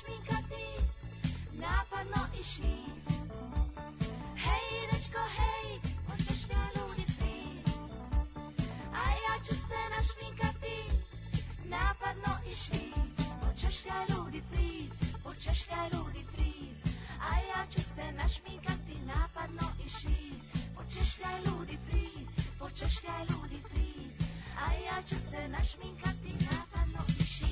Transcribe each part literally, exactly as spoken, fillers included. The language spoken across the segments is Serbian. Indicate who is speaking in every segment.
Speaker 1: našminkati, napadno i šiz. Hej, dečko, hej, hoćeš ga ludi friz? A ja ću se našminkati, napadno i šiz. Hoćeš ga ludi friz, hoćeš ga ludi friz. A ja ću se našminkati, napadno i šiz. Hoćeš ga ludi friz, hoćeš ga ludi friz. A ja ću se našminkati, napadno i šiz.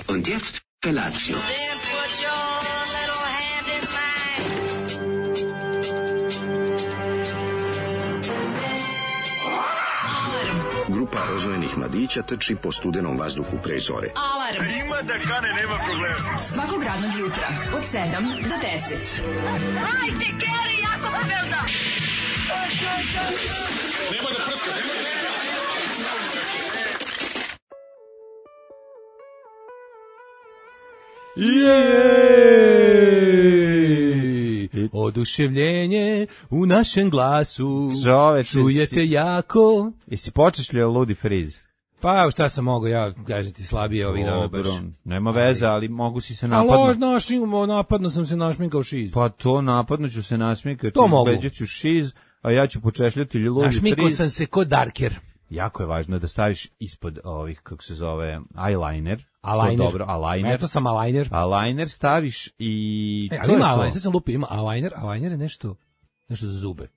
Speaker 2: Und jetzt Felatio.
Speaker 3: Grupa rozvojenih mladića trči po studenom vazduhu pre zore.
Speaker 4: Alarm!
Speaker 5: Ima da kane, nema problema.
Speaker 4: Svakog radnog jutra, od sedam do deset.
Speaker 1: Hajde, Geri, jako se velda!
Speaker 5: Nemoj da prska, nemoj da prska!
Speaker 6: Jej! Oduševljenje u našem glasu.
Speaker 7: Čoveče,
Speaker 6: čujete
Speaker 7: si...
Speaker 6: jako.
Speaker 7: Jesi počešljao Ludi Friz?
Speaker 6: Pa šta sam mogo, ja kažem ti slabije ovih dana baš.
Speaker 7: Nema veze, ali mogu si se
Speaker 6: A
Speaker 7: napadnuti.
Speaker 6: lož našim, napadno sam se našminkao šiz.
Speaker 7: Pa to napadno ću se nasmikati,
Speaker 6: To mogu.
Speaker 7: ću šiz, a ja ću počešljati Ludi Friz.
Speaker 6: Našminkao sam se ko Darker.
Speaker 7: Jako je važno da staviš ispod ovih, kako se zove, eyeliner.
Speaker 6: Eyeliner.
Speaker 7: To dobro, eyeliner.
Speaker 6: Eto sam eyeliner.
Speaker 7: Eyeliner staviš i...
Speaker 6: E,
Speaker 7: to
Speaker 6: ali
Speaker 7: je
Speaker 6: ima
Speaker 7: to.
Speaker 6: eyeliner, sad sam lupio, ima eyeliner, eyeliner je nešto, nešto za zube.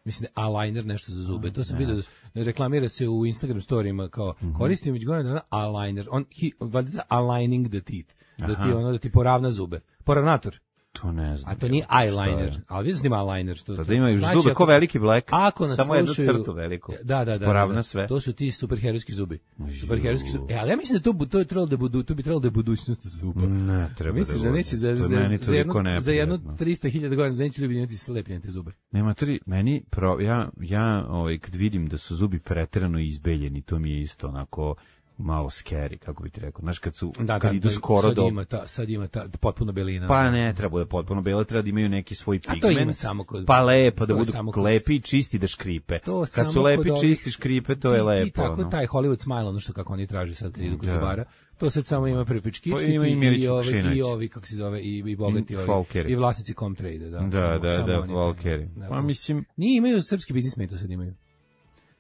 Speaker 6: Mislim da je eyeliner nešto za zube. To sam vidio, reklamira se u Instagram storijima kao mm-hmm. koristim već godina dana eyeliner. On, he, valjda za aligning the teeth. Da ti ono, da ti poravna zube. Poravnator.
Speaker 7: To ne znam.
Speaker 6: A to nije eyeliner, ali vidio sam ima eyeliner. Što,
Speaker 7: to da imaju
Speaker 6: znači,
Speaker 7: zube
Speaker 6: ako,
Speaker 7: ko veliki Black,
Speaker 6: ako nas
Speaker 7: samo jednu
Speaker 6: slušaju,
Speaker 7: crtu veliku.
Speaker 6: Da, da, da.
Speaker 7: Poravna
Speaker 6: da,
Speaker 7: sve.
Speaker 6: To su ti superherojski zubi. Superherojski zubi. E, ali ja mislim da to, to je trebalo da budu, to bi trebalo da je budućnost zuba.
Speaker 7: Ne, treba
Speaker 6: Misliš
Speaker 7: da
Speaker 6: da neće za, za, za, jedno, za jedno tristo hiljada godina neće ljudi imati slepljene te zube.
Speaker 7: Nema tri, meni, pro, ja, ja ovaj, kad vidim da su zubi preterano izbeljeni, to mi je isto onako... malo scary, kako bi ti rekao. Znaš, kad su,
Speaker 6: da,
Speaker 7: kad
Speaker 6: da,
Speaker 7: idu
Speaker 6: da,
Speaker 7: skoro
Speaker 6: sad
Speaker 7: do...
Speaker 6: Ima ta, sad ima ta potpuno belina.
Speaker 7: Pa ne, treba da potpuno belo, treba da imaju neki svoj pigment.
Speaker 6: A to ima samo kod...
Speaker 7: Pa lepo, da budu
Speaker 6: kod...
Speaker 7: lepi i čisti da škripe.
Speaker 6: To
Speaker 7: kad su lepi i čisti škripe, to
Speaker 6: ti,
Speaker 7: je lepo.
Speaker 6: Ti tako
Speaker 7: no.
Speaker 6: taj Hollywood smile, ono što kako oni traži sad kad idu kod
Speaker 7: da.
Speaker 6: zubara, to sad samo ima prepičkički
Speaker 7: ima
Speaker 6: i, i, ovi, i ovi, kako se zove, i, i bogati
Speaker 7: I,
Speaker 6: ovi, i vlasnici Comtrade. Da,
Speaker 7: da,
Speaker 6: samo,
Speaker 7: da,
Speaker 6: samo
Speaker 7: da,
Speaker 6: oni,
Speaker 7: Volkeri.
Speaker 6: Da,
Speaker 7: pa mislim...
Speaker 6: Nije, imaju srpski biznismeni, to sad imaju.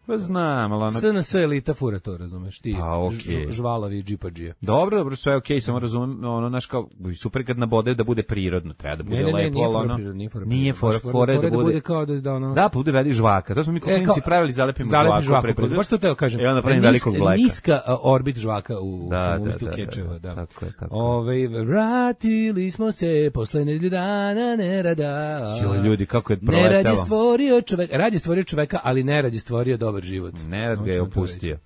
Speaker 7: Pa znam, ali ono...
Speaker 6: S N S elita fura to, razumeš, ti
Speaker 7: A, okay.
Speaker 6: žvalavi džipadžije.
Speaker 7: Dobro, dobro, sve je okej, okay, samo razumem, ono, naš kao, super kad nabode da bude prirodno, treba da bude
Speaker 6: ne, ne,
Speaker 7: lepo,
Speaker 6: ne,
Speaker 7: ali ono...
Speaker 6: Prirodno, nije fora,
Speaker 7: nije fora, fora, fora, da, da bude...
Speaker 6: kao da, da, ono...
Speaker 7: Da, pa bude veli žvaka, to smo mi klinci e, pravili, zalepimo žvaku,
Speaker 6: žvaku
Speaker 7: preko...
Speaker 6: Baš to teo kažem,
Speaker 7: e, onda pravim velikog bleka.
Speaker 6: Niska uh, orbit žvaka u
Speaker 7: da,
Speaker 6: ustu
Speaker 7: da, da,
Speaker 6: kečeva,
Speaker 7: da,
Speaker 6: da.
Speaker 7: Tako je, tako
Speaker 6: Ove, vratili smo se posle nedelju dana nerada.
Speaker 7: Jo, ljudi, kako je proletelo.
Speaker 6: Nerad je stvorio čoveka, rad je stvorio čoveka, ali nerad je stvorio dobar život.
Speaker 7: Nerad ga je opustio.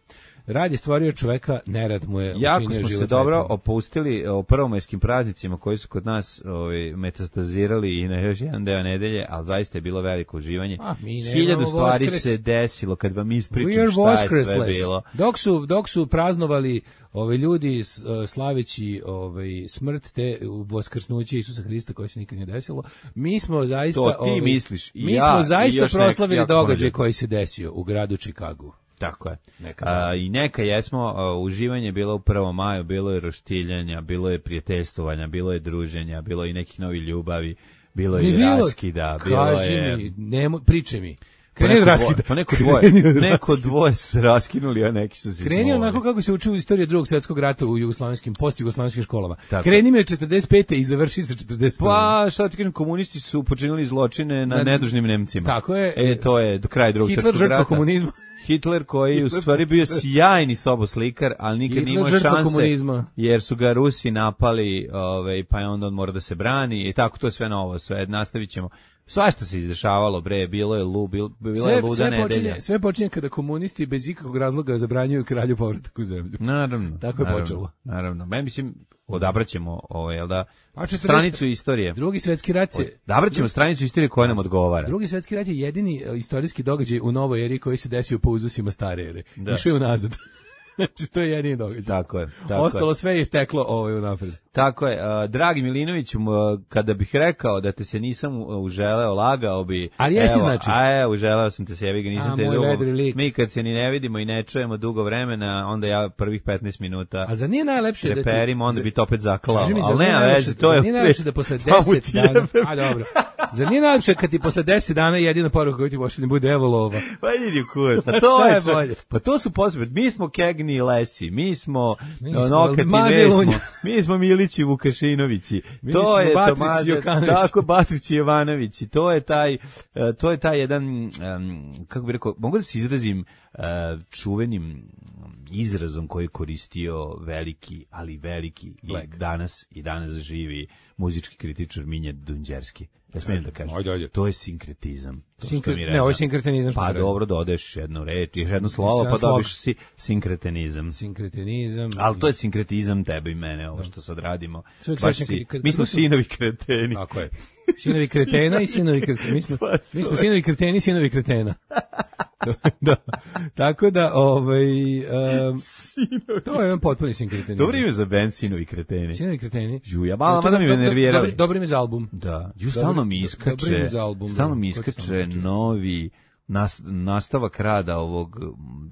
Speaker 6: Rad je stvorio čoveka, nerad mu je
Speaker 7: jako
Speaker 6: učinio
Speaker 7: smo
Speaker 6: život
Speaker 7: se dobro
Speaker 6: lepim.
Speaker 7: opustili o prvomajskim praznicima koji su kod nas ovaj, metastazirali i na još jedan deo nedelje, ali zaista je bilo veliko uživanje.
Speaker 6: A, mi nemamo
Speaker 7: Hiljadu stvari
Speaker 6: Voskres.
Speaker 7: se desilo kad vam
Speaker 6: We
Speaker 7: ispričam
Speaker 6: are
Speaker 7: šta je sve
Speaker 6: Voskresless.
Speaker 7: bilo.
Speaker 6: Dok su, dok su praznovali ove ljudi s- uh, slaveći ovaj smrt te voskrsnuće Isusa Hrista koje se nikad nije desilo, mi smo zaista
Speaker 7: To ti
Speaker 6: ovaj,
Speaker 7: misliš, i
Speaker 6: mi
Speaker 7: ja,
Speaker 6: smo
Speaker 7: i
Speaker 6: zaista
Speaker 7: još nek-
Speaker 6: proslavili
Speaker 7: jako puno
Speaker 6: događaj
Speaker 7: ljudi.
Speaker 6: koji se desio u gradu Čikagu.
Speaker 7: Tako je.
Speaker 6: Neka
Speaker 7: A, I neka jesmo, a, uživanje je bilo u prvom maju, bilo je roštiljanja, bilo je prijateljstovanja, bilo je druženja, bilo je i nekih novih ljubavi, bilo je
Speaker 6: Nije
Speaker 7: i
Speaker 6: bilo-
Speaker 7: raskida, bilo
Speaker 6: Kaži
Speaker 7: je...
Speaker 6: mi, nemo, pričaj mi.
Speaker 7: Pa
Speaker 6: Kreni od
Speaker 7: neko
Speaker 6: raskida.
Speaker 7: dvoje, pa neko dvoje, neko dvoje su raskinuli, a neki su se
Speaker 6: Kreni
Speaker 7: smolili.
Speaker 6: onako kako se uči u istoriji Drugog svjetskog rata u jugoslavenskim, post-jugoslavenskim školama.
Speaker 7: Tako.
Speaker 6: Kreni mi od četrdeset pete i završi sa četrdeset prve.
Speaker 7: Pa, šta ti kažem, komunisti su počinili zločine na
Speaker 6: Na-
Speaker 7: nedužnim Nemcima.
Speaker 6: Tako je.
Speaker 7: E, to je do kraja drugog
Speaker 6: Hitler
Speaker 7: svjetskog
Speaker 6: žrtva
Speaker 7: rata.
Speaker 6: komunizma.
Speaker 7: Hitler koji je u
Speaker 6: Hitler-
Speaker 7: stvari bio sjajni soboslikar, ali nikad nije
Speaker 6: Hitler
Speaker 7: imao
Speaker 6: žrtva
Speaker 7: šanse,
Speaker 6: komunizma.
Speaker 7: jer su ga Rusi napali, ovaj, pa je onda on mora da se brani i tako to je sve novo, sve nastavit ćemo. Svašta se izdešavalo, bre, bilo je lu, bil, bila je
Speaker 6: Sve,
Speaker 7: luda
Speaker 6: sve,
Speaker 7: nedelja.
Speaker 6: počinje, sve počinje kada komunisti bez ikakvog razloga zabranjuju kralju povratak u zemlju.
Speaker 7: Naravno.
Speaker 6: Tako je
Speaker 7: naravno,
Speaker 6: počelo.
Speaker 7: Naravno. Ja mislim, odabraćemo, ovaj, jel da,
Speaker 6: A četrdeset
Speaker 7: stranicu istorije.
Speaker 6: Drugi svjetski rat se
Speaker 7: Odabrat ćemo stranicu istorije koja nam odgovara.
Speaker 6: Drugi svjetski rat je jedini e, istorijski događaj u novoj eri koji se desio po uzusima stare ere.
Speaker 7: Da.
Speaker 6: Išao je unazad. Znači, to je jedini događaj.
Speaker 7: Tako je. Tako
Speaker 6: Ostalo
Speaker 7: je.
Speaker 6: sve je teklo ovaj unapred.
Speaker 7: Tako je. A, dragi Milinoviću, m, kada bih rekao da te se nisam u- uželeo, lagao bi...
Speaker 6: Ali jesi,
Speaker 7: evo,
Speaker 6: znači?
Speaker 7: A je, uželeo sam te se, jebi ga, nisam
Speaker 6: A,
Speaker 7: te
Speaker 6: moj
Speaker 7: dugo.
Speaker 6: vedri lik.
Speaker 7: Mi kad se ni ne vidimo i ne čujemo dugo vremena, onda ja prvih petnaest minuta
Speaker 6: A za nije najlepše da ti...
Speaker 7: reperim, onda
Speaker 6: za-
Speaker 7: bi to opet zaklao.
Speaker 6: Kaži mi, zar
Speaker 7: Ali
Speaker 6: nije
Speaker 7: nema
Speaker 6: najlepše-
Speaker 7: veze, to
Speaker 6: zar
Speaker 7: je...
Speaker 6: nije najlepše da posle
Speaker 7: Pa mu
Speaker 6: deset
Speaker 7: ti
Speaker 6: dana...
Speaker 7: jebem.
Speaker 6: A dobro. Zar nije najlepše kad ti posle deset dana jedina poruka koju ti pošalje bude evo lova?
Speaker 7: Pa idi kurac, pa to
Speaker 6: Šta
Speaker 7: je,
Speaker 6: je
Speaker 7: čak-
Speaker 6: bolje?
Speaker 7: pa to su posebno, mi smo Kegni i Lesi, mi smo
Speaker 6: Mi smo
Speaker 7: Nokati
Speaker 6: Maze
Speaker 7: Vesmo,
Speaker 6: Lunja.
Speaker 7: mi smo Milići Vukašinovići,
Speaker 6: Mi
Speaker 7: to
Speaker 6: smo
Speaker 7: je
Speaker 6: Batrić
Speaker 7: Tomaže,
Speaker 6: Jokanović.
Speaker 7: tako Batrić i Jovanović, i to je taj, e, to je taj jedan, em, kako bih rekao, mogu da se izrazim e, čuvenim izrazom koji je koristio veliki, ali veliki i
Speaker 6: Black.
Speaker 7: danas i danas živi muzički kritičar Minja Dunđerski. Ja smijem da kažem,
Speaker 6: Ajde, ajde.
Speaker 7: to je sinkretizam. To što
Speaker 6: Sinkre-
Speaker 7: mi
Speaker 6: ne,
Speaker 7: reče.
Speaker 6: ovo je sinkretenizam što
Speaker 7: Pa
Speaker 6: treba.
Speaker 7: dobro, dodeš jednu reč, još jedno slovo,
Speaker 6: Samo
Speaker 7: pa
Speaker 6: slovo.
Speaker 7: dobiš si sinkretenizam.
Speaker 6: Sinkretenizam.
Speaker 7: Ali to je sinkretizam tebe i mene, ovo što sad radimo.
Speaker 6: Sve uvijek
Speaker 7: Baš
Speaker 6: sećam
Speaker 7: si-
Speaker 6: kad- kad-
Speaker 7: mi smo
Speaker 6: kad su-
Speaker 7: sinovi kreteni.
Speaker 6: Tako je. Sinovi kretena i sinovi kretena. Mi smo,
Speaker 7: Pa
Speaker 6: mi smo sinovi kreteni i sinovi kretena. da. Tako da, ovaj... Um, to je jedan potpuni sinkretenizam.
Speaker 7: Dobro ime za band, sinovi kreteni.
Speaker 6: Sinovi kreteni.
Speaker 7: Ju, ja malo,
Speaker 6: To je
Speaker 7: mada mi me
Speaker 6: dobro-
Speaker 7: nervirali.
Speaker 6: dobro- Dobro ime za album.
Speaker 7: Da, ju, stalno mi
Speaker 6: Dobro- dobro ime
Speaker 7: iskače,
Speaker 6: za album,
Speaker 7: stalno
Speaker 6: da.
Speaker 7: mi
Speaker 6: Ko ti
Speaker 7: iskače
Speaker 6: stalno iskače?
Speaker 7: novi nas, nastavak rada ovog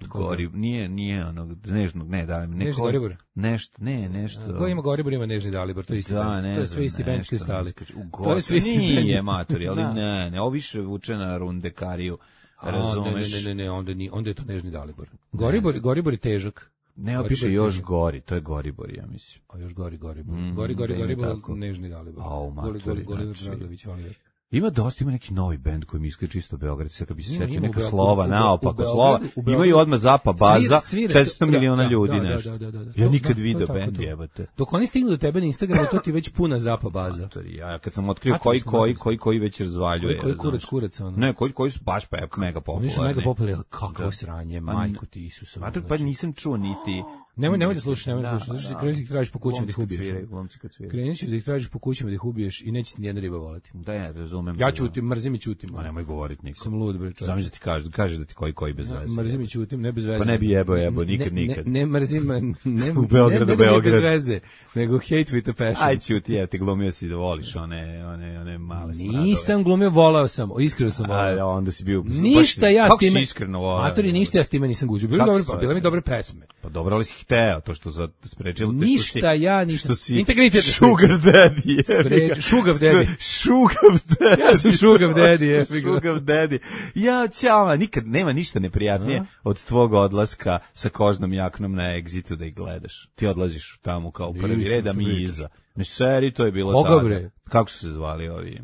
Speaker 7: gori, nije, nije onog nežnog, ne, da,
Speaker 6: Nežni
Speaker 7: neko,
Speaker 6: Goribor?
Speaker 7: nešto, ne, nešto.
Speaker 6: Ko ima Goribor ima Nežni Dalibor, to je isti
Speaker 7: Da,
Speaker 6: band.
Speaker 7: ne
Speaker 6: To je
Speaker 7: znam,
Speaker 6: sve isti band
Speaker 7: nešto
Speaker 6: kristali.
Speaker 7: mi iskače. U
Speaker 6: To je
Speaker 7: Goru,
Speaker 6: sve isti
Speaker 7: nije
Speaker 6: band.
Speaker 7: matori, ali
Speaker 6: Da.
Speaker 7: ne, ne, ovo više vuče na rundekariju,
Speaker 6: A,
Speaker 7: razumeš?
Speaker 6: Ne, ne, ne, ne, onda, ni, onda je to Nežni Dalibor. Goribor, Goribor je težak.
Speaker 7: Ne,
Speaker 6: Goribor
Speaker 7: opiše
Speaker 6: je
Speaker 7: još
Speaker 6: težak.
Speaker 7: gori, to je Goribor, ja mislim.
Speaker 6: A još gori Goribor.
Speaker 7: Mm,
Speaker 6: gori, gori,
Speaker 7: da ima
Speaker 6: Goribor,
Speaker 7: tako.
Speaker 6: Nežni Dalibor.
Speaker 7: Au,
Speaker 6: Goli,
Speaker 7: matori,
Speaker 6: goli, Goliver
Speaker 7: znači.
Speaker 6: Dragović, Oliver.
Speaker 7: Ima dosta, ima neki novi bend koji mi iskače čisto Beograd, sad kad bi se
Speaker 6: Ima,
Speaker 7: setio
Speaker 6: ima u
Speaker 7: neka
Speaker 6: Beogradu,
Speaker 7: slova,
Speaker 6: u Be-
Speaker 7: naopako
Speaker 6: u Beogradu,
Speaker 7: slova,
Speaker 6: u Beogradu.
Speaker 7: imaju odmah zapa baza,
Speaker 6: Svira- svira se-
Speaker 7: četiristo
Speaker 6: da,
Speaker 7: miliona
Speaker 6: da,
Speaker 7: ljudi,
Speaker 6: da, da,
Speaker 7: nešto.
Speaker 6: da, da, da.
Speaker 7: Ja
Speaker 6: To-
Speaker 7: nikad
Speaker 6: da,
Speaker 7: video
Speaker 6: to je tako,
Speaker 7: bend,
Speaker 6: to.
Speaker 7: jebate.
Speaker 6: Dok oni stignu do tebe na Instagramu, to ti je već puna zapa baza.
Speaker 7: Matori, Ja kad sam otkrio
Speaker 6: Matili
Speaker 7: koji,
Speaker 6: smo,
Speaker 7: koji,
Speaker 6: matili smo.
Speaker 7: koji, koji već razvaljuje.
Speaker 6: Koji, koji kurac,
Speaker 7: znaš.
Speaker 6: kurac, ono.
Speaker 7: Ne, koji, koji su baš pa mega popularni.
Speaker 6: Oni su mega popularni, ali kakvo
Speaker 7: Da.
Speaker 6: sranje,
Speaker 7: Pa
Speaker 6: majku ti Isusa.
Speaker 7: Mator, pa nisam čuo niti...
Speaker 6: Nemoj, nemoj da slušaš, nemoj da
Speaker 7: Da,
Speaker 6: slušaš. Znači,
Speaker 7: da.
Speaker 6: kreneš da ih tražiš po kućama da ih
Speaker 7: Glumci kad
Speaker 6: ubiješ.
Speaker 7: sviraju, glumci kad sviraju.
Speaker 6: Kreneš da ih tražiš po kućama da ih ubiješ i neće ti nijedna riba voleti.
Speaker 7: Da, ja razumem.
Speaker 6: Ja ćutim, mrzim i ćutim.
Speaker 7: Ma nemoj govoriti niko.
Speaker 6: Sam lud, bre, čovječe.
Speaker 7: Zamisli da ti kaže, kaže da ti koji koji bez veze.
Speaker 6: Mrzim i ćutim, ne bez veze.
Speaker 7: Pa ne bi jebao, jebao,
Speaker 6: Ne-
Speaker 7: nikad,
Speaker 6: ne,
Speaker 7: nikad.
Speaker 6: Ne, ne mrzim, ne,
Speaker 7: U Beogradu,
Speaker 6: ne, ne, ne,
Speaker 7: Beograd.
Speaker 6: bez veze, nego hate with a passion.
Speaker 7: Aj ćuti, ja ti glumio si da voliš one, one, one male smradove.
Speaker 6: Nisam glumio, volao sam, iskreno sam
Speaker 7: A,
Speaker 6: volao.
Speaker 7: onda si bio...
Speaker 6: Ništa
Speaker 7: baš-
Speaker 6: ja s
Speaker 7: kako
Speaker 6: time...
Speaker 7: si iskreno volao?
Speaker 6: Matori, ništa ja s time nisam gužio. Bile,
Speaker 7: Kako
Speaker 6: dobre,
Speaker 7: se zove?
Speaker 6: bile mi dobre pesme.
Speaker 7: Pa dobro, ali si hteo, to što za sprečilo te što
Speaker 6: Ništa
Speaker 7: si,
Speaker 6: ja nisam.
Speaker 7: što si
Speaker 6: Integritet me
Speaker 7: sugar daddy. je.
Speaker 6: Spreč- šugav daddy.
Speaker 7: Šugav daddy.
Speaker 6: Ja sam šugav daddy, jebi ga.
Speaker 7: Šugav daddy. Ja, ćao, nikad nema ništa neprijatnije od tvog odlaska sa kožnom jaknom na Exitu da ih gledaš. Ti odlaziš tamo kao prvi
Speaker 6: Nisam,
Speaker 7: red, a mi
Speaker 6: čoveče.
Speaker 7: iza. Ne, seri, to je bilo
Speaker 6: Koga,
Speaker 7: tada.
Speaker 6: bre?
Speaker 7: Kako su se zvali ovi?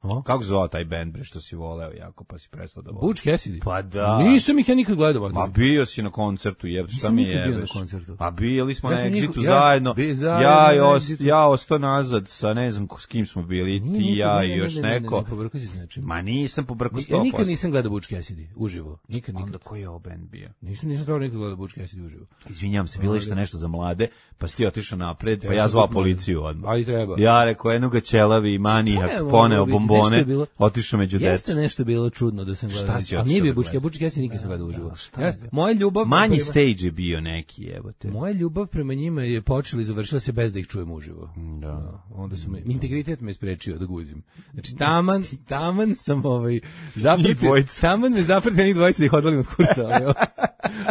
Speaker 6: O?
Speaker 7: Kako zvao taj bend, bre, što si voleo jako, pa si prestao da voliš?
Speaker 6: Butch Cassidy?
Speaker 7: Pa da.
Speaker 6: Nisam ih ja nikad gledao.
Speaker 7: Pa bio si na koncertu, jeb, šta
Speaker 6: Nisam
Speaker 7: mi
Speaker 6: nikad bio
Speaker 7: jebeš?
Speaker 6: na koncertu.
Speaker 7: Pa bili smo
Speaker 6: Ja
Speaker 7: na
Speaker 6: sam
Speaker 7: Exitu
Speaker 6: njihov- ja-
Speaker 7: zajedno.
Speaker 6: bi- zajedno
Speaker 7: Ja, i
Speaker 6: na
Speaker 7: os,
Speaker 6: Exitu.
Speaker 7: ja ostao nazad sa ne znam ko- s kim smo bili,
Speaker 6: Nije
Speaker 7: ti,
Speaker 6: nikad,
Speaker 7: ja
Speaker 6: ne,
Speaker 7: i
Speaker 6: ne,
Speaker 7: još
Speaker 6: ne, ne, ne,
Speaker 7: neko.
Speaker 6: Ne, pobrkao si s nečim.
Speaker 7: Ma nisam pobrkao sto
Speaker 6: Ja
Speaker 7: posto.
Speaker 6: nikad nisam gledao Butch Cassidy, uživo. Nikad, nikad.
Speaker 7: Onda koji je ovo band bio?
Speaker 6: Nisam, nisam stvarno nikad gledao Butch Cassidy uživo.
Speaker 7: Izvinjam se, bilo je što nešto za mlade, pa si ti otišao napred, pa
Speaker 6: Ja
Speaker 7: ja
Speaker 6: sam
Speaker 7: zvao
Speaker 6: kupio-
Speaker 7: policiju odmah.
Speaker 6: A i treba.
Speaker 7: Ja rekao, jedno ga ćelavi, manijak,
Speaker 6: Šta je
Speaker 7: poneo
Speaker 6: moglo biti? Nešto
Speaker 7: bombone,
Speaker 6: je bilo-
Speaker 7: otišao među
Speaker 6: Jeste
Speaker 7: decu.
Speaker 6: nešto bilo čudno da sam gledao.
Speaker 7: Šta si
Speaker 6: A
Speaker 7: otišao
Speaker 6: nije bio
Speaker 7: da
Speaker 6: Butch Cassidy,
Speaker 7: gledaš?
Speaker 6: Butch Cassidy nikad sam gledao uživo.
Speaker 7: šta
Speaker 6: Ja,
Speaker 7: je bilo?
Speaker 6: moja ljubav
Speaker 7: Manji
Speaker 6: prema-
Speaker 7: stage je bio neki, evo te.
Speaker 6: Moja ljubav prema njima je počela i završila se bez da ih čujem uživo.
Speaker 7: Da.
Speaker 6: Onda su me, integritet me sprečio da guzim. Znači, taman, taman sam ovaj, zapratio,
Speaker 7: dvojicu.
Speaker 6: taman me zapratio njih dvojica da ih odvalim od kurca, ali,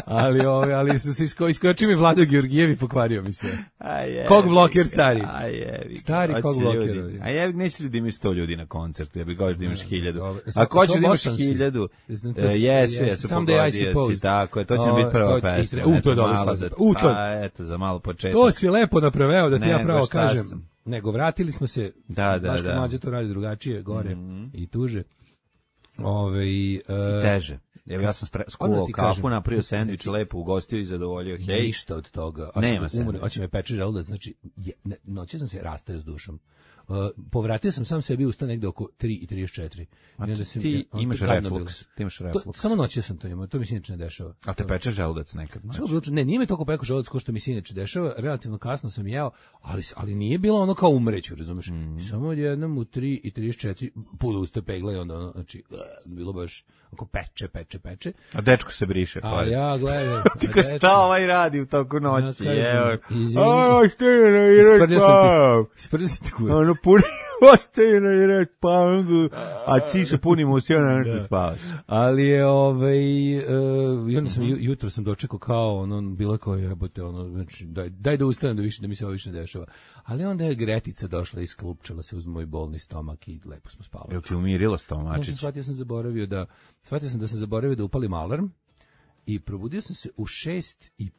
Speaker 6: ali, ovaj, ali su se isko, iskočio mi Vlado Georgijev i pokvario mi sve.
Speaker 7: A jebi
Speaker 6: Kog bloker
Speaker 7: ga,
Speaker 6: stari?
Speaker 7: A jebi ga.
Speaker 6: Stari
Speaker 7: Hoće
Speaker 6: kog bloker,
Speaker 7: ljudi.
Speaker 6: ovi.
Speaker 7: A jebi, neće ljudi imati sto ljudi na koncertu, ja bih goš da imaš hiljadu.
Speaker 6: dobro.
Speaker 7: Ako hoćeš da imaš
Speaker 6: Bosan si.
Speaker 7: hiljadu,
Speaker 6: Znam, to
Speaker 7: e,
Speaker 6: si-
Speaker 7: jesu,
Speaker 6: jeste.
Speaker 7: jesu,
Speaker 6: Someday I
Speaker 7: pogodio si,
Speaker 6: suppose.
Speaker 7: tako je, to će
Speaker 6: O,
Speaker 7: biti prva
Speaker 6: to- i
Speaker 7: pesma.
Speaker 6: tre- u, to je
Speaker 7: eto,
Speaker 6: dobro
Speaker 7: malo
Speaker 6: stvar.
Speaker 7: za-
Speaker 6: U, to je-
Speaker 7: a, eto, za malo početak.
Speaker 6: To si lepo napraveo da ti ja
Speaker 7: Nego
Speaker 6: pravo
Speaker 7: šta
Speaker 6: kažem.
Speaker 7: sam.
Speaker 6: Nego vratili smo se,
Speaker 7: Da, da,
Speaker 6: baš
Speaker 7: da.
Speaker 6: kad mlađe to radi drugačije, gore i tuže. Ove,
Speaker 7: I teže. Evo ja sam spre,
Speaker 6: Odmah
Speaker 7: skuvao
Speaker 6: ti
Speaker 7: kafu,
Speaker 6: kažem.
Speaker 7: napravio sendvič, lepo ugostio i zadovoljio. Hej,
Speaker 6: ništa od toga.
Speaker 7: Nema
Speaker 6: Nema
Speaker 7: sendviča.
Speaker 6: se. Hoće me peče želudac, znači je, ne, noći sam se rastao s dušom. Uh, povratio sam sam sebi usta negde oko tri i trideset četiri. I onda sam-
Speaker 7: ti
Speaker 6: on-
Speaker 7: imaš
Speaker 6: to gadno
Speaker 7: refluks,
Speaker 6: bilo.
Speaker 7: ti imaš
Speaker 6: To,
Speaker 7: refluks.
Speaker 6: samo noći sam to imao, to mi se inače ne dešava.
Speaker 7: A te peče želudac nekad?
Speaker 6: Samo bilo čudno. Ne, nije me toliko pekao želudac kao što mi se inače dešava, relativno kasno sam jeo, ali, ali nije bilo ono kao umreću, razumeš?
Speaker 7: Mhm.
Speaker 6: Samo odjednom u tri i trideset četiri, pula usta pegla i onda ono, znači, uh, bilo baš oko peče, peče, peče.
Speaker 7: A dečko se briše.
Speaker 6: A
Speaker 7: pored.
Speaker 6: ja gledam...
Speaker 7: Ti ko šta ovaj radi u toku noći?
Speaker 6: Ja
Speaker 7: Evo.
Speaker 6: kažem, izvini.
Speaker 7: A, šta je na Irak
Speaker 6: Isprljao sam
Speaker 7: pao?
Speaker 6: ti, isprljao sam ti kurac.
Speaker 7: Ono, puni, ostaje na Irak pao, a ti se punimo u sjena nešto spavaš.
Speaker 6: Ali je, ovaj, uh, i onda sam, ju- jutro sam dočekao kao, ono, bilo kao jebote, ono, znači, daj, daj da ustanem da, više, da mi se ovo više ne dešava. Ali onda je Gretica došla i sklupčala se uz moj bolni stomak i lepo smo spavali.
Speaker 7: Jel ti umirilo
Speaker 6: Ja sam
Speaker 7: stomačić?
Speaker 6: shvatio sam zaboravio da, shvatio sam da sam zaboravio da upalim alarm i probudio sam se u šest i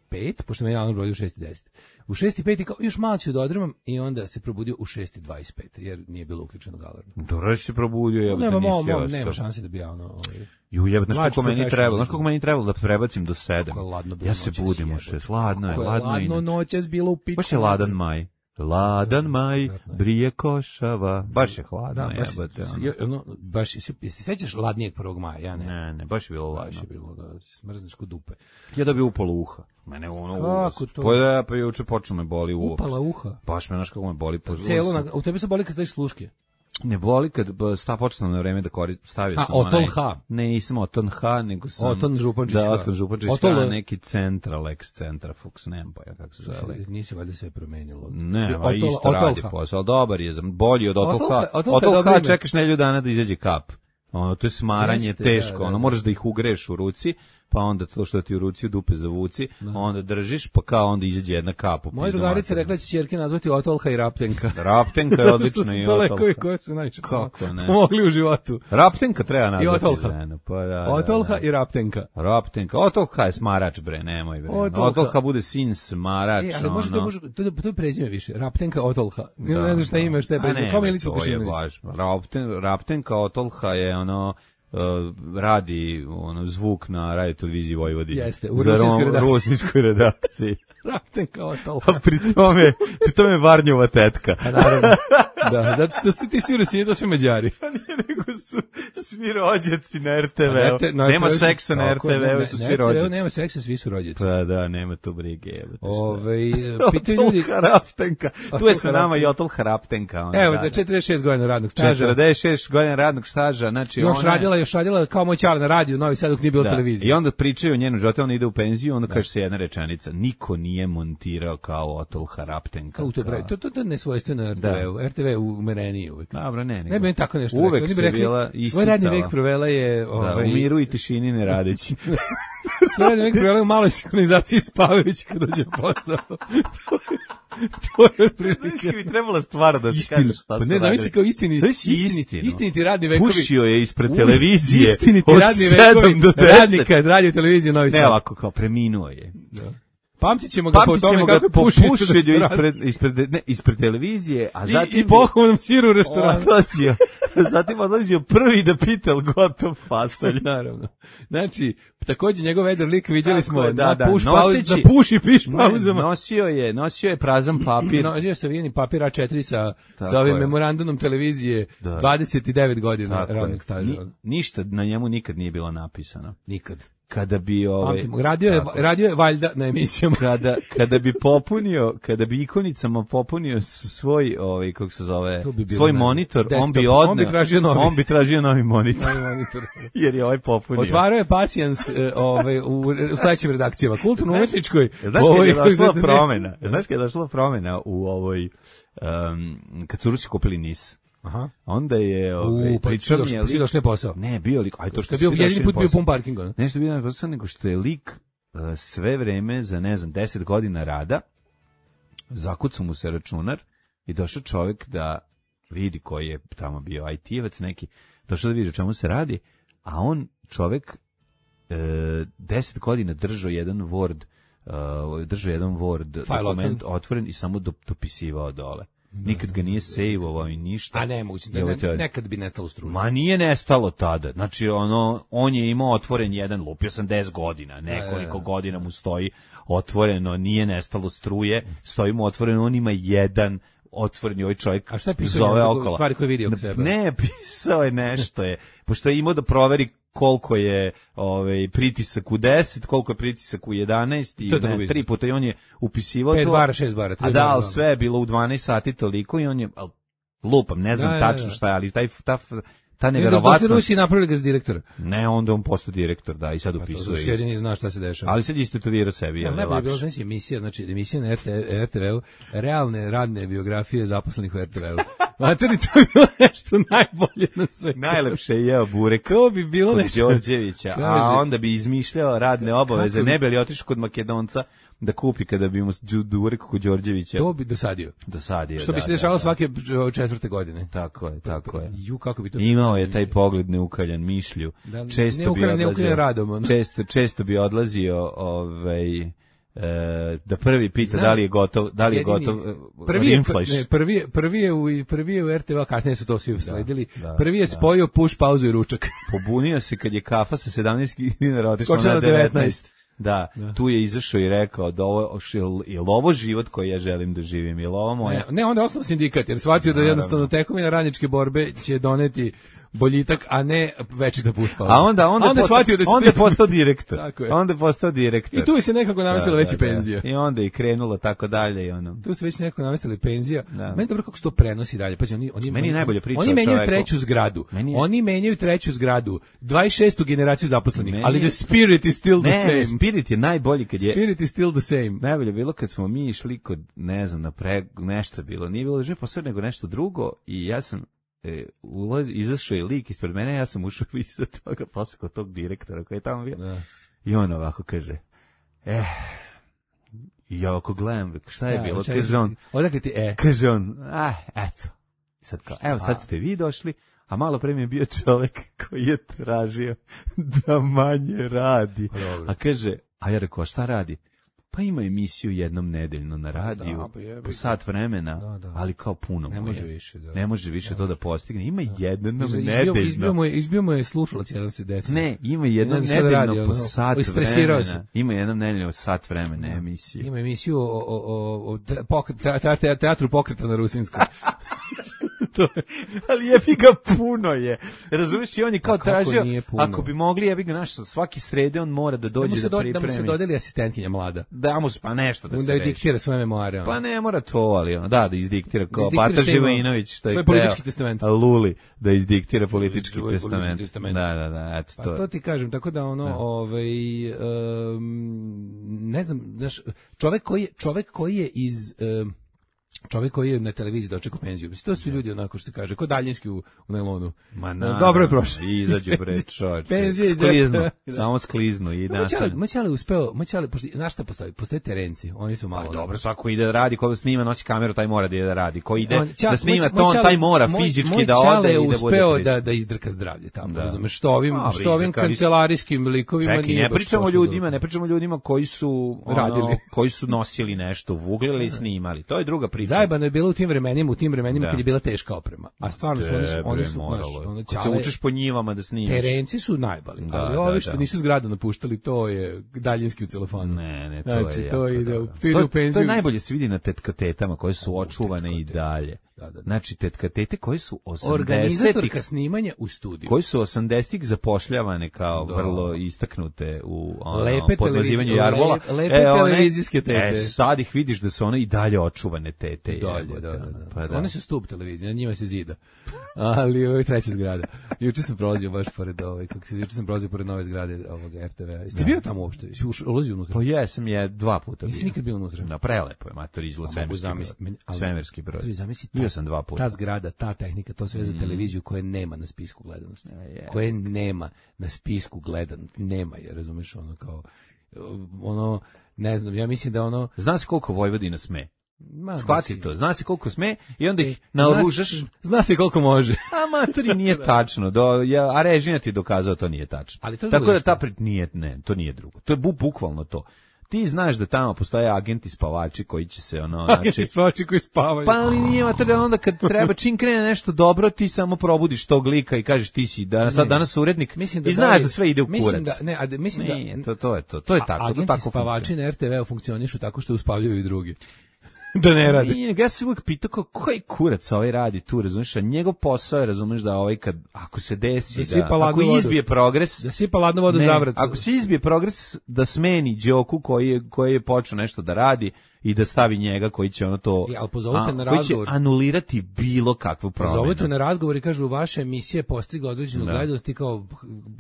Speaker 6: pet, pošto me je alarm rodio u šest i deset. U šest i pet i kao, još malo ću da odremam i onda se probudio u šest i dvadeset pet, jer nije bilo uključenog alarma.
Speaker 7: Dobro si se probudio, jebote,
Speaker 6: Nema, mo,
Speaker 7: nisi
Speaker 6: mo,
Speaker 7: ostao.
Speaker 6: nema šanse da bi ja ono... Ovaj,
Speaker 7: Ju, jebote, znaš
Speaker 6: Mlađi
Speaker 7: koliko meni
Speaker 6: professional.
Speaker 7: trebalo, znaš koliko meni trebalo da prebacim do sedam.
Speaker 6: Kako je ladno bilo
Speaker 7: Ja se
Speaker 6: noćas,
Speaker 7: budim u
Speaker 6: jebote.
Speaker 7: šest, ladno je,
Speaker 6: kako je
Speaker 7: ladno je.
Speaker 6: ladno
Speaker 7: inače.
Speaker 6: noćas bilo u pičku.
Speaker 7: Baš je ladan maj. Ladan maj,
Speaker 6: Vratno je.
Speaker 7: brije košava. Baš je hladno,
Speaker 6: Da, baš,
Speaker 7: jebote. ono.
Speaker 6: je- ono, baš, se, se sećaš ladnijeg prvog maja, ja ne.
Speaker 7: Ne, ne, baš je bilo
Speaker 6: Baš
Speaker 7: ladno.
Speaker 6: je bilo da se smrzneš kod dupe.
Speaker 7: Ja dobio upalo uha. Mene ono
Speaker 6: Kako
Speaker 7: uvas.
Speaker 6: to?
Speaker 7: Pa ja, pa juče počeo me boli uho.
Speaker 6: Upala uha.
Speaker 7: Baš me, znaš kako me boli po
Speaker 6: Celo na, u tebi se boli kad staviš sluške.
Speaker 7: Ne boli kad b- sta počeo sam na vreme da koristim, stavio
Speaker 6: A,
Speaker 7: sam
Speaker 6: Oton
Speaker 7: onaj-
Speaker 6: H.
Speaker 7: Ne, nisam Oton H, nego sam...
Speaker 6: Oton Župančić
Speaker 7: Da,
Speaker 6: H.
Speaker 7: Oton Župančić
Speaker 6: Oton
Speaker 7: H,
Speaker 6: L.
Speaker 7: neki Central, ex Centrafux, nemam pa ja kako se zove.
Speaker 6: Nisi valjda sve promenilo.
Speaker 7: Ne, ma
Speaker 6: Otol-
Speaker 7: isto
Speaker 6: Otolha.
Speaker 7: radi posao, ali dobar je, za- bolji od Otolha.
Speaker 6: Otolha- Otolha je
Speaker 7: Otolha
Speaker 6: dobro ime.
Speaker 7: čekaš nedelju dana da izađe kap. Ono, to je smaranje
Speaker 6: Jeste,
Speaker 7: teško,
Speaker 6: da, da,
Speaker 7: ono,
Speaker 6: da.
Speaker 7: moraš da ih ugreš u ruci, pa onda to što ti u ruci u dupe zavuci, onda držiš, pa kao onda izađe jedna kap. u
Speaker 6: Moja
Speaker 7: pizdu
Speaker 6: drugarica
Speaker 7: materinu.
Speaker 6: rekla će ćerke nazvati Otolha i Raptenka.
Speaker 7: Raptenka je
Speaker 6: Zato što
Speaker 7: odlična
Speaker 6: su
Speaker 7: i
Speaker 6: to lekovi
Speaker 7: Otolha.
Speaker 6: koji su najviše
Speaker 7: Kako ne?
Speaker 6: pomogli u životu.
Speaker 7: Raptenka treba nazvati
Speaker 6: Otolha.
Speaker 7: ženu, pa da, da,
Speaker 6: Otolha
Speaker 7: da.
Speaker 6: i Raptenka.
Speaker 7: Raptenka, Otolha je smarač, bre, nemoj, bre.
Speaker 6: Otolha.
Speaker 7: Otolha bude sin smarač,
Speaker 6: E, ali može to,
Speaker 7: ono.
Speaker 6: može, to, to je prezime više. Raptenka Otolha. Ne, ne znam šta ima, šta je
Speaker 7: A
Speaker 6: prezime.
Speaker 7: ne,
Speaker 6: Kao
Speaker 7: to
Speaker 6: Milica
Speaker 7: je
Speaker 6: Vukašinović.
Speaker 7: baš. Rapten, Raptenka Otolha je ono uh, radi ono zvuk na radio televiziji Vojvodine.
Speaker 6: Jeste, u
Speaker 7: Za
Speaker 6: rusinskoj
Speaker 7: rom-
Speaker 6: redakciji.
Speaker 7: rusinskoj redakciji.
Speaker 6: Raptenka Otolha.
Speaker 7: A pri tome, pri tome Varnjova tetka.
Speaker 6: A naravno. Da, zato što su ti svi Rusini, to su Mađari.
Speaker 7: Nego su svi rođaci na R T
Speaker 6: Na
Speaker 7: V-u.
Speaker 6: te- na
Speaker 7: Nema
Speaker 6: R T V-u su-
Speaker 7: seksa na R
Speaker 6: tako
Speaker 7: T
Speaker 6: je, ne,
Speaker 7: V-u,
Speaker 6: ne,
Speaker 7: su
Speaker 6: na
Speaker 7: svi
Speaker 6: R T V-u
Speaker 7: rođaci.
Speaker 6: nema seksa, svi su rođaci.
Speaker 7: Pa da, nema tu brige. Jebote, šta.
Speaker 6: Ove, pitaju ljudi...
Speaker 7: Otolha Raptenka. Tu je
Speaker 6: Otolha
Speaker 7: sa nama i
Speaker 6: Raptenka.
Speaker 7: Otolha Raptenka. ona,
Speaker 6: Evo,
Speaker 7: da,
Speaker 6: da četrdeset šest godina radnog staža.
Speaker 7: četrdeset šest godina radnog staža, znači
Speaker 6: Još
Speaker 7: ona je-
Speaker 6: radila, još radila kao moj ćale na radiju, Novi Sad dok nije bilo
Speaker 7: Da.
Speaker 6: televizije.
Speaker 7: I onda pričaju o njenom životu, ona ide u penziju, onda kaže se jedna rečenica, niko nije montirao kao Otolha Raptenka.
Speaker 6: Kao to, pravi, to, to, to je nesvojstveno R T V-u.
Speaker 7: Da.
Speaker 6: R T V u umereniji uvek.
Speaker 7: Dobro, ne, nego.
Speaker 6: Ne bi mi tako nešto
Speaker 7: Uvek
Speaker 6: rekli. Oni bi
Speaker 7: se
Speaker 6: rekli,
Speaker 7: bila
Speaker 6: svoj radni
Speaker 7: isticala.
Speaker 6: vek provela je...
Speaker 7: Da,
Speaker 6: Ovaj,
Speaker 7: u miru i tišini ne radeći.
Speaker 6: svoj radni vek provela je u maloj sinhronizaciji spavajući kad dođe na posao. to je... To je otprilike.
Speaker 7: bi trebala stvar da se
Speaker 6: Istina.
Speaker 7: kaže šta
Speaker 6: Pa
Speaker 7: su
Speaker 6: ne, zamisli
Speaker 7: radili.
Speaker 6: kao istini,
Speaker 7: Zamisli
Speaker 6: istiniti,
Speaker 7: istinu.
Speaker 6: istiniti radni vekovi.
Speaker 7: Pušio je ispred
Speaker 6: U,
Speaker 7: televizije
Speaker 6: Istiniti
Speaker 7: od
Speaker 6: radni
Speaker 7: sedam
Speaker 6: vekovi
Speaker 7: do deset.
Speaker 6: radnika radio televizije Novi Sad.
Speaker 7: Ne ovako, kao preminuo je.
Speaker 6: Da. Pamtit ćemo ga po
Speaker 7: Pamtit
Speaker 6: tome
Speaker 7: ćemo
Speaker 6: kako
Speaker 7: ga
Speaker 6: je
Speaker 7: po
Speaker 6: pušio
Speaker 7: pušenju ispred, ispred, ne, ispred televizije, a
Speaker 6: I,
Speaker 7: zatim
Speaker 6: i pohvalnom siru u restoranu.
Speaker 7: odlazio, zatim odlazio prvi da pita al gotov fasolj.
Speaker 6: Naravno. Znači, takođe njegov vedar lik vidjeli
Speaker 7: Tako
Speaker 6: smo
Speaker 7: je, da,
Speaker 6: na
Speaker 7: da,
Speaker 6: puš
Speaker 7: noseći-
Speaker 6: pauz, na puš i piš
Speaker 7: Ne,
Speaker 6: pauzama.
Speaker 7: nosio je, nosio je prazan papir.
Speaker 6: Nosio sa vijeni papir A četiri sa,
Speaker 7: Tako
Speaker 6: sa ovim
Speaker 7: je.
Speaker 6: memorandumom televizije
Speaker 7: Da.
Speaker 6: dvadeset devet godina
Speaker 7: Tako je.
Speaker 6: radnog staža.
Speaker 7: Ni- ništa na njemu nikad nije bilo napisano.
Speaker 6: Nikad.
Speaker 7: Kada bi ovaj
Speaker 6: Pamtimo, radio je,
Speaker 7: tako.
Speaker 6: radio je valjda na emisijama.
Speaker 7: kada kada bi popunio, kada bi ikonicama popunio s- svoj ovaj kako se zove,
Speaker 6: To bi bilo
Speaker 7: svoj
Speaker 6: ne-
Speaker 7: monitor, on bi
Speaker 6: desktop.
Speaker 7: odneo,
Speaker 6: On bi tražio novi.
Speaker 7: on bi tražio novi monitor.
Speaker 6: Novi monitor.
Speaker 7: Jer je ovaj popunio.
Speaker 6: Otvarao je pasijans e, ovaj, u, u sledećim redakcijama. Kulturno-umetničkoj.
Speaker 7: Znaš kad
Speaker 6: ovaj,
Speaker 7: je došla
Speaker 6: ne-
Speaker 7: promena? Znaš kad je došla promena u ovoj um, kad su Rusi kupili Nis.
Speaker 6: Aha.
Speaker 7: Onda je ovaj
Speaker 6: U, pa
Speaker 7: pričao
Speaker 6: svi
Speaker 7: mi je
Speaker 6: došli, svi
Speaker 7: lik-
Speaker 6: došli na posao.
Speaker 7: Ne, bio lik, aj to što
Speaker 6: To je bio
Speaker 7: svi došli
Speaker 6: jedini
Speaker 7: na
Speaker 6: put bio
Speaker 7: posao.
Speaker 6: pun parkinga. ne?
Speaker 7: Nešto bio na posao, nego što je lik uh, sve vreme za, ne znam, deset godina rada, zakucao mu se računar i došao čovjek da vidi koji je tamo bio I T-evac neki, došao da vidi o čemu se radi, a on čovjek e, deset godina držao jedan Word, uh, držao jedan Word
Speaker 6: File
Speaker 7: dokument
Speaker 6: otvoren.
Speaker 7: otvoren i samo do, dopisivao dole. Nikad ga nije sejvovao i ništa.
Speaker 6: A ne, moguće,
Speaker 7: I
Speaker 6: da
Speaker 7: ovo
Speaker 6: ne,
Speaker 7: teorija.
Speaker 6: nekad bi nestalo struje.
Speaker 7: Ma nije nestalo tada. Znači, ono, on je imao otvoren jedan, lupio sam deset godina, nekoliko
Speaker 6: E.
Speaker 7: godina mu stoji otvoreno, nije nestalo struje, stoji mu otvoreno, on ima jedan otvoreni ovaj čovjek
Speaker 6: A šta je pisao
Speaker 7: zove
Speaker 6: njegov-
Speaker 7: okolo.
Speaker 6: stvari koje vidi oko sebe?
Speaker 7: Ne, pisao je nešto je, pošto je imao da proveri koliko je ovaj pritisak u deset, koliko je pritisak u jedanaest i
Speaker 6: To je tako
Speaker 7: ne,
Speaker 6: vidio.
Speaker 7: tri puta i on je upisivao
Speaker 6: Pet
Speaker 7: to.
Speaker 6: bara, šest bara, tri
Speaker 7: A da,
Speaker 6: bara,
Speaker 7: ali
Speaker 6: da.
Speaker 7: sve je bilo u dvanaest sati toliko i on je, al, lupam, ne znam
Speaker 6: Da, da, da.
Speaker 7: tačno šta je, ali taj, ta, ta
Speaker 6: Došli
Speaker 7: neverovatnost.
Speaker 6: Rusi i napravili ga za direktora.
Speaker 7: Ne, onda on postao direktor, da, i sad
Speaker 6: Pa to
Speaker 7: upisuje.
Speaker 6: zato što jedini zna šta se dešava.
Speaker 7: Ali sad je istetovirao sebi,
Speaker 6: Ja,
Speaker 7: je
Speaker 6: najbolje je bilo,
Speaker 7: lakše.
Speaker 6: znači, emisija, znači, emisija na R T V-u, realne radne biografije zaposlenih u R T V-u. Materi, to je bilo nešto najbolje na svetu.
Speaker 7: Najlepše je jeo burek
Speaker 6: To bi bilo
Speaker 7: kod
Speaker 6: nešto.
Speaker 7: Đorđevića,
Speaker 6: Kaže.
Speaker 7: a onda bi izmišljao radne obaveze,
Speaker 6: kako bi-
Speaker 7: ne bi li otišao kod Makedonca da kupi kada bi mu đu- burek kod Đorđevića
Speaker 6: To bi dosadio.
Speaker 7: dosadio.
Speaker 6: Što bi
Speaker 7: da,
Speaker 6: se
Speaker 7: da,
Speaker 6: dešavalo
Speaker 7: da.
Speaker 6: svake četvrte godine.
Speaker 7: Tako je, tako je.
Speaker 6: Ju, kako bi to...
Speaker 7: Imao je taj pogled neukaljan mišlju.
Speaker 6: Da,
Speaker 7: Često bi
Speaker 6: neukaljan- neukaljan
Speaker 7: odlazio,
Speaker 6: radom, ono.
Speaker 7: često, često bi odlazio ovaj, e, da prvi pita
Speaker 6: Znam.
Speaker 7: da li je gotov, da li je
Speaker 6: Jedini-
Speaker 7: gotov e,
Speaker 6: prvi je,
Speaker 7: rinflaš.
Speaker 6: ne, prvi je, prvi je u, prvi je u R T V, a kasnije su to svi sledili.
Speaker 7: da,
Speaker 6: prvi je
Speaker 7: da.
Speaker 6: spojio push, pauzu i ručak.
Speaker 7: Pobunio se kad je kafa sa sedamnaest dinara otišla
Speaker 6: Skočila
Speaker 7: na
Speaker 6: na
Speaker 7: devetnaest.
Speaker 6: devetnaest.
Speaker 7: Da, tu je izašao i rekao da ovo, jel, jel ovo život koji ja želim da živim, jel ovo moje?
Speaker 6: Ne, ne, onda je osnov sindikat, jer shvatio da jednostavno tekovina radničke borbe će doneti boljitak, a ne večita push pauza.
Speaker 7: A onda, onda,
Speaker 6: A onda je
Speaker 7: postao,
Speaker 6: shvatio da će
Speaker 7: onda je postao direktor.
Speaker 6: Tako je.
Speaker 7: Onda je postao direktor.
Speaker 6: I tu je se nekako namestila veća penzija.
Speaker 7: I onda je krenulo tako dalje i ono.
Speaker 6: Tu se već nekako namestili penzija.
Speaker 7: Da.
Speaker 6: Meni je dobro kako se to prenosi dalje. Pazi, oni, oni,
Speaker 7: Meni je
Speaker 6: oni,
Speaker 7: najbolja priča
Speaker 6: Oni
Speaker 7: o
Speaker 6: menjaju
Speaker 7: čoveku.
Speaker 6: treću zgradu.
Speaker 7: Meni je-
Speaker 6: Oni menjaju treću zgradu. dvadeset šestu generaciju zaposlenih.
Speaker 7: Meni
Speaker 6: ali
Speaker 7: je-
Speaker 6: the spirit is still the
Speaker 7: Ne,
Speaker 6: same.
Speaker 7: Spirit je najbolji kad je...
Speaker 6: Spirit is still the same.
Speaker 7: Najbolje je bilo kad smo mi išli kod, ne znam, na pre, nešto je bilo, nije bilo že posao nego nešto drugo i ja sam e, ulaz, izašao je lik ispred mene, ja sam ušao iza toga, posle kod tog direktora koji je tamo bio.
Speaker 6: Da.
Speaker 7: I on ovako kaže, eh, i ja ovako gledam, šta je
Speaker 6: Da,
Speaker 7: bilo,
Speaker 6: čekaj,
Speaker 7: kaže on,
Speaker 6: Odakle ti e?
Speaker 7: kaže on, ah, eto. I sad kao, evo sad ste vi došli, a malo pre mi je bio čovek koji je tražio da manje radi.
Speaker 6: Pa dobro.
Speaker 7: A kaže, a ja rekao, šta radi? Pa ima emisiju jednom nedeljno na radiju,
Speaker 6: da, pa jebi
Speaker 7: po
Speaker 6: ga.
Speaker 7: sat vremena,
Speaker 6: Da, da.
Speaker 7: ali kao puno
Speaker 6: Ne
Speaker 7: mu
Speaker 6: može
Speaker 7: je.
Speaker 6: više, da.
Speaker 7: Ne može više to da postigne. Ima jednom
Speaker 6: Izbio,
Speaker 7: nedeljno.
Speaker 6: izbio, mu je, izbio mu je slušalac jedan se deci.
Speaker 7: Ne, ima jednom
Speaker 6: Ne znam šta da
Speaker 7: nedeljno
Speaker 6: radi,
Speaker 7: po
Speaker 6: ono,
Speaker 7: sat
Speaker 6: istresirao
Speaker 7: vremena. Ima jednom nedeljno sat vremena emisiju.
Speaker 6: Ima emisiju o, o, o, o te- pokret, te, te, te, teatru pokreta na Rusinskom.
Speaker 7: Ali jebi ga puno je. Razumiješ, i on je kao
Speaker 6: A kako
Speaker 7: tražio,
Speaker 6: nije puno?
Speaker 7: ako bi mogli, jebi ga, znaš, svaki srede on mora da
Speaker 6: Da mu
Speaker 7: dođe
Speaker 6: se,
Speaker 7: da
Speaker 6: do, da mu se
Speaker 7: pripremi.
Speaker 6: dodeli asistentkinja mlada.
Speaker 7: Da mu se, pa nešto da
Speaker 6: Da,
Speaker 7: se
Speaker 6: da
Speaker 7: reši.
Speaker 6: diktira svoje memoare. ono.
Speaker 7: Pa ne mora to, ali ono, da, da izdiktira kao
Speaker 6: izdiktira
Speaker 7: Bata
Speaker 6: što ima-
Speaker 7: Živojinović, što je
Speaker 6: svoj politički
Speaker 7: hteo,
Speaker 6: testament.
Speaker 7: a Luli, da izdiktira politički
Speaker 6: Svoj politički
Speaker 7: testament.
Speaker 6: testament.
Speaker 7: Da, da, da, eto
Speaker 6: Pa
Speaker 7: to.
Speaker 6: to ti kažem, tako da ono, ovaj, um, ne znam, znaš, čovek koji je, čovek koji je iz, um, čovjek koji je na televiziji dočekao penziju. Mislim, to su ljudi onako što se kaže, ko daljinski u, u najlonu.
Speaker 7: Ma na,
Speaker 6: dobro je prošlo.
Speaker 7: I izađu bre čovječe.
Speaker 6: Penzije
Speaker 7: skliznu, samo skliznu i
Speaker 6: nastane. Moćale uspeo, moćale, na šta postoji? Postoje terenci, oni su malo.
Speaker 7: Pa, dobro, svako ide da radi, ko snima, nosi kameru, taj mora da ide da radi. Ko ide
Speaker 6: on, ča,
Speaker 7: da snima,
Speaker 6: moj,
Speaker 7: to on, taj mora
Speaker 6: moj,
Speaker 7: fizički
Speaker 6: moj
Speaker 7: da ode i da bude
Speaker 6: uspeo
Speaker 7: prisutan.
Speaker 6: da, da izdrka zdravlje tamo,
Speaker 7: da.
Speaker 6: razumeš, što ovim,
Speaker 7: Dobre,
Speaker 6: što ovim kancelarijskim likovima
Speaker 7: Čekaj,
Speaker 6: nije
Speaker 7: ne
Speaker 6: baš
Speaker 7: pričamo
Speaker 6: pošlo
Speaker 7: ljudima,
Speaker 6: za...
Speaker 7: ne pričamo ljudima koji su ono,
Speaker 6: radili,
Speaker 7: koji su nosili nešto, vuglili i snimali. To je druga priča.
Speaker 6: Zajebano je bilo u tim vremenima, u tim vremenima
Speaker 7: da.
Speaker 6: kad je bila teška oprema. A stvarno su oni su, oni su
Speaker 7: moralo.
Speaker 6: Naš, ono,
Speaker 7: kad se učeš po njivama da snimaš.
Speaker 6: Terenci su najbali,
Speaker 7: da,
Speaker 6: ali
Speaker 7: da,
Speaker 6: ovi
Speaker 7: da,
Speaker 6: što
Speaker 7: da.
Speaker 6: nisu zgradu napuštali, to je daljinski u telefonu.
Speaker 7: Ne, ne, to
Speaker 6: znači,
Speaker 7: je
Speaker 6: to
Speaker 7: jako,
Speaker 6: ide,
Speaker 7: da,
Speaker 6: u,
Speaker 7: da.
Speaker 6: to ide
Speaker 7: to,
Speaker 6: u penziju.
Speaker 7: to je najbolje se vidi na tetkatetama koje su očuvane i dalje.
Speaker 6: Da, da, da.
Speaker 7: Znači, tetkatete koje su osamdesetih
Speaker 6: organizatorka snimanja u studiju.
Speaker 7: Koji su osamdesetih zapošljavane kao
Speaker 6: da.
Speaker 7: vrlo istaknute u ono,
Speaker 6: lepe
Speaker 7: podmazivanju jarbola.
Speaker 6: Lepe, lepe
Speaker 7: e, one,
Speaker 6: televizijske tete.
Speaker 7: E, sad ih vidiš da su one i dalje očuvane tete.
Speaker 6: Dalje, da, da, da.
Speaker 7: Pa da.
Speaker 6: One su stup televizije, na njima se zida. Ali ovo je treća zgrada. Juče sam prolazio baš pored ovaj, kako se juče sam prolazio pored nove zgrade ovog R T V-a. Jeste bio tamo uopšte? Jesi ulazio unutra?
Speaker 7: Pa jesam je dva puta bio.
Speaker 6: Nisi nikad bio unutra?
Speaker 7: Na prelepo je, mater, izgleda svemirski broj.
Speaker 6: Ali,
Speaker 7: svemirski broj.
Speaker 6: Bio
Speaker 7: sam dva puta.
Speaker 6: Ta zgrada, ta tehnika, to sve za televiziju koje nema na spisku gledanosti.
Speaker 7: Je.
Speaker 6: Koje nema na spisku gledanosti. Nema je, razumeš, ono kao, ono, ne znam, ja mislim da ono...
Speaker 7: Zna se koliko Vojvodina sme?
Speaker 6: Ma,
Speaker 7: shvati to, zna se koliko sme i onda ih naoružaš.
Speaker 6: Zna, zna se koliko može.
Speaker 7: A matori nije tačno, do, ja, a režina ti dokazao to nije tačno.
Speaker 6: Ali to
Speaker 7: tako da ta pri, nije, ne, to nije drugo. To je bu, bukvalno to. Ti znaš da tamo postoje agenti spavači koji će se ono...
Speaker 6: Agenti
Speaker 7: znači,
Speaker 6: spavači koji spavaju.
Speaker 7: Pa ali nije mater, onda kad treba, čim krene nešto dobro, ti samo probudiš tog lika i kažeš ti si danas, sad danas urednik mislim da i znaš da, da sve ide u kurac.
Speaker 6: Mislim da, ne, a mislim da...
Speaker 7: Nije, to, to je to, to je tako,
Speaker 6: agenti
Speaker 7: to tako
Speaker 6: spavači na R T V-u funkcionišu tako što uspavljaju i drugi. Da ne radi.
Speaker 7: Nije, ja se uvijek pitao kako, koji kurac ovaj radi tu, razumiješ, a njegov posao je, razumiješ, da ovaj kad, ako se desi, da, da ako izbije progres,
Speaker 6: da sipa ladnu vodu za vrat.
Speaker 7: Ako se izbije progres, da smeni Đoku koji je, koji je počeo nešto da radi i da stavi njega koji će ono to,
Speaker 6: I, ali pozovite
Speaker 7: a,
Speaker 6: na
Speaker 7: koji
Speaker 6: razgovor.
Speaker 7: će anulirati bilo kakvu promenu.
Speaker 6: Pozovite na razgovor i kažu, vaša emisija postigla određenu gledanost i kao,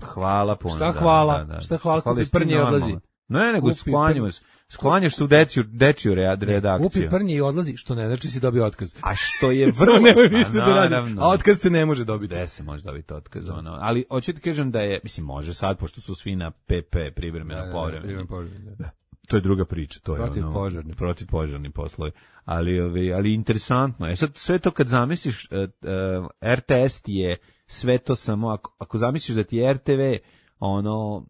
Speaker 7: hvala puno.
Speaker 6: Šta hvala,
Speaker 7: da, da, da.
Speaker 6: šta hvala, kupi prnje i odlazi.
Speaker 7: Ne, nego sklanjamo se. Sklanjaš se u dečiju, dečiju redakciju.
Speaker 6: Kupi prnje i odlazi, što ne znači si dobio otkaz.
Speaker 7: A što je vrlo...
Speaker 6: nema više da radi, a otkaz se ne može dobiti.
Speaker 7: Gde se može dobiti otkaz, ono. Ali hoću ti kažem da je, mislim, može sad, pošto su svi na P P, privremeno
Speaker 6: da,
Speaker 7: povremeno.
Speaker 6: Da, da.
Speaker 7: To je druga priča, to je
Speaker 6: protiv
Speaker 7: ono,
Speaker 6: požarni.
Speaker 7: protiv požarni poslovi. Ali, ali, ali interesantno je. Sad, sve to kad zamisliš, uh, uh, R T S ti je sve to samo, ako, ako zamisliš da ti je R T V, ono, uh,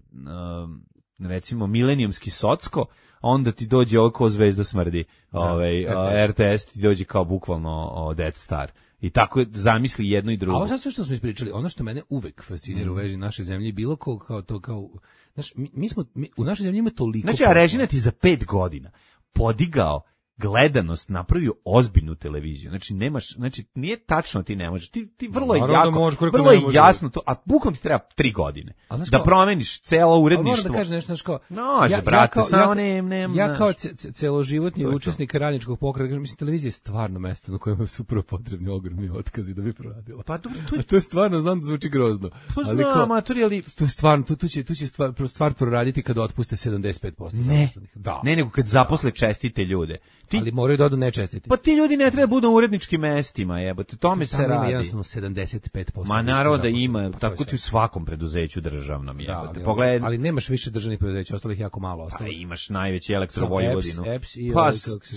Speaker 7: recimo, milenijumski socko, onda ti dođe ovo kao Zvezda smrdi, ovaj, da, R T S ti dođe kao bukvalno o, Death Star. I tako je, zamisli jedno i drugo.
Speaker 6: A ovo sad sve što smo ispričali, ono što mene uvek fascinira mm. u vezi naše zemlje, bilo kao, kao to, kao, znaš, mi, mi smo, mi, u našoj zemlji ima toliko...
Speaker 7: Znači, a Režina ti za pet godina podigao gledanost, napravio ozbiljnu televiziju. Znači nemaš, znači nije tačno ti ne možeš. Ti ti vrlo je jako,
Speaker 6: može,
Speaker 7: vrlo je jasno to, a bukvalno ti treba tri godine da promeniš celo uredništvo.
Speaker 6: Moram da kažem nešto, znači kao,
Speaker 7: Nože,
Speaker 6: ja,
Speaker 7: brate,
Speaker 6: ja
Speaker 7: samo ne, ne,
Speaker 6: ja kao celoživotni učesnik radničkog pokreta, mislim, televizija je stvarno mesto na kojem su prvo potrebni ogromni otkazi da bi proradila.
Speaker 7: Pa dobro, to je,
Speaker 6: to je stvarno, znam da zvuči grozno.
Speaker 7: Pa ali znam, amatori, ali
Speaker 6: to je stvarno, tu, tu će, tu će stvar, stvar proraditi kada otpuste sedamdeset pet posto
Speaker 7: ne,
Speaker 6: da.
Speaker 7: Ne, nego kad zaposle čestite ljude.
Speaker 6: Ti, ali moraju da odu nečestiti.
Speaker 7: Pa ti ljudi ne treba budu u uredničkim mestima, jebote, tome se radi.
Speaker 6: Ima jednostavno sedamdeset pet posto.
Speaker 7: Ma naravno da ima, tako ti u svakom preduzeću državnom, jebote.
Speaker 6: Da,
Speaker 7: Pogledaj,
Speaker 6: ali nemaš više državnih preduzeća, ostalih jako malo ostalo.
Speaker 7: Pa imaš najveći Elektro Vojvodinu.
Speaker 6: Eps, i
Speaker 7: pa
Speaker 6: ovaj,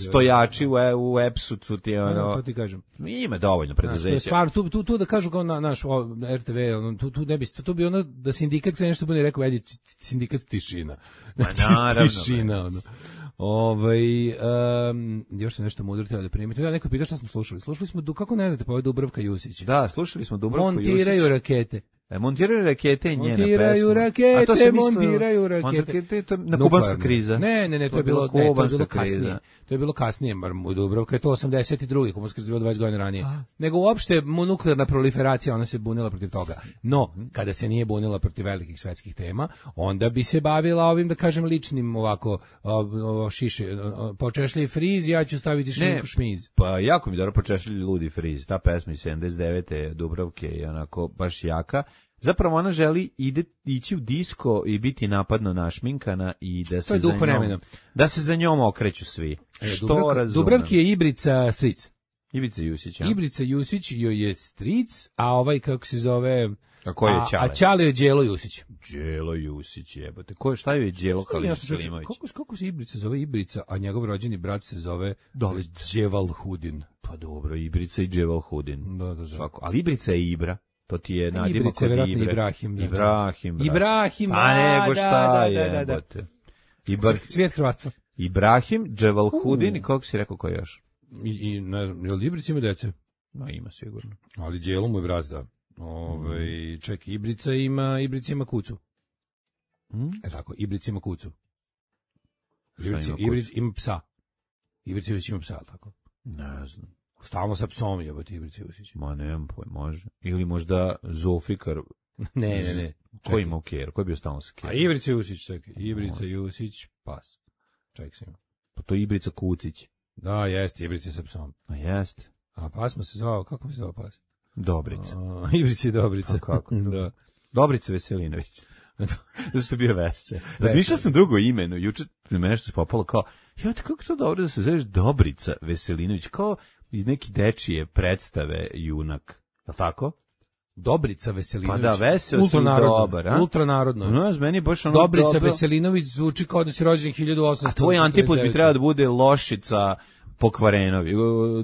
Speaker 7: stojači u, u Epsu su ti ono.
Speaker 6: No, to ti kažem.
Speaker 7: Ima dovoljno preduzeća.
Speaker 6: Stvar, tu, tu, tu da kažu kao na naš R T V, ono, tu, tu ne bi, tu bi ono da sindikat krene nešto bude rekao, ajde, sindikat tišina.
Speaker 7: Znači, naravno.
Speaker 6: Tišina, ono. Ovaj um, još sam nešto mudro da primite. Da neko pita šta smo slušali. Slušali smo du kako ne znate, pa ovaj Dubravka Jusić.
Speaker 7: Da, slušali smo Dubravku Jusić.
Speaker 6: Montiraju rakete.
Speaker 7: E, montiraju rakete i njena pesma.
Speaker 6: Montiraju rakete,
Speaker 7: a to se
Speaker 6: montiraju rakete.
Speaker 7: To na kubanska kriza.
Speaker 6: Ne, ne, ne, to, to je bilo, ne, to je bilo kasnije. To je bilo kasnije, bar mu Dubravka je to osamdeset drugi kubanska kriza, bilo dvadeset godina ranije. A? Nego uopšte nuklearna proliferacija, ona se bunila protiv toga. No, kada se nije bunila protiv velikih svetskih tema, onda bi se bavila ovim, da kažem, ličnim ovako o, o, šiše, počešlji friz, ja ću staviti šminku šmiz.
Speaker 7: Pa jako mi dobro počešlji ludi friz. Ta pesma iz sedamdeset devete Dubravke je onako baš jaka. zapravo ona želi ide, ići u disko i biti napadno našminkana i da se, za njom, da se za njom okreću svi.
Speaker 6: E,
Speaker 7: što
Speaker 6: Dubravka,
Speaker 7: razumem.
Speaker 6: Dubravki je Ibrica stric.
Speaker 7: Ibrica Jusić, ja?
Speaker 6: Ibrica Jusić joj je stric, a ovaj kako se zove...
Speaker 7: A ko je Ćale?
Speaker 6: A Ćale je Đelo Jusić.
Speaker 7: Đelo Jusić, jebote. Ko je, šta je Đelo Halil Selimović?
Speaker 6: Kako, kako se Ibrica zove Ibrica, a njegov rođeni brat se zove Dževal Hudin.
Speaker 7: Pa dobro, Ibrica i Dževal Hudin.
Speaker 6: Da, da, da.
Speaker 7: Svako. Ali Ibrica je Ibra. To ti je nadimak
Speaker 6: Ibrica je vjerojatno Ibrahim. Da.
Speaker 7: Ibrahim.
Speaker 6: Brat. Ibrahim,
Speaker 7: a nego šta
Speaker 6: da,
Speaker 7: je,
Speaker 6: da, da, da.
Speaker 7: jebote. Ibr...
Speaker 6: Cvijet hrvatstva.
Speaker 7: Ibrahim, Dževal Hudin i kako si rekao ko još?
Speaker 6: I, i ne znam, je li Ibrica ima dece?
Speaker 7: No, ima sigurno.
Speaker 6: Ali Đelo mu je brat, da. Ove, čekaj, Ibrica ima, Ibrica ima kucu.
Speaker 7: Hmm?
Speaker 6: E tako, Ibrica ima kucu. Ibrica
Speaker 7: ima,
Speaker 6: Ibrica ima psa. Ibrica Jusić ima psa, tako?
Speaker 7: Ne znam.
Speaker 6: Stalno sa psom jebote Ibrica Jusić.
Speaker 7: Ma nemam pojma, može. Ili možda Zulfikar.
Speaker 6: ne, ne, ne.
Speaker 7: Ko ima u Kjer? Ko je bio stalno sa Kjer?
Speaker 6: A Ibrica Jusić, čekaj. Ibrica Jusić, pas. Čekaj se ima.
Speaker 7: Pa to je Ibrica Kucić.
Speaker 6: Da, jeste, Ibrica sa psom.
Speaker 7: A jeste.
Speaker 6: A pas mu se zvao, kako mu se zvao pas?
Speaker 7: Dobrica.
Speaker 6: A, Ibrica i Dobrica.
Speaker 7: A kako?
Speaker 6: Da.
Speaker 7: Dobrica Veselinović. Zašto je bio vesel. Razmišljao sam drugo imeno. Juče mi nešto se popalo kao, ja, kako to dobro da se zoveš Dobrica Veselinović, kao iz neke dečije predstave junak. Je tako?
Speaker 6: Dobrica Veselinović.
Speaker 7: Pa da, vesel si dobar, a?
Speaker 6: Ultranarodno.
Speaker 7: No, meni baš ono
Speaker 6: Dobrica
Speaker 7: dobro.
Speaker 6: Veselinović zvuči kao da si rođen hiljadu osamsto četrdeset devet.
Speaker 7: A tvoj antipod bi trebao da bude Lošica Pokvarenović,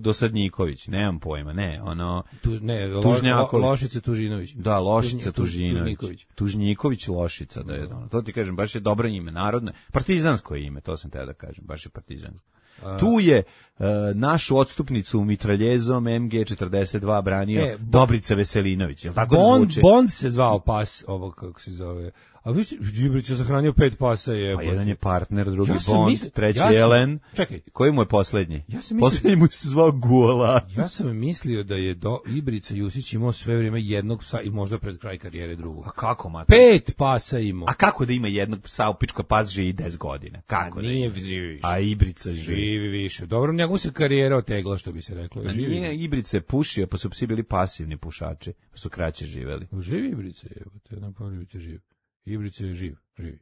Speaker 7: Dosadnjiković, nemam pojma, ne, ono...
Speaker 6: Tu, ne, lo,
Speaker 7: Tužnjaković.
Speaker 6: lo, Lošica Tužinović.
Speaker 7: Da, Lošica Tužinović.
Speaker 6: Tužniković.
Speaker 7: Tužniković Lošica, da je ono. To ti kažem, baš je dobro ime, narodno, partizansko ime, to sam te da kažem, baš je partizansko. A... Tu je uh, našu odstupnicu mitraljezom em ge četrdeset dva branio e, Dobrica Veselinović, je li tako
Speaker 6: Bond,
Speaker 7: da zvuči?
Speaker 6: Bond se zvao pas, ovo kako se zove... A vi ste, Ibrić je sahranio pet pasa je.
Speaker 7: Pa jedan je partner, drugi
Speaker 6: ja
Speaker 7: Bond,
Speaker 6: misli,
Speaker 7: treći
Speaker 6: ja sam,
Speaker 7: Jelen.
Speaker 6: Čekaj.
Speaker 7: Koji mu je poslednji?
Speaker 6: Ja sam mislio,
Speaker 7: poslednji mu se zvao Gulac.
Speaker 6: Ja sam mislio da je do Ibrica Jusić imao sve vrijeme jednog psa i možda pred kraj karijere drugog.
Speaker 7: A kako, mate?
Speaker 6: Pet pasa imao.
Speaker 7: A kako da ima jednog psa u pičkoj pas živi deset godina? Kako?
Speaker 6: A nije živi.
Speaker 7: A Ibrica živi.
Speaker 6: Živi više. Dobro, njegov se karijera otegla, što bi se reklo.
Speaker 7: A
Speaker 6: živi.
Speaker 7: Nije, Ibrica je pušio, pa su psi bili pasivni pušači, pa su kraće živeli.
Speaker 6: Živi Ibrica je, te nam pomljivite živ. Ibrica je živ, živi.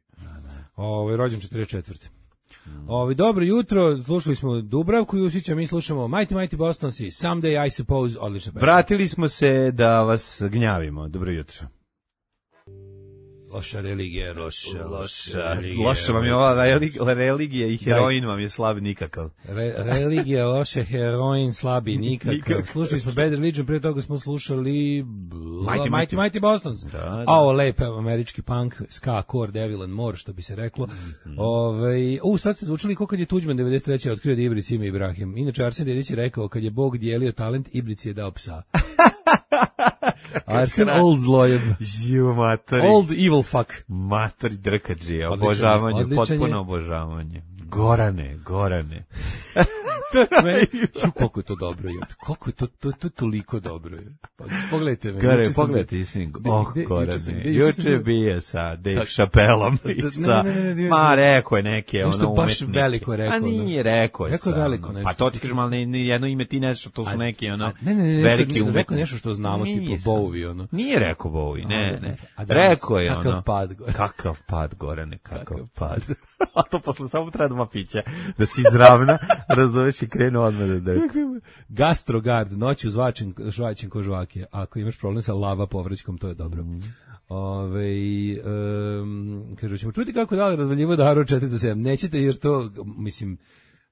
Speaker 6: Ovo je rođen četrdeset četvrte Mm. Ovo, dobro jutro, slušali smo Dubravku Jusića, mi slušamo Mighty Mighty Boston Sea, Someday I Suppose, odlično.
Speaker 7: Vratili smo se da vas gnjavimo. Dobro jutro.
Speaker 6: Loša religija, loša, loša religija.
Speaker 7: Loša vam je ova religija i heroin vam je slab nikakav.
Speaker 6: Re, religija, loša, heroin, slabi nikakav. nikakav. Slušali smo Bad Religion, prije toga smo slušali Mighty Mighty, Mighty Bostons. Da, da. A ovo lep američki punk, ska, core, devil and more, što bi se reklo. Mm-hmm. Ove, u, sad ste zvučali kako kad je Tuđman devedeset treće otkrio da Ibrici ima Ibrahim. Inače, Arsen Dedić je rekao, kad je Bog dijelio talent, Ibrici je dao psa. Arsen Old zlojem.
Speaker 7: Ju, matori.
Speaker 6: Old evil fuck.
Speaker 7: Matori drkađije, obožavanje, potpuno obožavanje. Gorane, Gorane.
Speaker 6: To je meni, ju, koliko je to dobro, je. Koliko je to, to, to toliko dobro, je. Pogledajte me.
Speaker 7: Gore, pogledajte, sin. Oh, Gorane. Juče je bio sa Dave Chappellom i sa, ma, rekao je neke, ono, umetnike.
Speaker 6: Nešto baš veliko je rekao.
Speaker 7: A nije rekao je
Speaker 6: Rekao je veliko nešto.
Speaker 7: Pa to ti kažem, ali ni jedno ime ti ne znaš, to su neki, ono,
Speaker 6: ne, ne, ne,
Speaker 7: veliki umetnici.
Speaker 6: Rekao nešto što znamo, tipu Bowie, ono.
Speaker 7: Nije rekao Bowie, ne, ne. Rekao je, ono.
Speaker 6: Kakav pad, Gorane.
Speaker 7: Kakav pad, Gorane, kakav pad. A to posle samo treba dva pića, da si izravna, razumeš i krenu odmah da dek.
Speaker 6: Gastrogard, noću zvačen, žvačen ko žvake. Ako imaš problem sa lava povraćkom, to je dobro. Mm. Ove, um, kažu, ćemo čuti kako da li razvaljivo Daru četiri do sedam. Nećete jer to, mislim,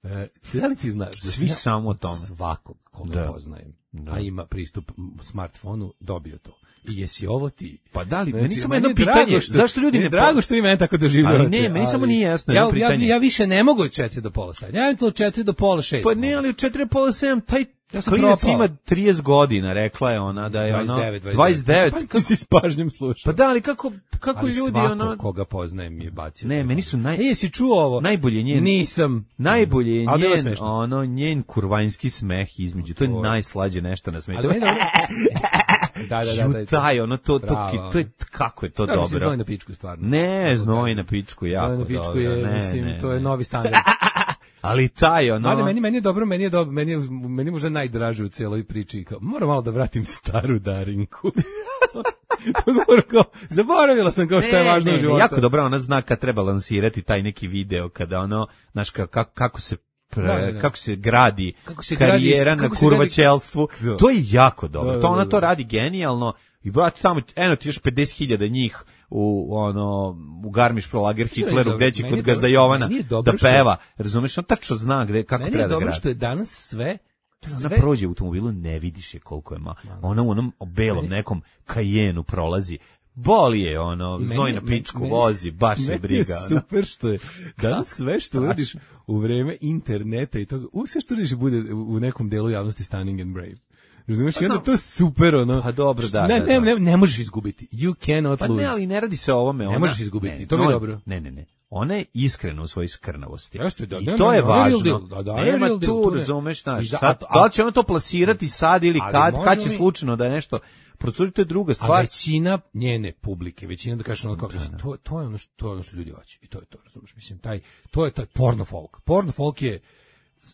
Speaker 6: e, da li ti znaš? Da
Speaker 7: svi samo o tome.
Speaker 6: Svakog koga da. poznajem, da. a ima pristup smartfonu, dobio to. I jesi ovo ti?
Speaker 7: Pa da li,
Speaker 6: znači,
Speaker 7: meni samo jedno pitanje, što, zašto ljudi ne...
Speaker 6: Drago što vi mene tako doživljavate.
Speaker 7: Ali ne, meni samo nije jasno
Speaker 6: ja,
Speaker 7: jedno pitanje.
Speaker 6: Ja, ja više ne mogu od četiri do pola sedam. Ja imam to od četiri do pola šest.
Speaker 7: Pa ne, ali od četiri do pola sedam, taj ja klinac ima trideset godina, rekla je ona da je ono...
Speaker 6: dvadeset devet,
Speaker 7: dvadeset devet.
Speaker 6: Kako si s pažnjom slušao?
Speaker 7: Pa da, ali kako, kako
Speaker 6: ali
Speaker 7: ljudi
Speaker 6: svako
Speaker 7: ono...
Speaker 6: koga poznajem je bacio.
Speaker 7: Ne, meni su naj...
Speaker 6: E, jesi čuo ovo?
Speaker 7: Najbolje njen...
Speaker 6: Nisam.
Speaker 7: Najbolje je njen, ono, njen kurvanjski smeh između. To je najslađe nešto na smetu.
Speaker 6: Ali da, da, da, da.
Speaker 7: Taj, ono, to, to, to je, kako je to dobro.
Speaker 6: Da, znoj na pičku, stvarno.
Speaker 7: Ne, znoj na pičku, jako dobro.
Speaker 6: Znoj na pičku je, mislim, to je novi standard.
Speaker 7: Ali taj, ono...
Speaker 6: Ali meni, meni je dobro, meni je dobro, meni je, meni je možda najdraže u cijeloj priči. Kao, moram malo da vratim staru Darinku. kao, zaboravila sam kao što je važno u životu.
Speaker 7: Jako dobro ona zna kad treba lansirati taj neki video, kada ono, znaš, kako, kako se Pre, da, da. kako se gradi kako se karijera gradi, na kurvačelstvu, gradi... to je jako dobro. Da, da, da, da. To ona to radi genijalno i brate tamo eno ti još pedeset hiljada njih u ono u Garmisch Pro Lager Hitleru gde će kod Gazda Jovana da peva, razumeš, on tačno zna gde kako treba da gradi. Meni je dobro što
Speaker 6: je danas sve
Speaker 7: Sve... Ona prođe u automobilu, ne vidiš je koliko je ma. Ona u onom belom meni... nekom Cayenneu prolazi. Boli je ono, znoj na pičku meni, vozi, baš je briga.
Speaker 6: Je super što je, danas sve što uradiš u vreme interneta i toga, uvijek sve što uradiš bude u nekom delu javnosti stunning and brave. Razumiješ, pa, i onda to je super, ono.
Speaker 7: Pa dobro, da.
Speaker 6: Ne,
Speaker 7: da,
Speaker 6: ne,
Speaker 7: da.
Speaker 6: ne, ne možeš izgubiti. You cannot
Speaker 7: pa
Speaker 6: lose.
Speaker 7: Pa ne, ali ne radi se o ovome.
Speaker 6: Ne
Speaker 7: ona,
Speaker 6: možeš izgubiti,
Speaker 7: ne,
Speaker 6: to mi je
Speaker 7: no,
Speaker 6: dobro.
Speaker 7: Ne, ne, ne. Ona je iskrena u svojoj skrnavosti.
Speaker 6: Jeste, da,
Speaker 7: I
Speaker 6: ne,
Speaker 7: to
Speaker 6: ne,
Speaker 7: je
Speaker 6: ne,
Speaker 7: važno.
Speaker 6: Da, da,
Speaker 7: nema
Speaker 6: tu,
Speaker 7: tu, razumeš, znaš. Sad, da li će ono to plasirati sad ili kad, kad će mi... slučajno da je nešto... Procuri, to je druga stvar.
Speaker 6: A većina njene publike, većina da kažeš ono kao, mislim, to, to je ono što, to je ono što ljudi hoće. I to je to, razumiješ, mislim, taj, to je taj porno folk. Porno folk je,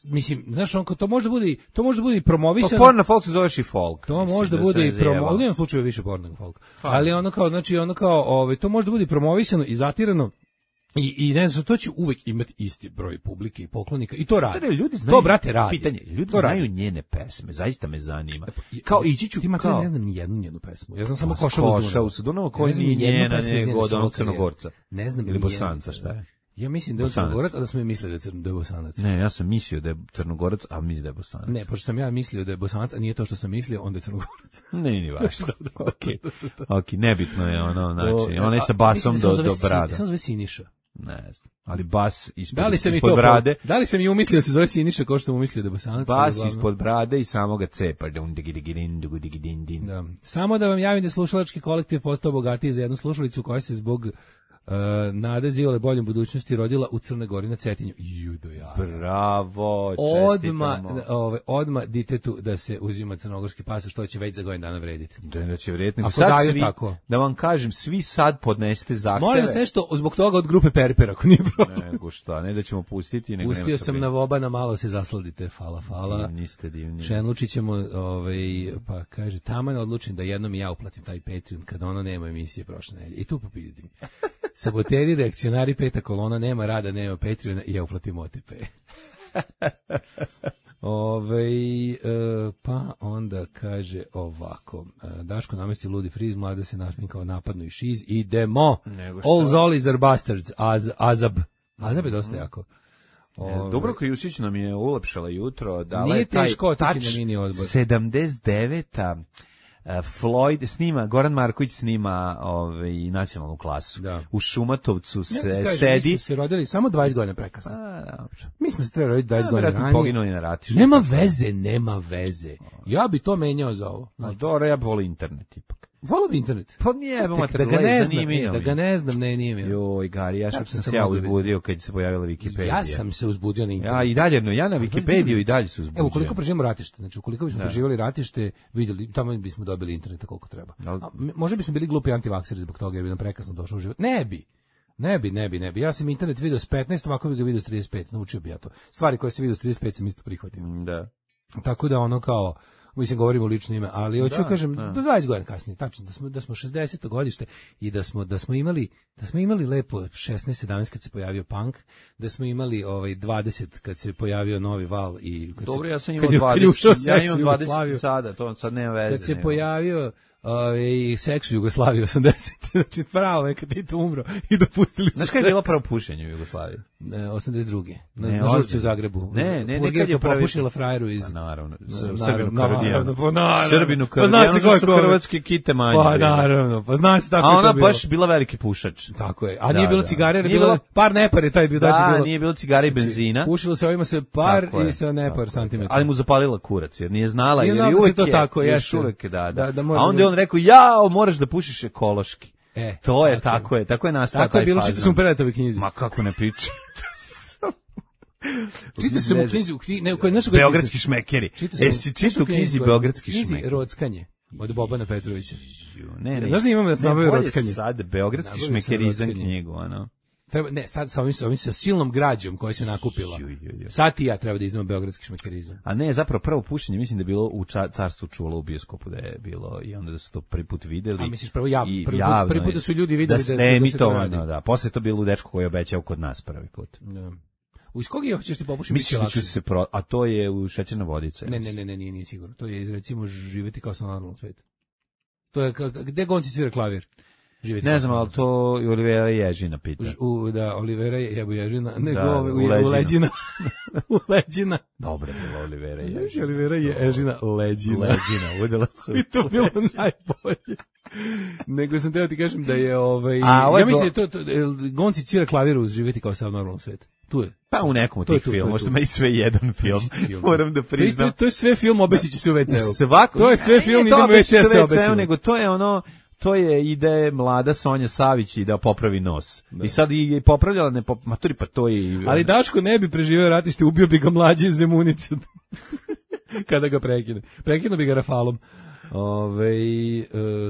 Speaker 6: mislim, znaš, on, to može bude, to može bude i promovisano.
Speaker 7: Pa porno folk se zoveš i folk.
Speaker 6: To može da, da bude i promovisano, u jednom slučaju više porno folk. Ha. Ali ono kao, znači, ono kao, ovaj, to može da bude i promovisano i zatirano. I, i ne znam, to će uvek imati isti broj publike i poklonika i to radi.
Speaker 7: Ne, ljudi znaju,
Speaker 6: to, brate, radi.
Speaker 7: Pitanje, ljudi
Speaker 6: to
Speaker 7: znaju
Speaker 6: radi.
Speaker 7: Njene pesme, zaista me zanima. Kao ići ću,
Speaker 6: ti ma
Speaker 7: kao...
Speaker 6: ne znam ni jednu njenu pesmu. Ja znam samo Košavu
Speaker 7: s Dunava, koji nije njena, nego od onog Crnogorca.
Speaker 6: Ne znam
Speaker 7: ili Bosanca, šta je?
Speaker 6: Ja mislim da je Crnogorac, a da smo mi mislili da je, da je Bosanac.
Speaker 7: Ne, ja sam mislio da je Crnogorac, a mislim da je Bosanac.
Speaker 6: Ne, pošto sam ja mislio da je Bosanac, a nije to što sam mislio, onda je Crnogorac.
Speaker 7: Ne, ni važno. Okej. Okej, nebitno je ono, znači, ona je sa basom do do brada.
Speaker 6: Samo zove Siniša.
Speaker 7: Ne znam, ali bas ispod,
Speaker 6: da li sam
Speaker 7: ispod brade.
Speaker 6: Da li sam i umislio da se zove Siniša kao što sam umislio da je Bosanac?
Speaker 7: Bas ispod brade i samoga cepa. Da.
Speaker 6: Samo da vam javim da slušalački kolektiv postao bogatiji za jednu slušalicu koja se zbog Uh, Nade Zivole boljom budućnosti rodila u Crnoj Gori na Cetinju. Judo ja.
Speaker 7: Bravo,
Speaker 6: odma, ove, odma ditetu da se uzima crnogorski pasoš, što će već za godinu dana vrediti.
Speaker 7: Da, da će vrediti.
Speaker 6: Ako daju svi, tako.
Speaker 7: Da vam kažem, svi sad podnesete zahteve.
Speaker 6: Molim vas nešto zbog toga od grupe Perper, ako nije problem.
Speaker 7: Nego šta, ne da ćemo pustiti. Nego
Speaker 6: Pustio sam na Vobana, malo se zasladite, fala, fala.
Speaker 7: Divni ste, divni.
Speaker 6: Šenlučić ćemo, ovaj, pa kaže, taman odlučim da jednom i ja uplatim taj Patreon, kad ona nema emisije prošle nedelje. I tu popizdim. Saboteri, reakcionari, peta kolona, nema rada, nema Patreona i ja uplatim O T P. Ove, e, pa onda kaže ovako, e, Daško namesti ludi friz, mlada se našminkao napadno i šiz, idemo, all zollies are bastards, az, azab, azab je dosta jako.
Speaker 7: Ove, Dubravka Jusić nam je ulepšala jutro, dala
Speaker 6: je
Speaker 7: taj
Speaker 6: teško otići na mini odbor.
Speaker 7: sedamdeset deveta Uh, Floyd snima, Goran Marković snima ovaj, nacionalnu klasu. Da. U Šumatovcu se ja kažem, sedi. Mi smo
Speaker 6: se rodili samo dvadeset godina prekasno.
Speaker 7: A, dobro.
Speaker 6: Mi smo se trebali roditi dvadeset godina ranije.
Speaker 7: Poginuli na ratištu.
Speaker 6: Nema veze, nema veze. Ja bi to menjao za ovo.
Speaker 7: No, dobro, ja volim internet ipak.
Speaker 6: Volio bi internet.
Speaker 7: Pa nije,
Speaker 6: da, da ga ne znam, ne, da ga ne znam, ne, nije mi.
Speaker 7: Joj, Gari, ja sam, sam se ja uzbudio kad se pojavila Wikipedija.
Speaker 6: Ja sam se uzbudio na internetu.
Speaker 7: Ja i dalje, no, ja na Wikipediju i dalje se uzbudio.
Speaker 6: Evo, koliko preživimo ratište, znači ukoliko bismo preživjeli ratište, vidjeli, tamo bismo dobili interneta koliko treba. A, možda bismo bili glupi antivakseri zbog toga jer bi nam prekasno došao u život. Ne bi. Ne bi, ne bi, ne bi. Ja sam internet video s petnaest, ovako bi ga video s trideset pet. Naučio bi ja to. Stvari koje se video s trideset pet sam isto prihvatio.
Speaker 7: Da.
Speaker 6: Tako da ono kao mislim govorimo o lično ime, ali hoću da kažem da. dvadeset godina kasnije, tačno da smo da smo šezdeseto godište i da smo da smo imali da smo imali lepo šesnaest sedamnaest kad se pojavio punk, da smo imali ovaj dvadeset kad se pojavio novi val i kad
Speaker 7: Dobro,
Speaker 6: se,
Speaker 7: ja sam imao dvadeset, ja imam dvadeset sada, to sad nema veze.
Speaker 6: Kad se
Speaker 7: nema.
Speaker 6: pojavio i seks u Jugoslaviji osamdeset znači pravo je kad Tito umro i dopustili su.
Speaker 7: Znaš kada je bilo prvo pušenje u Jugoslaviji?
Speaker 6: osamdeset druge Na, na žurci u Zagrebu.
Speaker 7: Ne, ne, nekad je
Speaker 6: popušila frajeru iz...
Speaker 7: Pa naravno,
Speaker 6: Srbinu Karadijanu.
Speaker 7: Pa naravno, Srbinu Karadijanu, pa su hrvatske kite manje.
Speaker 6: Pa naravno, pa zna se tako.
Speaker 7: A ona baš bila veliki pušač.
Speaker 6: Tako je, a nije bilo cigare, je bilo par nepar je taj bio.
Speaker 7: Da, nije bilo cigare i benzina.
Speaker 6: Pušilo se ovima se par i sa nepar santimetara.
Speaker 7: Ali mu zapalila kurac, jer nije znala, jer je uvek
Speaker 6: to tako,
Speaker 7: još uvek, da, da. A onda je on rekao, jao, moraš da pušiš ekološki.
Speaker 6: E,
Speaker 7: to je tako, tako je, tako je nastao taj fazon.
Speaker 6: Tako je bilo, čitao sam u Peretovoj knjizi.
Speaker 7: Ma kako ne priča.
Speaker 6: Čitao sam u knjizi, u knjizi, ne, u kojoj našoj
Speaker 7: Beogradski šmekeri. E si čitao u knjizi Beogradski šmekeri.
Speaker 6: Rockanje od Bobana Petrovića.
Speaker 7: Ne, ne.
Speaker 6: Znaš da imamo da se nabavio Rockanje?
Speaker 7: Sad Beogradski šmekeri izan knjigu, ano.
Speaker 6: Treba, ne, sad sa ovim, sa ovim sa silnom građom koja se nakupila. Sad i ja treba da iznamo beogradski šmekerizam.
Speaker 7: A ne, zapravo prvo pušenje, mislim da je bilo u ča, Carstvu čula u bioskopu da je bilo i onda da su to prvi put videli.
Speaker 6: A misliš prvo jav,
Speaker 7: i
Speaker 6: prvi,
Speaker 7: javno
Speaker 6: prvi put da su ljudi videli da,
Speaker 7: da,
Speaker 6: da, se,
Speaker 7: da
Speaker 6: se to radi.
Speaker 7: Da, posle je to bilo u dečko koji je obećao kod nas prvi put.
Speaker 6: Da. Iz kog je hoćeš ti popušiti?
Speaker 7: Misliš da će se pro, a to je u Šećerna vodica.
Speaker 6: Ne, ne, ne, ne, nije, nije sigurno. To je iz, recimo, živeti kao sa normalnom svetu. To je, gde Gonci svira klavir? Živeti
Speaker 7: ne znam, ali to i Olivera Ježina pita.
Speaker 6: U, da, Olivera je jebo Ježina, nego
Speaker 7: da,
Speaker 6: ove, u,
Speaker 7: u
Speaker 6: u Leđina. U Leđina.
Speaker 7: Dobro je bila Olivera Ježina.
Speaker 6: Znači, Olivera je Ježina Leđina.
Speaker 7: Leđina, udela se.
Speaker 6: I to bilo najbolje. Nego sam teo ti kažem da je ovaj...
Speaker 7: A, ovaj
Speaker 6: ja mislim da je to, to Gonci svira klavir uz živeti kao sa normalnom svetu. Tu je.
Speaker 7: Pa u nekom od tih filmova, možda ima i sve jedan film, moram da priznam.
Speaker 6: To, to, to je sve film, obesiću se u ve ce u.
Speaker 7: Svako,
Speaker 6: to je sve film, idem u ve ce se obesiću.
Speaker 7: Nego to je ono, to je ide mlada Sonja Savić i da popravi nos. Da. I sad i popravljala, ne pop, maturi, pa to je... I,
Speaker 6: ali Daško ne bi preživeo ratište, ubio bi ga mlađi iz Zemunice. Kada ga prekine. Prekinuo bi ga rafalom. Ove, e,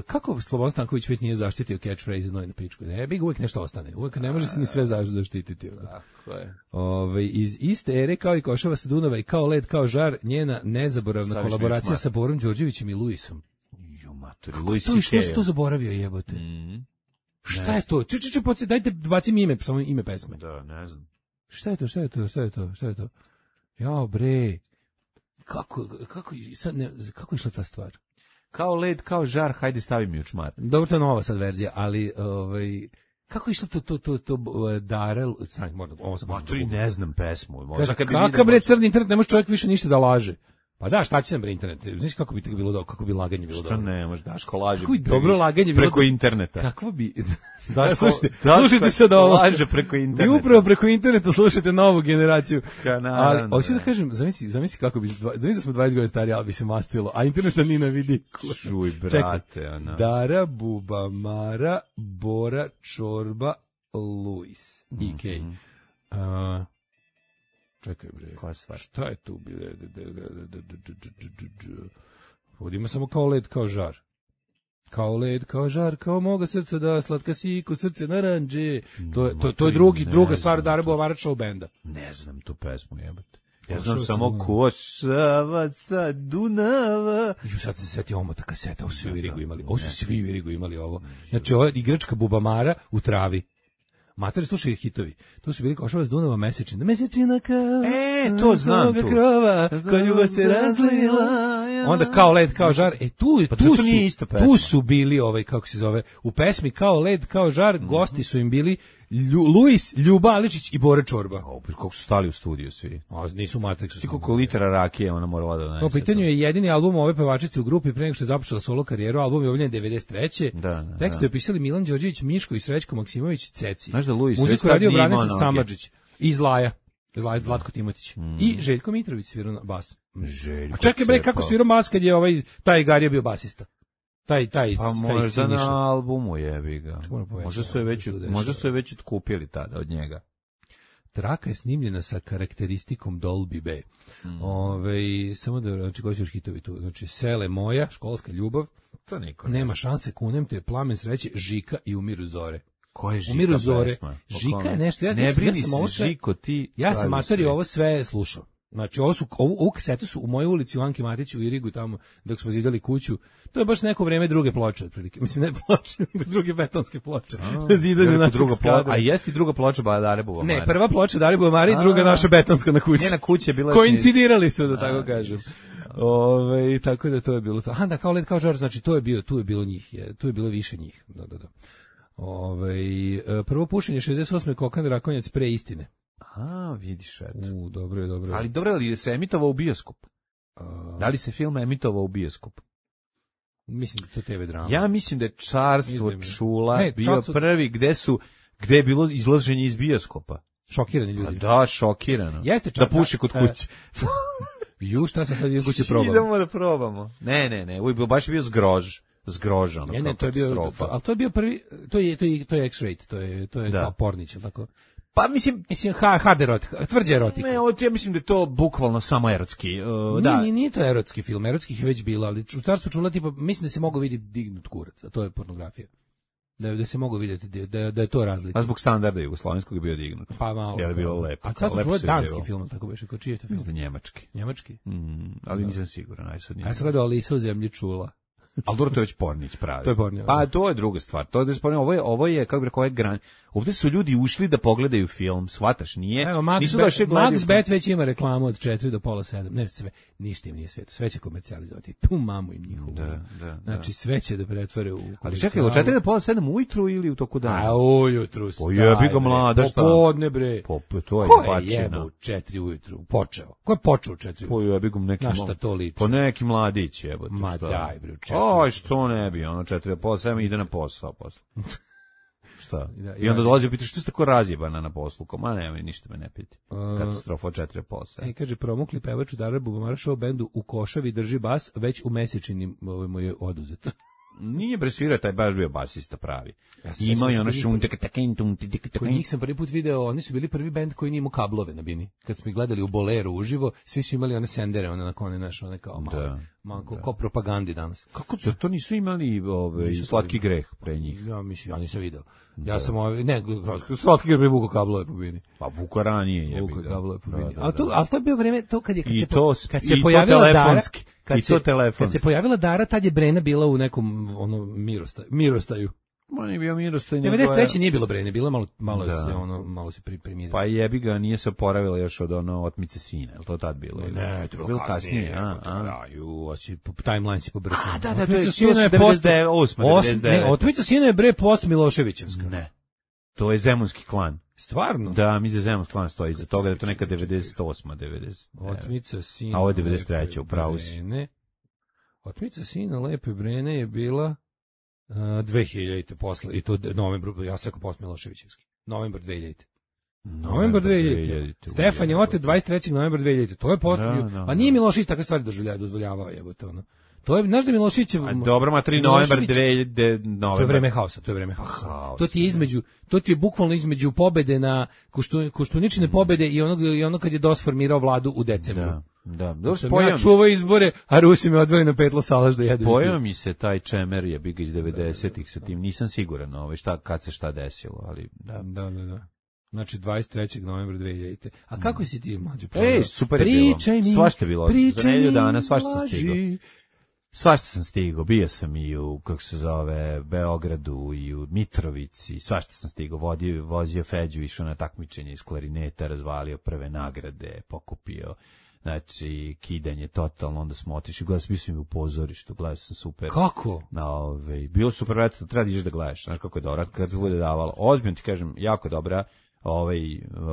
Speaker 6: kako Slobodan Stanković već nije zaštitio catchphrase znoj na pičku? Ne, bi ga uvijek nešto ostane. Uvijek ne može se ni sve zaštititi.
Speaker 7: Tako je.
Speaker 6: Ove, iz iste ere kao i Košava sa Dunava i kao led, kao žar, njena nezaboravna Staviš kolaboracija sa Borom Đorđevićem i Luisom.
Speaker 7: Jo, maturi,
Speaker 6: kako Luis to i što si to zaboravio, jebote? Mm. Šta je to? Če, če, če, podsje, dajte, bacim ime, samo ime pesme.
Speaker 7: Da, ne znam.
Speaker 6: Šta je to, šta je to, šta je to, šta je to? Jao, bre, kako, kako, sad ne, kako je išla ta stvar?
Speaker 7: Kao led, kao žar, hajde stavi mi u čmar.
Speaker 6: Dobro, to je nova sad verzija, ali ovaj kako je išlo to to to to Darel, znači možda ovo sam
Speaker 7: maturi ne znam pesmu.
Speaker 6: Možda kad bi kakav bre crni internet, ne može čovjek više ništa da laže. Pa da, šta će nam bre internet? Znaš kako bi to bilo dobro, kako bi laganje bilo dobro.
Speaker 7: Što ne, može Daško laže.
Speaker 6: Kako bi dobro laganje bilo
Speaker 7: preko interneta.
Speaker 6: Kakvo bi
Speaker 7: Daško,
Speaker 6: slušajte, slušajte sad ovo.
Speaker 7: Laže preko interneta.
Speaker 6: I upravo preko interneta slušate novu generaciju.
Speaker 7: Kanal,
Speaker 6: ali hoću da kažem, zamisli, zamisli kako bi, zamisli da smo dvadeset godina stariji, ali bi se mastilo, a interneta ni na vidi.
Speaker 7: Čuj, brate, ona.
Speaker 6: Dara, Buba, Mara, Bora, Čorba, Luis, I K. Mm -hmm. uh, čekaj bre,
Speaker 7: koja stvar?
Speaker 6: Šta je tu? Ovdje ima samo kao led, kao žar. Kao led, kao žar, kao moga srca da slatka si ko srce naranđe. To je, to, to je drugi, druga stvar Dara Buvamara show benda.
Speaker 7: Ne znam tu pesmu, jebate. Ja znam samo Košava sa Dunava.
Speaker 6: Ju sad se setio omota kaseta, ovo su svi u Irigu imali. Ovo su svi u Irigu imali ovo. Znači ovo je igračka Bubamara u travi. Matori, slušaj hitovi. To su bili Košava s Dunava, Mesečina. Mesečina kao...
Speaker 7: E, to znam tu.
Speaker 6: Krova, ko ljubav se razlila. Onda kao led, kao žar. E, tu,
Speaker 7: pa
Speaker 6: tu,
Speaker 7: su,
Speaker 6: isto tu su bili, ovaj, kako se zove, u pesmi kao led, kao žar, mm-hmm. gosti su im bili Lju, Luis, Ljuba Aličić i Bore Čorba.
Speaker 7: O, kako su stali u studiju svi.
Speaker 6: A, nisu u Matrixu.
Speaker 7: Ti koliko litera rakije ona morala da donese.
Speaker 6: U pitanju je jedini album ove pevačice u grupi pre nego što je započela solo karijeru. Album je objavljen devedeset treće
Speaker 7: Da, da,
Speaker 6: tekst
Speaker 7: da.
Speaker 6: je pisali Milan Đorđević, Miško i Srećko Maksimović, Ceci.
Speaker 7: Znaš da Luis
Speaker 6: muziku radio Branislav Samardžić i Zlaja. Zlaja Zlatko Timotić. Mm. I Željko Mitrović svirao na bas.
Speaker 7: Željko.
Speaker 6: A čekaj bre, kako svirao bas kad je ovaj taj Garija bio basista? Taj taj
Speaker 7: pa
Speaker 6: taj
Speaker 7: možda na albumu jebi ga. Možda su je već možda su je već otkupili tada od njega.
Speaker 6: Traka je snimljena sa karakteristikom Dolby B. Mm. Ove, samo da znači koji su hitovi tu. Znači Sele moja, školska ljubav.
Speaker 7: To niko
Speaker 6: nema ne šanse, kunem te, Plamen sreće, Žika i Umiru zore.
Speaker 7: Ko je Žika?
Speaker 6: Umiru zore. Pesma? Žika je nešto. Ja,
Speaker 7: ne brini
Speaker 6: ja sam ovo
Speaker 7: se, Žiko, ti...
Speaker 6: Ja sam matori ovo sve slušao. Znači, ovo su, ovu, ovu kasetu su u mojoj ulici u Anki Matiću u Irigu, tamo dok smo zidali kuću. To je baš neko vreme druge ploče, otprilike. Mislim, ne ploče, nego druge betonske ploče. A, zidanje našeg skada.
Speaker 7: A jeste i druga ploča Dare Buvamare?
Speaker 6: Ne, prva ploča Dare Buvamare i druga naša betonska na kući.
Speaker 7: Njena kuća je bila...
Speaker 6: Koincidirali su, da tako kažem. Ove, tako da to je bilo to. Aha, da, kao led, kao žar, znači, to je bio, tu je bilo njih, je, tu je bilo više njih. Da, da, da. Ove, prvo pušenje šezdeset osme Kokan Rakonjac pre istine.
Speaker 7: A, vidiš, eto.
Speaker 6: U, dobro je, dobro je.
Speaker 7: Ali dobro, ali se emitovao u bioskop? A... Da li se film emitovao u bioskop?
Speaker 6: Mislim da to te ve drama.
Speaker 7: Ja mislim da je Carstvo
Speaker 6: Izdim.
Speaker 7: čula
Speaker 6: ne,
Speaker 7: bio
Speaker 6: čarstvo...
Speaker 7: prvi gde su gde je bilo izlaženje iz bioskopa.
Speaker 6: Šokirani ljudi.
Speaker 7: A da, šokirano.
Speaker 6: Jeste
Speaker 7: da puši kod kuće.
Speaker 6: Ju, šta sam sad idem kuće probam?
Speaker 7: Idemo da probamo. Ne, ne, ne, uvijek baš je bio zgrož. Zgrožan.
Speaker 6: Ne, ne, to je bio, ali to je bio prvi, to je, to je, to je X-rate, to je, to je da. Kao Pornić, tako?
Speaker 7: Pa mislim,
Speaker 6: mislim hard erotika, tvrđa erotika.
Speaker 7: Ne, ovo ja mislim da je to bukvalno samo erotski. Uh, da.
Speaker 6: Nije, nije to erotski film, erotskih je već bilo, ali u Carstvu čula tipa, mislim da se mogu vidjeti dignut kurac, a to je pornografija. Da, da se mogu vidjeti da, da je to razlika.
Speaker 7: A zbog standarda jugoslovenskog je bio dignut.
Speaker 6: Pa malo.
Speaker 7: Je li bilo lepo?
Speaker 6: A sad smo
Speaker 7: lepo
Speaker 6: čuli
Speaker 7: se
Speaker 6: danski
Speaker 7: živelo.
Speaker 6: film, tako beše, kao čiji je to film?
Speaker 7: Mislim da njemački.
Speaker 6: Njemački?
Speaker 7: Mm, ali nisam siguran, aj sad nije.
Speaker 6: Ja sam gledao Alisa u zemlji čula.
Speaker 7: Ali dobro, to je već Pornić pravi.
Speaker 6: To je Pornić.
Speaker 7: Pa to je druga stvar. To je da se Pornić, ovo je, ovo je, kako bih rekao, ovo je gran... Ovde su ljudi ušli da pogledaju film, shvataš, nije?
Speaker 6: Evo, Max,
Speaker 7: nisu
Speaker 6: Bet,
Speaker 7: došli gledaju...
Speaker 6: Max Bet već ima reklamu od četiri do pola sedam. Ne, sve, ništa im nije sveto. Sve će komercijalizovati. Tu mamu im njihovu.
Speaker 7: Da, da,
Speaker 6: znači,
Speaker 7: da.
Speaker 6: sve će da pretvore u
Speaker 7: Ali čekaj, od četiri do pola sedam ujutru ili u toku dana?
Speaker 6: A ujutru.
Speaker 7: Po jebi ga mlada, šta?
Speaker 6: Popodne, bre.
Speaker 7: Po, to je
Speaker 6: Ko je
Speaker 7: bačina.
Speaker 6: jebo u četiri ujutru? Počeo. Ko je počeo u četiri ujutru?
Speaker 7: Po jebi ga neki...
Speaker 6: Na šta to liči?
Speaker 7: Po neki mladić jebote.
Speaker 6: Ma
Speaker 7: šta?
Speaker 6: daj, bre, u četiri.
Speaker 7: Aj, što ne bi, ono četiri do pola sedam ide na posao posle. Šta?
Speaker 6: Da,
Speaker 7: I onda dolazi i pita što ste tako razjebana na poslu? Ko, ma nema, ništa me ne piti. Katastrofa od četiri do pola sedam.
Speaker 6: E, kaže, promukli pevač u Darabu Bumara show bendu u Košavi drži bas, već u mesečini ovaj mu je oduzet.
Speaker 7: Nije bre svirao, taj baš bio basista pravi.
Speaker 6: Ja se
Speaker 7: Ima i
Speaker 6: sećam
Speaker 7: ono
Speaker 6: što
Speaker 7: šum,
Speaker 6: bili-
Speaker 7: tek takin, tum, ti, tik,
Speaker 6: Kod
Speaker 7: takin.
Speaker 6: njih sam prvi put video, oni su bili prvi bend koji nije imao kablove na bini. Kad smo ih gledali u Boleru uživo, svi su imali one sendere, one na kone naše, one kao malo,
Speaker 7: Da,
Speaker 6: malo ko, ko propagandi danas.
Speaker 7: Kako, zar to nisu imali ove,
Speaker 6: Nisu
Speaker 7: slatki greh pre njih?
Speaker 6: Ja mislim, ja nisam video. Ja sam ovaj, ne, slatki ga vuko kablove po bini.
Speaker 7: Pa Vuka ranije je.
Speaker 6: Vuko kablove po bini. A to, a to je bio vreme, to kad je, kad
Speaker 7: I
Speaker 6: se, po-
Speaker 7: to,
Speaker 6: kad se
Speaker 7: i to
Speaker 6: pojavila Dara,
Speaker 7: telefonski.
Speaker 6: kad
Speaker 7: I
Speaker 6: se,
Speaker 7: to
Speaker 6: kad
Speaker 7: telefonski.
Speaker 6: se pojavila Dara, tad je Brena bila u nekom, ono, mirostaju. mirostaju.
Speaker 7: Ma nije bio Mirostoj. nego
Speaker 6: devedeset treće
Speaker 7: je-
Speaker 6: nije bilo Brene, bilo je malo, malo
Speaker 7: Da.
Speaker 6: se, ono, malo se pri, primirilo.
Speaker 7: Pa jebi ga, nije se oporavila još od ono otmice sina, je li to tad bilo? ili?
Speaker 6: Ne, to je bilo kasnije,
Speaker 7: a, a.
Speaker 6: Da, ju, a si, po- timeline si pobrkao.
Speaker 7: A, da, da, to je-
Speaker 6: Otmica
Speaker 7: to
Speaker 6: sina
Speaker 7: su
Speaker 6: je
Speaker 7: devedeset
Speaker 6: post-
Speaker 7: osma,
Speaker 6: osam-
Speaker 7: devedeset deveta.
Speaker 6: Ne, Otmica sina je bre post Miloševićevska.
Speaker 7: Ne. To je Zemunski klan.
Speaker 6: Stvarno?
Speaker 7: Da, mi za Zemunski klan stoji iza toga da je to neka devedeset osma, devedeset.
Speaker 6: Otmica sina.
Speaker 7: A ovo je devedeset treća,
Speaker 6: Lepe
Speaker 7: upravo si.
Speaker 6: Brene. Otmica sina Lepe Brene je bila uh, dve hiljadite posle, i to de- novembru, ja sam rekao post Miloševićevski. Novembar dve hiljadite. Novembar dve hiljadite. Stefan je otet dvadeset trećeg novembra dve hiljadite. To je post.
Speaker 7: Da, da,
Speaker 6: Pa nije
Speaker 7: da.
Speaker 6: Milošević takve stvari doživljava, dozvoljavao jebote ono. To je, znaš da Miloševićev...
Speaker 7: A dobro, ma tri novembar,
Speaker 6: Milošević-
Speaker 7: dve hiljade novembar.
Speaker 6: To je vreme haosa, to je vreme haosa.
Speaker 7: Haos,
Speaker 6: To ti je između, to ti je bukvalno između pobede na Koštu, Koštuničine pobede i onog i ono kad je DOS formirao vladu u decembru.
Speaker 7: Da, da.
Speaker 6: Dok
Speaker 7: Dobro,
Speaker 6: sam
Speaker 7: spojio
Speaker 6: ja
Speaker 7: mi-
Speaker 6: čuvao izbore, a Rusi me odveli na petlo salaš da jedem.
Speaker 7: Pojao mi se taj čemer je biga iz devedesetih sa tim, nisam siguran ovaj, šta, kad se šta desilo, ali da.
Speaker 6: Da, da, da. Znači dvadeset trećeg novembra dve hiljadite. A kako si ti mlađe?
Speaker 7: Ej, super je bilo.
Speaker 6: Pričaj mi.
Speaker 7: Svašta je bilo. Za
Speaker 6: pričaj
Speaker 7: nedelju
Speaker 6: mi,
Speaker 7: dana svašta sam
Speaker 6: laži.
Speaker 7: stigao. Svašta sam stigao, bio sam i u, kako se zove, Beogradu i u Mitrovici, svašta sam stigao, vodio, vozio Feđu, išao na takmičenje iz klarineta, razvalio prve nagrade, pokupio, znači, kidanje totalno, onda smo otišli, gledao sam, bio sam i u pozorištu, gledao sam super.
Speaker 6: Kako?
Speaker 7: Na ove, bilo super, vratno, treba da ideš da gledaš, znaš kako je dobro, kad se bude davalo. Ozbiljno ti kažem, jako dobra, ovaj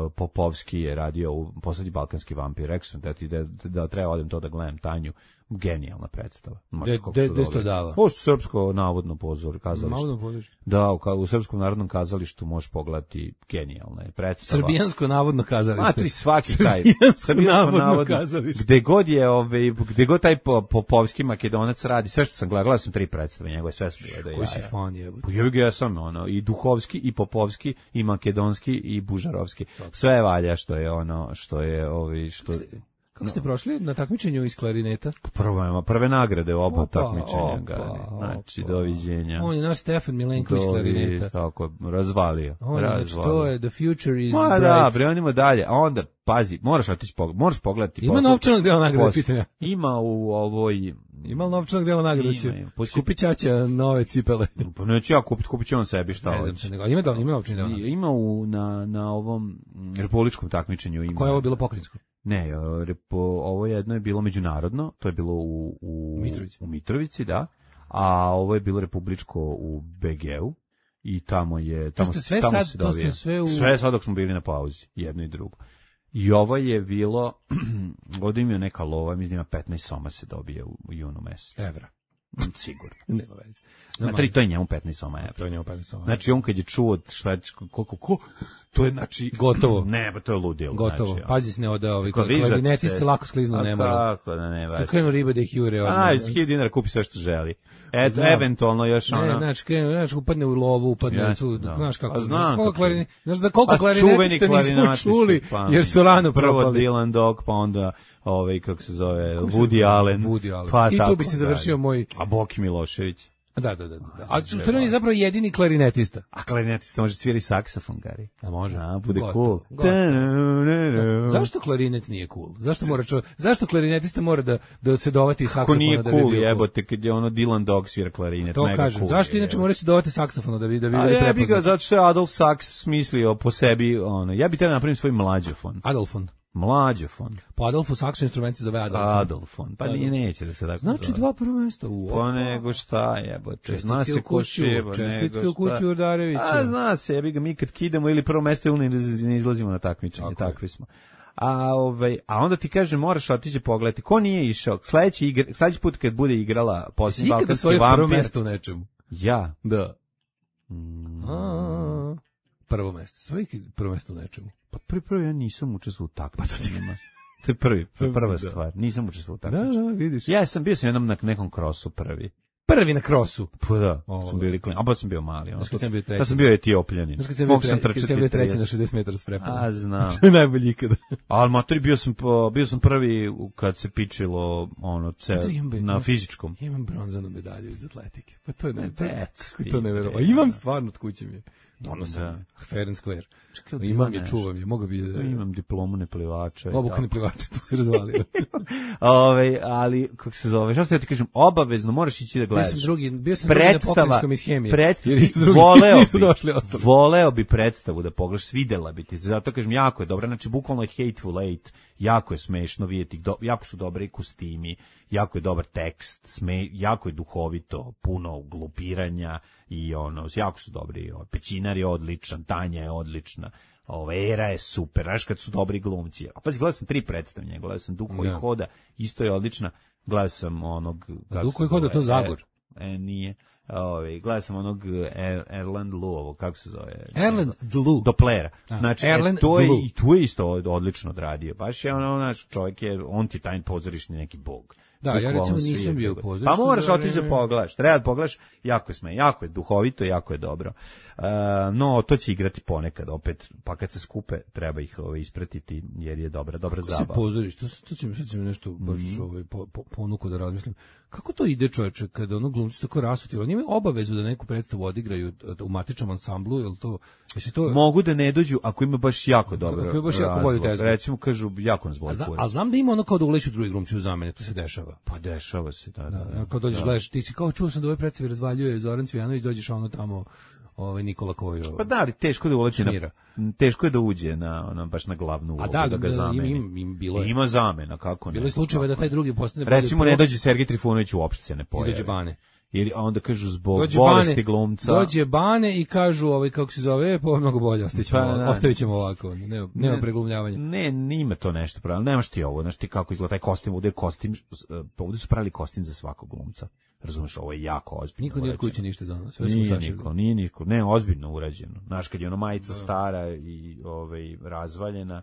Speaker 7: Popovski je radio u Poslednji balkanski vampir, rekao sam da ti da, da treba odem to da gledam Tanju, genijalna predstava. Znači,
Speaker 6: De-
Speaker 7: kako
Speaker 6: de-
Speaker 7: su
Speaker 6: de
Speaker 7: dobri.
Speaker 6: sto dava?
Speaker 7: Ovo su srpsko navodno pozor, kazalište.
Speaker 6: Malo da podrži.
Speaker 7: Da, u, ka- u Srpskom narodnom kazalištu možeš pogledati genijalna je predstava.
Speaker 6: Srbijansko navodno kazalište.
Speaker 7: Matri svaki taj.
Speaker 6: Srbijansko navodno kazalište.
Speaker 7: Gde god je, ovaj, gde god taj po- Popovski Makedonac radi, sve što sam gledao, gledao sam tri predstave njegove, sve su bile da
Speaker 6: Koji si
Speaker 7: jaja.
Speaker 6: fan jebote?
Speaker 7: Pa jebi ga, ja sam ono, i Duhovski, i Popovski, i Makedonski, i Bužarovski. Sve valja što je ono, što je, ovi, što...
Speaker 6: Kako ste prošli na takmičenju iz klarineta?
Speaker 7: Prvo, prve nagrade u oba
Speaker 6: Opa,
Speaker 7: takmičenja,
Speaker 6: opa,
Speaker 7: gani. Znači,
Speaker 6: opa.
Speaker 7: doviđenja.
Speaker 6: On je naš Stefan Milenković
Speaker 7: Dovi-
Speaker 6: klarineta.
Speaker 7: Tako, razvalio.
Speaker 6: On je, znači,
Speaker 7: razvalio.
Speaker 6: to je The Future is
Speaker 7: Ma
Speaker 6: Bright.
Speaker 7: da, bre, on ima dalje. A onda, pazi, moraš otići, pog- moraš pogledati.
Speaker 6: Ima
Speaker 7: pog-
Speaker 6: novčanog dela nagrade,
Speaker 7: Pos-
Speaker 6: pitam ja.
Speaker 7: Ima u ovoj...
Speaker 6: Ima li novčanog dela nagrade?
Speaker 7: Ima,
Speaker 6: Će
Speaker 7: ima. Poći-
Speaker 6: Kupi ćaća nove cipele.
Speaker 7: Pa neću ja kupiti, kupit će on sebi šta
Speaker 6: Ne znam
Speaker 7: hoće.
Speaker 6: se nego. Ima, da, ima novčanog dela nagrade.
Speaker 7: Ima u, na, na ovom mm, republičkom takmičenju. Ima.
Speaker 6: Koje je ovo bilo pokrinjsko?
Speaker 7: Ne, e, repo, ovo jedno je bilo međunarodno, to je bilo u, u,
Speaker 6: Mitrovici.
Speaker 7: u Mitrovici, da, a ovo je bilo republičko u B G-u i tamo je... Tamo,
Speaker 6: ste sve
Speaker 7: tamo
Speaker 6: sad-
Speaker 7: se
Speaker 6: to ste
Speaker 7: dobija.
Speaker 6: sve u-
Speaker 7: Sve sad dok smo bili na pauzi, jedno i drugo. I ovo je bilo, ovdje ima neka lova, mislim da ima petnaest soma se dobije u, u junu mesecu.
Speaker 6: Evra.
Speaker 7: Sigurno.
Speaker 6: Nema veze.
Speaker 7: Znači, to je njemu petnaest soma evra.
Speaker 6: To je njemu petnaest soma.
Speaker 7: Znači, on kad je čuo šta je, koliko, ko, to je, znači...
Speaker 6: Gotovo.
Speaker 7: Ne, pa to je ludilo.
Speaker 6: Gotovo.
Speaker 7: Znači,
Speaker 6: Pazi se ne oda ovi
Speaker 7: Ako vižat
Speaker 6: klarinetisti
Speaker 7: se-
Speaker 6: lako skliznu
Speaker 7: A
Speaker 6: ne mora.
Speaker 7: kako da ne,
Speaker 6: To
Speaker 7: baš.
Speaker 6: krenu ribe da ih jure. odmah.
Speaker 7: A, iz hiljadu dinara kupi sve što želi. Eto,
Speaker 6: Znam.
Speaker 7: eventualno još
Speaker 6: Ne,
Speaker 7: ono...
Speaker 6: znači, krenu, znači, upadne u lovu, upadne
Speaker 7: Jasno,
Speaker 6: tu,
Speaker 7: da.
Speaker 6: znaš kako,
Speaker 7: A znam
Speaker 6: znaš koliko
Speaker 7: kako je.
Speaker 6: klarini- znaš da koliko
Speaker 7: A
Speaker 6: klarinetista nismo
Speaker 7: klarinatisti,
Speaker 6: čuli,
Speaker 7: pa,
Speaker 6: jer su rano
Speaker 7: prvo
Speaker 6: propali.
Speaker 7: Dylan Dog, pa onda ovaj kako se zove Woody Allen.
Speaker 6: Woody Allen.
Speaker 7: Pa,
Speaker 6: I tu
Speaker 7: tako
Speaker 6: bi se
Speaker 7: dalje.
Speaker 6: završio moj-
Speaker 7: A Boki Milošević.
Speaker 6: Da, da, da. da. A što on je zapravo jedini klarinetista.
Speaker 7: A klarinetista može svirati saksofon, Gari.
Speaker 6: A može.
Speaker 7: A, bude
Speaker 6: Gotovo,
Speaker 7: cool.
Speaker 6: gotovo. Zašto klarinet nije cool? Zašto mora čo, zašto klarinetista mora da da se dovati saksofona
Speaker 7: Ko nije
Speaker 6: da bi
Speaker 7: cool,
Speaker 6: bio
Speaker 7: jebote, kad je ono Dylan Dog svira klarinet,
Speaker 6: to
Speaker 7: mega
Speaker 6: kažem.
Speaker 7: cool.
Speaker 6: Zašto inače mora se dovati saksofona da bi da bi
Speaker 7: A
Speaker 6: bili
Speaker 7: ja bih ga,
Speaker 6: prepoznati?
Speaker 7: zato što je Adolf Saks smislio po sebi, ono, ja bih treba napravim svoj mlađofon.
Speaker 6: Adolfon.
Speaker 7: Mlađofon.
Speaker 6: Po Adolfu Saksu instrument se zove Adolfon.
Speaker 7: Adolfon. Pa nije, neće da se tako
Speaker 6: Znači
Speaker 7: zove.
Speaker 6: dva prva mesta. U,
Speaker 7: Pa nego šta jebote. Zna
Speaker 6: Čestitke
Speaker 7: se
Speaker 6: u
Speaker 7: ko
Speaker 6: kuću,
Speaker 7: šeba,
Speaker 6: čestitke
Speaker 7: nego
Speaker 6: u kuću
Speaker 7: šta.
Speaker 6: Urdarevića.
Speaker 7: A zna se, jebi ga, mi kad kidamo ili prvo mesto ili ne izlazimo na takmičenje,
Speaker 6: Tako je.
Speaker 7: takvi smo. A ovaj a onda ti kaže moraš otići pogledati ko nije išao. Sledeći igra, sledeći put kad bude igrala
Speaker 6: Si
Speaker 7: posljednji
Speaker 6: ikada
Speaker 7: balkanski
Speaker 6: svoje prvo
Speaker 7: vampir.
Speaker 6: mesto u nečemu?
Speaker 7: Ja.
Speaker 6: Da.
Speaker 7: Mm.
Speaker 6: A, prvo mesto. Svoje prvo mesto u nečemu.
Speaker 7: Pa prvi prvi ja nisam učestvovao u takmičenjima. To je prvi, prva
Speaker 6: Da.
Speaker 7: stvar. Nisam učestvovao u
Speaker 6: Da,
Speaker 7: takmičenjima.
Speaker 6: da, vidiš.
Speaker 7: Ja sam bio sam jednom na nekom krosu prvi.
Speaker 6: Prvi na krosu.
Speaker 7: Pa da,
Speaker 6: Ovo,
Speaker 7: sam bili klin. A pa sam bio mali. Ono.
Speaker 6: Znaš kad sam bio treći?
Speaker 7: Ja sam bio etiopljanin.
Speaker 6: Znaš kad sam bio,
Speaker 7: Mogu
Speaker 6: tre,
Speaker 7: sam
Speaker 6: kad
Speaker 7: trčati
Speaker 6: sam bio treći
Speaker 7: trideset.
Speaker 6: na šezdeset metara s prepom.
Speaker 7: A, znam.
Speaker 6: To je najbolji ikada.
Speaker 7: Ali matori, bio sam, po- bio sam prvi u- kad se pičilo ono, ce,
Speaker 6: Da, imam be-
Speaker 7: na fizičkom.
Speaker 6: Ja imam bronzanu medalju iz atletike. Pa to je ne, to,
Speaker 7: Eto,
Speaker 6: kako
Speaker 7: ti,
Speaker 6: to ne verovo. A
Speaker 7: bre.
Speaker 6: imam stvarno od kuće mi je. Donosam
Speaker 7: Da.
Speaker 6: je. Fair and square.
Speaker 7: Čekaj,
Speaker 6: Imam
Speaker 7: ima
Speaker 6: je,
Speaker 7: nešto.
Speaker 6: čuvam je. Mogu bi da...
Speaker 7: Imam diplomu neplivača. i
Speaker 6: Obuka ne
Speaker 7: tako.
Speaker 6: plivača, to se razvalio.
Speaker 7: Ove, ali, kako se zove, šta ste ja ti kažem, obavezno moraš ići da
Speaker 6: Bio
Speaker 7: gledaš.
Speaker 6: sam drugi, bio sam drugi na
Speaker 7: Predstava,
Speaker 6: pokrenjskom iz hemije.
Speaker 7: predstava,
Speaker 6: Jer isto drugi
Speaker 7: voleo
Speaker 6: nisu
Speaker 7: bi,
Speaker 6: došli ostali.
Speaker 7: voleo bi predstavu da pogledaš, svidela bi ti, zato kažem, jako je dobra, znači, bukvalno je Hateful Eight, jako je smešno vidjeti, do, jako su dobre i kostimi, jako je dobar tekst, sme, jako je duhovito, puno glupiranja i ono, jako su dobri, o, Pećinar je odličan, Tanja je odlična, ova Era je super, znaš kad su dobri glumci. A pa gledao sam tri predstavljanja, gledao sam Duho
Speaker 6: Da.
Speaker 7: i Hoda, isto je odlična, gledao sam onog... kako
Speaker 6: Duho i
Speaker 7: se
Speaker 6: Hoda,
Speaker 7: zove,
Speaker 6: to Zagor.
Speaker 7: E, e, nije. Ove, gledao sam onog er, Erland Luovo, kako se zove?
Speaker 6: Erland Dlu.
Speaker 7: Doplera.
Speaker 6: A,
Speaker 7: Znači,
Speaker 6: Erland
Speaker 7: e, to je,
Speaker 6: Dlu.
Speaker 7: i tu je isto od- odlično odradio. Baš je ono, naš čovjek je, on ti je taj pozorišni neki bog.
Speaker 6: Da, ja
Speaker 7: Bukvalno
Speaker 6: recimo
Speaker 7: svi
Speaker 6: nisam
Speaker 7: je
Speaker 6: bio u
Speaker 7: tako.
Speaker 6: pozorištu
Speaker 7: Pa moraš
Speaker 6: za
Speaker 7: otići da
Speaker 6: vreme-
Speaker 7: pogledaš, treba da pogledaš, jako je sme, jako je duhovito, jako je dobro. Uh, no, to će igrati ponekad opet, pa kad se skupe, treba ih ovaj, ispratiti, jer je dobra, dobra
Speaker 6: Kako se
Speaker 7: zabava.
Speaker 6: pozoriš, to, to će mi sad će mi nešto baš
Speaker 7: Mhm.
Speaker 6: ovaj, po, po, ponuku da razmislim. Kako to ide, čoveče, kada ono glumci tako rasutilo? Oni imaju obavezu da neku predstavu odigraju u matičnom ansamblu, jel to... Jesi to
Speaker 7: Mogu da ne dođu ako ima baš jako dobro.
Speaker 6: Ako ima baš jako
Speaker 7: razlog.
Speaker 6: bolju tezgu.
Speaker 7: Recimo kažu jako nas
Speaker 6: a,
Speaker 7: boli
Speaker 6: zna,
Speaker 7: kurac.
Speaker 6: a znam da ima ono kao da uleću drugi glumci u zamene, to se dešava.
Speaker 7: Pa dešava se, da, da.
Speaker 6: Da,
Speaker 7: da.
Speaker 6: kao dođeš,
Speaker 7: Da.
Speaker 6: gledaš, ti si kao čuo sam da u ovoj predstavi razvaljuje Zoran Cvijanović, dođeš ono tamo, ovaj Nikola Kojo.
Speaker 7: Pa da, ali teško da uleće na,
Speaker 6: Šnira.
Speaker 7: teško je da uđe na, ono, baš na glavnu ulogu,
Speaker 6: A da,
Speaker 7: da ga
Speaker 6: da,
Speaker 7: zameni.
Speaker 6: im- im- bilo je.
Speaker 7: Ima zamena, kako ne.
Speaker 6: Bilo je slučajeva da taj drugi postane bolji
Speaker 7: Recimo
Speaker 6: prvo
Speaker 7: ne dođe Sergej Trifunović uopšte se ne
Speaker 6: i
Speaker 7: pojavi.
Speaker 6: dođe Bane.
Speaker 7: Ili a onda kažu zbog
Speaker 6: Dođe
Speaker 7: bolesti
Speaker 6: Bane,
Speaker 7: glumca.
Speaker 6: dođe Bane i kažu, ovaj, kako se zove, pa ovo je mnogo bolje, ostavit ćemo,
Speaker 7: Pa, da.
Speaker 6: ostavit ćemo ovako, nema, nema preglumljavanja.
Speaker 7: Ne, nima to nešto pravilo. Nemaš ti ovo, znaš ti kako izgleda taj kostim, ovdje je kostim, pa ovdje su pravili kostim za svakog glumca. Razumeš, ovo je jako ozbiljno.
Speaker 6: Niko nije od
Speaker 7: urađeno.
Speaker 6: kuće ništa dono, sve smo
Speaker 7: Nije
Speaker 6: sašili.
Speaker 7: niko, nije niko, ne, ozbiljno urađeno. Znaš, kad je ono majica stara i ovaj, razvaljena,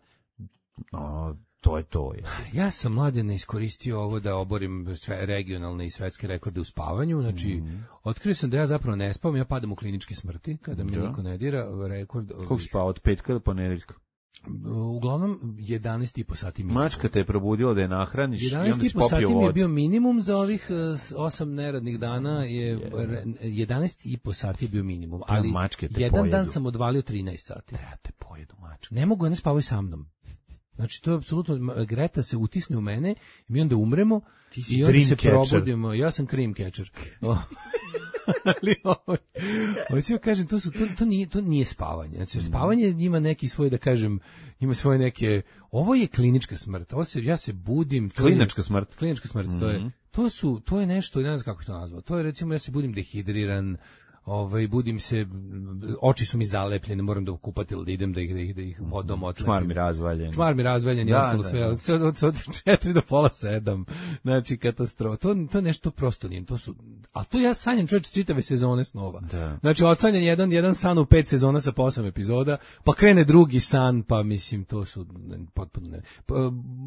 Speaker 7: ono, to je to. Je.
Speaker 6: Ja sam mladen iskoristio ovo da oborim sve regionalne i svetske rekorde u spavanju, znači
Speaker 7: Mhm.
Speaker 6: otkrio sam da ja zapravo ne spavam, ja padam u kliničke smrti kada mi
Speaker 7: Da.
Speaker 6: niko ne dira, rekord.
Speaker 7: Kako si spao od petka do ponedeljka?
Speaker 6: Uglavnom jedanaest i po sati minimum.
Speaker 7: Mačka te je probudila da je nahraniš i onda
Speaker 6: jedanaest
Speaker 7: si
Speaker 6: i po sati
Speaker 7: popio
Speaker 6: mi je
Speaker 7: vodu.
Speaker 6: bio minimum za ovih eh, s- osam neradnih dana, je re- jedanaest i po sati je bio minimum, ali
Speaker 7: mačke te
Speaker 6: jedan
Speaker 7: pojedu.
Speaker 6: dan sam odvalio trinaest sati.
Speaker 7: Ja te pojedu mačka.
Speaker 6: Ne mogu, ne spavaju sa mnom. Znači, to je apsolutno, m- Greta se utisne u mene i mi onda umremo
Speaker 7: Ti si
Speaker 6: i onda se
Speaker 7: dream catcher.
Speaker 6: probudimo. Ja sam cream catcher. O. Ali ovo, hoću ja kažem, to, su, to, to, nije, to nije spavanje. Znači, spavanje ima neki svoj, da kažem, ima svoje neke, ovo je klinička smrt. Ovo se, ja se budim. to je-
Speaker 7: Klinička smrt.
Speaker 6: Klinička smrt, to je, to su, to je nešto, ne znam kako to nazvao. To je recimo, ja se budim dehidriran, ovaj, budim se, oči su mi zalepljene, moram da kupatil da idem da ih, da ih, da ih vodom otlepim.
Speaker 7: Čmar mi razvaljen.
Speaker 6: Čmar mi razvaljen i
Speaker 7: Da,
Speaker 6: ostalo
Speaker 7: da,
Speaker 6: sve,
Speaker 7: da.
Speaker 6: od, od, od, od četiri do pola sedam, znači katastrofa. To, to nešto prosto nije, to su, a to ja sanjam čovječ čitave sezone snova.
Speaker 7: Da.
Speaker 6: Znači odsanjam jedan, jedan san u pet sezona sa po osam epizoda, pa krene drugi san, pa mislim to su ne, potpuno ne. Pa,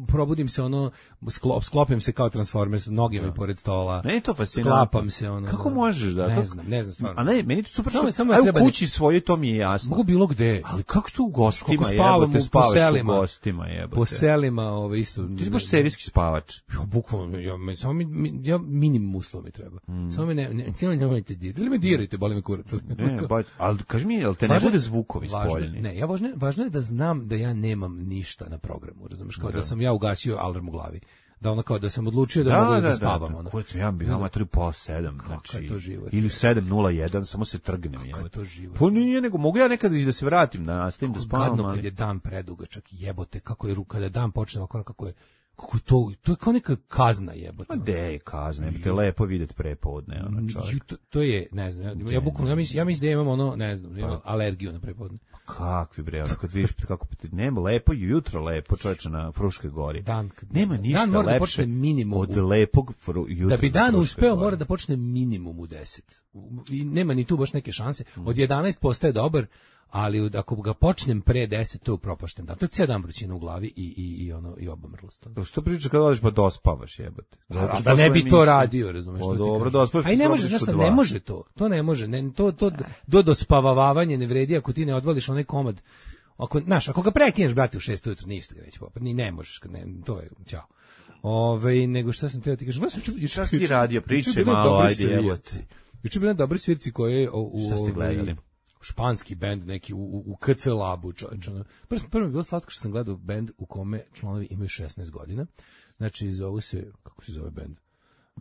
Speaker 6: probudim se ono, sklop, sklopim se kao Transformers, noge mi pored stola,
Speaker 7: Ne je to fascinantno.
Speaker 6: sklapam se ono.
Speaker 7: Kako
Speaker 6: da.
Speaker 7: možeš da?
Speaker 6: Ne
Speaker 7: kako-
Speaker 6: znam, ne znam stvarno.
Speaker 7: A ne, meni to super.
Speaker 6: Samo-
Speaker 7: Samo,
Speaker 6: samo
Speaker 7: samo
Speaker 6: treba
Speaker 7: u kući svoje, to mi je jasno.
Speaker 6: Mogu bilo gde.
Speaker 7: Ali kako to u gostima,
Speaker 6: Koliko spavam
Speaker 7: jebote,
Speaker 6: u- po
Speaker 7: spavaš
Speaker 6: selima.
Speaker 7: u gostima, jebote.
Speaker 6: Po selima, ove, isto.
Speaker 7: Ti si baš serijski spavač.
Speaker 6: Ja, bukvalno, ja, me, samo mi, mi, ja minimum uslova mi treba.
Speaker 7: Mm.
Speaker 6: Samo me ne, ne, ne, nemojte dirati. Ili me dirajte, boli me kurac.
Speaker 7: Ne, ba, ali kaži mi, jel te ne
Speaker 6: Važno je-
Speaker 7: bude zvukovi
Speaker 6: važno je-
Speaker 7: spoljeni?
Speaker 6: Ne, ja važno, je- važno je da znam da ja nemam ništa na programu, razumeš, kao da sam ja ugasio alarm u glavi. Da ono kao da sam odlučio da, mogu da, da spavam. ono.
Speaker 7: Kurac, ja bih ima tri pola sedam, znači.
Speaker 6: je to život,
Speaker 7: Ili
Speaker 6: je.
Speaker 7: sedam nula jedan, samo se trgnem.
Speaker 6: Kako je to život.
Speaker 7: Pa nije, nego mogu ja nekad i da se vratim, da nastavim da spavam,
Speaker 6: Gadno
Speaker 7: ali...
Speaker 6: kad je dan predugačak, jebote, kako je ruka, da dan počne ovako, kako je, kako je to, to je kao neka kazna, jebote.
Speaker 7: Pa de je kazna, jebote, je lepo vidjeti prepodne, ono čovjek.
Speaker 6: Ju, to, to je, ne znam, ja, ja bukvalno, ja mislim, ja mislim da imam ono, ne znam,
Speaker 7: Pa-
Speaker 6: imam alergiju na prepodne.
Speaker 7: Kakvi bre, ono, kad vidiš kako ti nema lepo jutro lepo čoveče na Fruškoj gori.
Speaker 6: Dan, kad-
Speaker 7: Nema ništa
Speaker 6: dan mora da
Speaker 7: lepše
Speaker 6: počne minimum
Speaker 7: od
Speaker 6: u-
Speaker 7: lepog fru, jutra.
Speaker 6: Da bi
Speaker 7: na
Speaker 6: dan
Speaker 7: Fruškoj
Speaker 6: uspeo
Speaker 7: gori.
Speaker 6: mora da počne minimum u deset. I nema ni tu baš neke šanse. Od jedanaest postaje dobar, ali od- ako ga počnem pre deset, to je propašten dan. To je cijel dan vrućina u glavi i, i, i, ono, i obamrlost.
Speaker 7: To što pričaš kad odeš pa dospavaš, jebote. Zato
Speaker 6: A
Speaker 7: što
Speaker 6: da ne
Speaker 7: svoje
Speaker 6: bi to
Speaker 7: emisije-
Speaker 6: radio, razumeš
Speaker 7: Pa
Speaker 6: što ti
Speaker 7: dobro,
Speaker 6: kažem.
Speaker 7: dospavaš,
Speaker 6: A i ne
Speaker 7: pa
Speaker 6: može,
Speaker 7: probudiš
Speaker 6: znaš
Speaker 7: u
Speaker 6: šta,
Speaker 7: dva.
Speaker 6: ne može to. To ne može. Ne, to, to do dospavavavanje ne vredi ako ti ne odvališ onaj komad. Ako, znaš, ako ga prekineš, brate, u šest ujutru, ništa ga neće popati. Ni ne možeš, kad ne, to je, ćao. Ove, nego šta sam teo ti kažem, gledaj, juče-
Speaker 7: Šta si ti
Speaker 6: juče-
Speaker 7: radio?
Speaker 6: juče
Speaker 7: Pričaj
Speaker 6: bili
Speaker 7: malo,
Speaker 6: dobri
Speaker 7: ajde,
Speaker 6: svirci.
Speaker 7: jebote.
Speaker 6: Juče je bila dobri svirci koji je u, u
Speaker 7: Šta ste
Speaker 6: ovaj,
Speaker 7: gledali?
Speaker 6: španski bend neki u, u, u K C Labu, čovječe. ono. Prvo, prvo mi je bilo slatko što sam gledao bend u kome članovi imaju šesnaest godina. Znači, zovu se, kako se zove bend?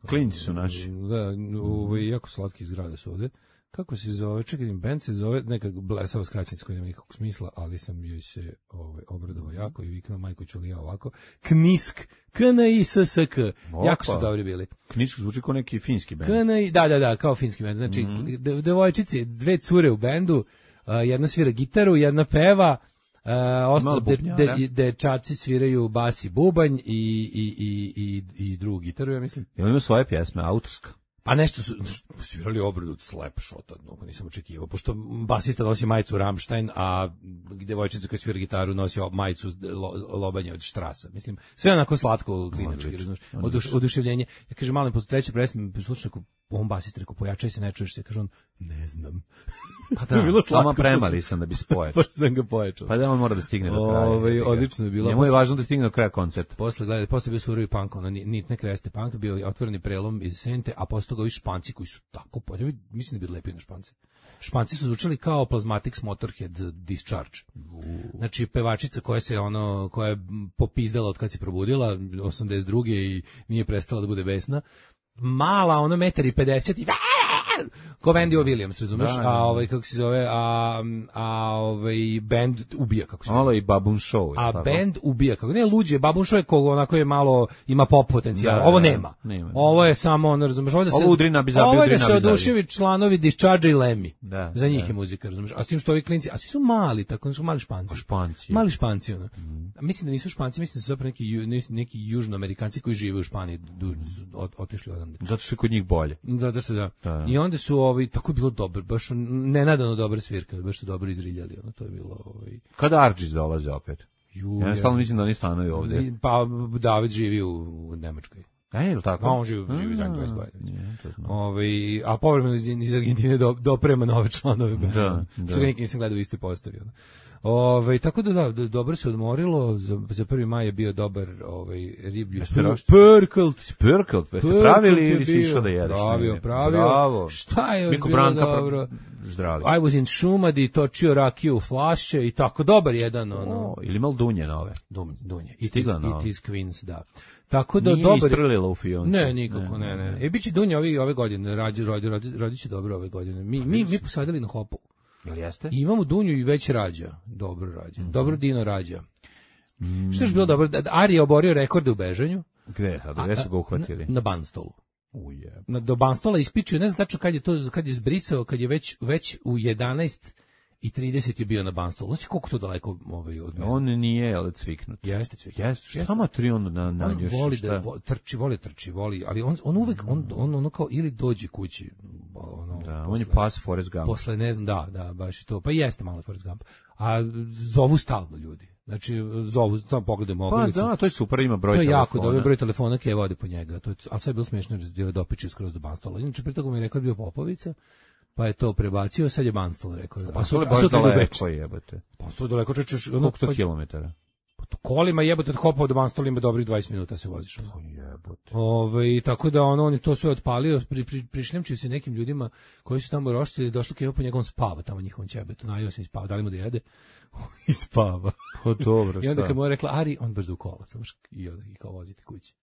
Speaker 7: Klinci su naši.
Speaker 6: Da, ovaj, jako slatki zgrade su ovde. Kako se zove? Čekaj, band se zove neka blesava skraćenica koja nema nikakvog smisla, ali sam joj se ovaj, obradovao jako i viknuo majko ću li ja ovako. Knisk, K N I S S K. Jako su
Speaker 7: Opa.
Speaker 6: dobri bili.
Speaker 7: Kničko zvuči kao neki finski bend.
Speaker 6: K N I, da, da, da, kao finski band. Znači, de- devojčice, dve cure u bendu, a, jedna svira gitaru, jedna peva, Uh, ostalo
Speaker 7: Malo
Speaker 6: de,
Speaker 7: bubnjara.
Speaker 6: de, dečaci sviraju bas i bubanj i, i, i, i, i drugu gitaru, ja mislim.
Speaker 7: Jel ima svoje pjesme, autorska?
Speaker 6: Pa nešto su svirali obradu od Slapshota, no, nisam očekivao, pošto basista nosi majicu Rammstein, a devojčica koja svira gitaru nosi majicu lo, lobanje od Štrasa. Mislim, sve onako slatko, klinački, razumiješ, oduš, oduševljenje. Ja kažem, malim, posle treće presme, slušaj, on basista, rekao, pojačaj se, ne čuješ se, kaže on, ne znam.
Speaker 7: Pa
Speaker 6: To je bilo slatko,
Speaker 7: sama premali sam da bi se pojačao.
Speaker 6: Pa sam ga pojačao.
Speaker 7: Pa da on mora da stigne do kraja.
Speaker 6: Ovaj,
Speaker 7: jebi ga.
Speaker 6: odlično je bilo.
Speaker 7: Njemu je važno da stigne do kraja koncerta.
Speaker 6: Posle gledaj, posle bio surovi punk, ono nit ne kreste punk, bio je otvoreni prelom iz Sente, a posle toga ovi Španci koji su tako podjevi, mislim da bi lepi na Španci. Španci su zvučali kao Plasmatics Motorhead Discharge. Znači pevačica koja se ono koja je popizdala od kad se probudila osamdeset druge i nije prestala da bude besna. Mala, ono metar i pedeset i ko Wendy O. Williams, razumeš?
Speaker 7: Da, da, da.
Speaker 6: A ovaj kako se zove, a a ovaj bend ubija kako se zove.
Speaker 7: Malo i Babun Show.
Speaker 6: A
Speaker 7: je tako?
Speaker 6: bend ubija, kako ne luđe, Babun Show je kog onako je malo, ima pop potencijal,
Speaker 7: Da,
Speaker 6: ovo
Speaker 7: da,
Speaker 6: nema.
Speaker 7: nema.
Speaker 6: Ovo je samo, ono, razumeš, ovo da se,
Speaker 7: Ovo udri na bizabi,
Speaker 6: ovo je
Speaker 7: udri
Speaker 6: da
Speaker 7: na
Speaker 6: se
Speaker 7: bizabi.
Speaker 6: oduševi članovi Discharge i Lemmy.
Speaker 7: Da,
Speaker 6: Za njih
Speaker 7: da.
Speaker 6: je muzika, razumeš, a s tim što ovi klinci, a svi su mali, tako oni su mali Španci.
Speaker 7: Španci.
Speaker 6: Mali Španci, ono. A mislim da nisu Španci, mislim da su zapravo neki, ju- neki, neki južnoamerikanci koji žive u Španiji, du, od, otišli odande.
Speaker 7: Zato što je kod njih bolje.
Speaker 6: Da, da se da.
Speaker 7: Da, da.
Speaker 6: I onda su ovi, tako je bilo dobro, baš nenadano dobra svirka, baš su dobro izriljali, ono, to je bilo, ovaj,
Speaker 7: Kada Arđis dolaze opet?
Speaker 6: ju,
Speaker 7: Ja stalno mislim da oni stanuju ovde.
Speaker 6: Pa David živi u, u Nemačkoj.
Speaker 7: E, je li tako?
Speaker 6: A on živi, živi zadnjih dvadeset
Speaker 7: A,
Speaker 6: godina.
Speaker 7: nije, to znam.
Speaker 6: Ovaj, a povremeno iz iz Argentine do, doprema nove članove.
Speaker 7: Da, da.
Speaker 6: Što ga nikad nisam gledao u istoj postavi. ono. Ovaj, tako da da, do- dobro se odmorilo, za, za prvi maj je bio dobar ovaj, riblji
Speaker 7: Jeste roštilj?
Speaker 6: Perkelt.
Speaker 7: Spirkelt, jeste
Speaker 6: Perkelt
Speaker 7: pravili
Speaker 6: je
Speaker 7: ili si
Speaker 6: bio.
Speaker 7: išao da jedeš?
Speaker 6: Pravio,
Speaker 7: negdje?
Speaker 6: pravio.
Speaker 7: Bravo.
Speaker 6: Šta je još
Speaker 7: Miko
Speaker 6: bilo
Speaker 7: Branka pra-
Speaker 6: dobro?
Speaker 7: Zdravi.
Speaker 6: I was in Šumadi, točio rakiju u flaše i tako, dobar jedan, ono.
Speaker 7: O, ili mal dunje nove.
Speaker 6: Dum, dunje. It is,
Speaker 7: Stigla nova.
Speaker 6: it is Queens, da. Tako da
Speaker 7: Nije
Speaker 6: dobar.
Speaker 7: istrelila u fioncu.
Speaker 6: Ne, nikako, ne, ne. E, bit će Dunja ove, ove godine, rađi, rodi, rodi, rodi će dobro ove godine. Mi, mi, mi posadili na hopu.
Speaker 7: Jel jeste?
Speaker 6: I imamo Dunju i već rađa. Dobro rađa. Dobro Dino rađa. Što je još bilo dobro? Da- da Ari je oborio rekorde u bežanju.
Speaker 7: Gde sad? Gde su ga uhvatili?
Speaker 6: Na, na Banstolu.
Speaker 7: Uje.
Speaker 6: Na, do Banstola ispičio, ne znam tačno kad je to, kad je zbrisao, kad je već, već u jedanaest i trideset je bio na Banstolu. Znači koliko to daleko ovaj, od mene?
Speaker 7: On nije, ali cviknut.
Speaker 6: Jeste cvik.
Speaker 7: Jeste, šta ma tri on na, na
Speaker 6: On
Speaker 7: još,
Speaker 6: voli
Speaker 7: šta?
Speaker 6: da vo- trči, voli trči, voli, ali on on uvek on on ono kao ili dođe kući, ono.
Speaker 7: Da, on
Speaker 6: posle-
Speaker 7: je pas Forrest Gump.
Speaker 6: Posle ne znam, da, da, baš je to. Pa jeste malo Forrest Gump. A zovu stalno ljudi. Znači zovu, tamo pogledamo
Speaker 7: Pa
Speaker 6: ogrlicu.
Speaker 7: da, to je super, ima broj
Speaker 6: To je
Speaker 7: telefona.
Speaker 6: jako dobro, broj telefona koje vode po njega. To je, a sad je bilo smiješno jer je dopičio skroz do Banstola. Inače, pri toga mi je rekao da je bio Popovica, pa je to prebacio, sad je Banstol rekao.
Speaker 7: Pa su li baš daleko jebote?
Speaker 6: Banstol je daleko, čečeš...
Speaker 7: Koliko to kilometara?
Speaker 6: Kolima jebote od Hopova do Banstola ima dobrih dvadeset minuta se voziš.
Speaker 7: Jebote.
Speaker 6: Ove, tako da ono, on je to sve otpalio, pri, pri, prišljamčio se nekim ljudima koji su tamo roštili, došli kao po njegovom spava tamo njihovom ćebetu, najio se i spava, dali mu da jede i spava.
Speaker 7: Pa dobro,
Speaker 6: I onda kad mu je rekla, Ari, on brzo u kola, samo i onda i kao vozite kući.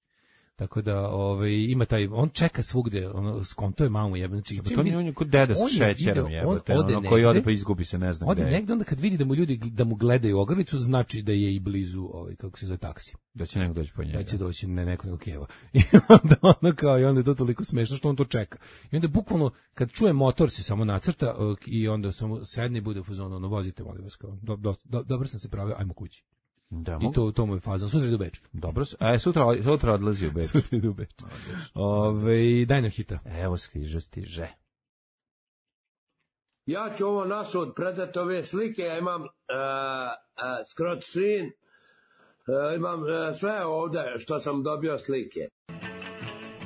Speaker 6: Tako da, ovaj ima taj, on čeka svugde, ono skonto je mamu jebe, znači
Speaker 7: to nije on je kod deda sa šećerom jebote, ono koji ode pa izgubi se, ne znam
Speaker 6: gde.
Speaker 7: Ode
Speaker 6: negde, onda kad vidi da mu ljudi da mu gledaju ogrlicu, znači da je i blizu, ovaj kako se zove, taksi.
Speaker 7: Da će neko doći po njega.
Speaker 6: Da će doći ne neko nego Kijeva. I onda ono kao i onda je to toliko smešno što on to čeka. I onda bukvalno kad čuje motor se samo nacrta i onda samo sedne i bude u fazonu, ono vozite molim vas kao. Do, do, do, dobro sam se pravio, ajmo kući.
Speaker 7: Da,
Speaker 6: I to to mu je faza. Sutra ide u Beč.
Speaker 7: Dobro, a sutra sutra odlazi u Beč.
Speaker 6: Sutra ide u Beč. Ove, daj nam hita.
Speaker 7: Evo stiže, stiže.
Speaker 8: Ja ću ovo nasud predati ove slike, ja imam uh, uh, scrot screen, uh, imam uh, sve ovde što sam dobio slike.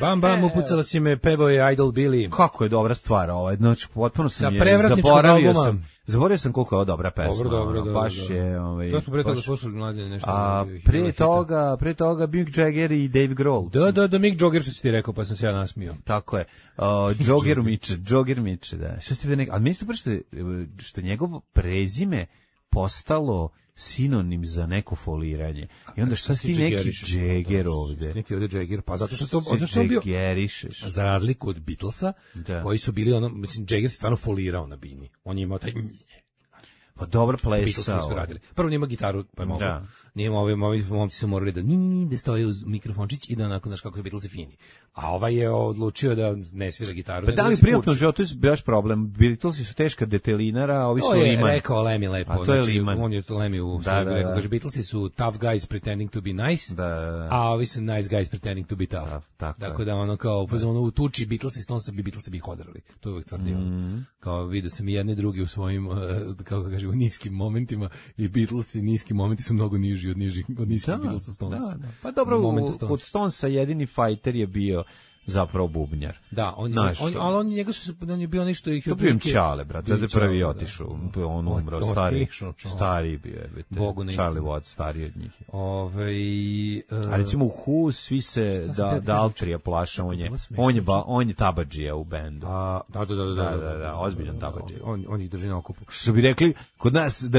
Speaker 6: Bam, bam, upucala si me, pevo je Idol Billy.
Speaker 7: Kako je dobra stvar ovaj, znači potpuno sam
Speaker 6: je zaboravio sam.
Speaker 7: Zaboravio sam koliko je ovo dobra pesma.
Speaker 6: Dobro, dobro, dobro.
Speaker 7: Baš dobro. Je, ovaj.
Speaker 6: To smo pre toga slušali mlađe nešto.
Speaker 7: A pre toga, pre toga Mick Jagger i Dave Grohl.
Speaker 6: Da, da, da, Mick Jagger što si ti rekao, pa sam se ja nasmio.
Speaker 7: Tako je. Uh, Jogger Miče, Jogger Miče, da. Šta ste vi neki, ali mi se što što njegovo prezime postalo sinonim za neko foliranje. I onda šta si ti neki Jagger ovde?
Speaker 6: Neki ovde Jagger, pa zato što to zato što bio
Speaker 7: Jaggerišeš.
Speaker 6: Za razliku od Beatlesa, da. Koji su bili ono, mislim Jagger se stvarno folirao na bini. On je imao taj
Speaker 7: pa dobro plesao.
Speaker 6: Prvo nema gitaru, pa je mogu. Nije ovi, ovi momci su morali da ni, ni, da stoje uz mikrofončić i da onako, znaš kako je Beatlesi fini. A ovaj je odlučio da ne svira gitaru.
Speaker 7: Pa da li privatno životu je baš problem? Beatlesi su teška detelinara, a ovi su
Speaker 6: Liman.
Speaker 7: To
Speaker 6: je rekao Lemmy lepo.
Speaker 7: A to je Liman.
Speaker 6: On je to Lemmy u svoju da, rekao. Kaže, Beatlesi su tough guys pretending to be nice,
Speaker 7: da, da, da.
Speaker 6: a ovi su nice guys pretending to be tough. Da, tako, tako da ono kao, ono u tuči Beatlesi, Stonesa bi Beatlesi bi ih odrali. To je uvijek tvrdio. Mm. Kao vidio sam i jedne drugi u svojim, kako kaže, u niskim momentima i Beatlesi niski momenti su mnogo niži od nižih, od niskih Beatlesa Stonesa.
Speaker 7: Da, da. Pa dobro, kod Stonesa jedini fighter je bio zapravo bubnjar.
Speaker 6: Da, on, Naš, on, ali on, njega su, on je bio nešto ih...
Speaker 7: To bio Čale, brat, zato je prvi otišao, on umro, stari, stari bio je, Charlie Watts, stariji od njih.
Speaker 6: Ove,
Speaker 7: uh, a recimo u Who svi se da, da Altrija plaša, on je, on je, ba, on je tabadžija u bendu.
Speaker 6: A, da, da, da, da,
Speaker 7: da, da, da, ozbiljan tabadžija.
Speaker 6: On, on ih drži na okupu.
Speaker 7: Što bi rekli, kod nas, da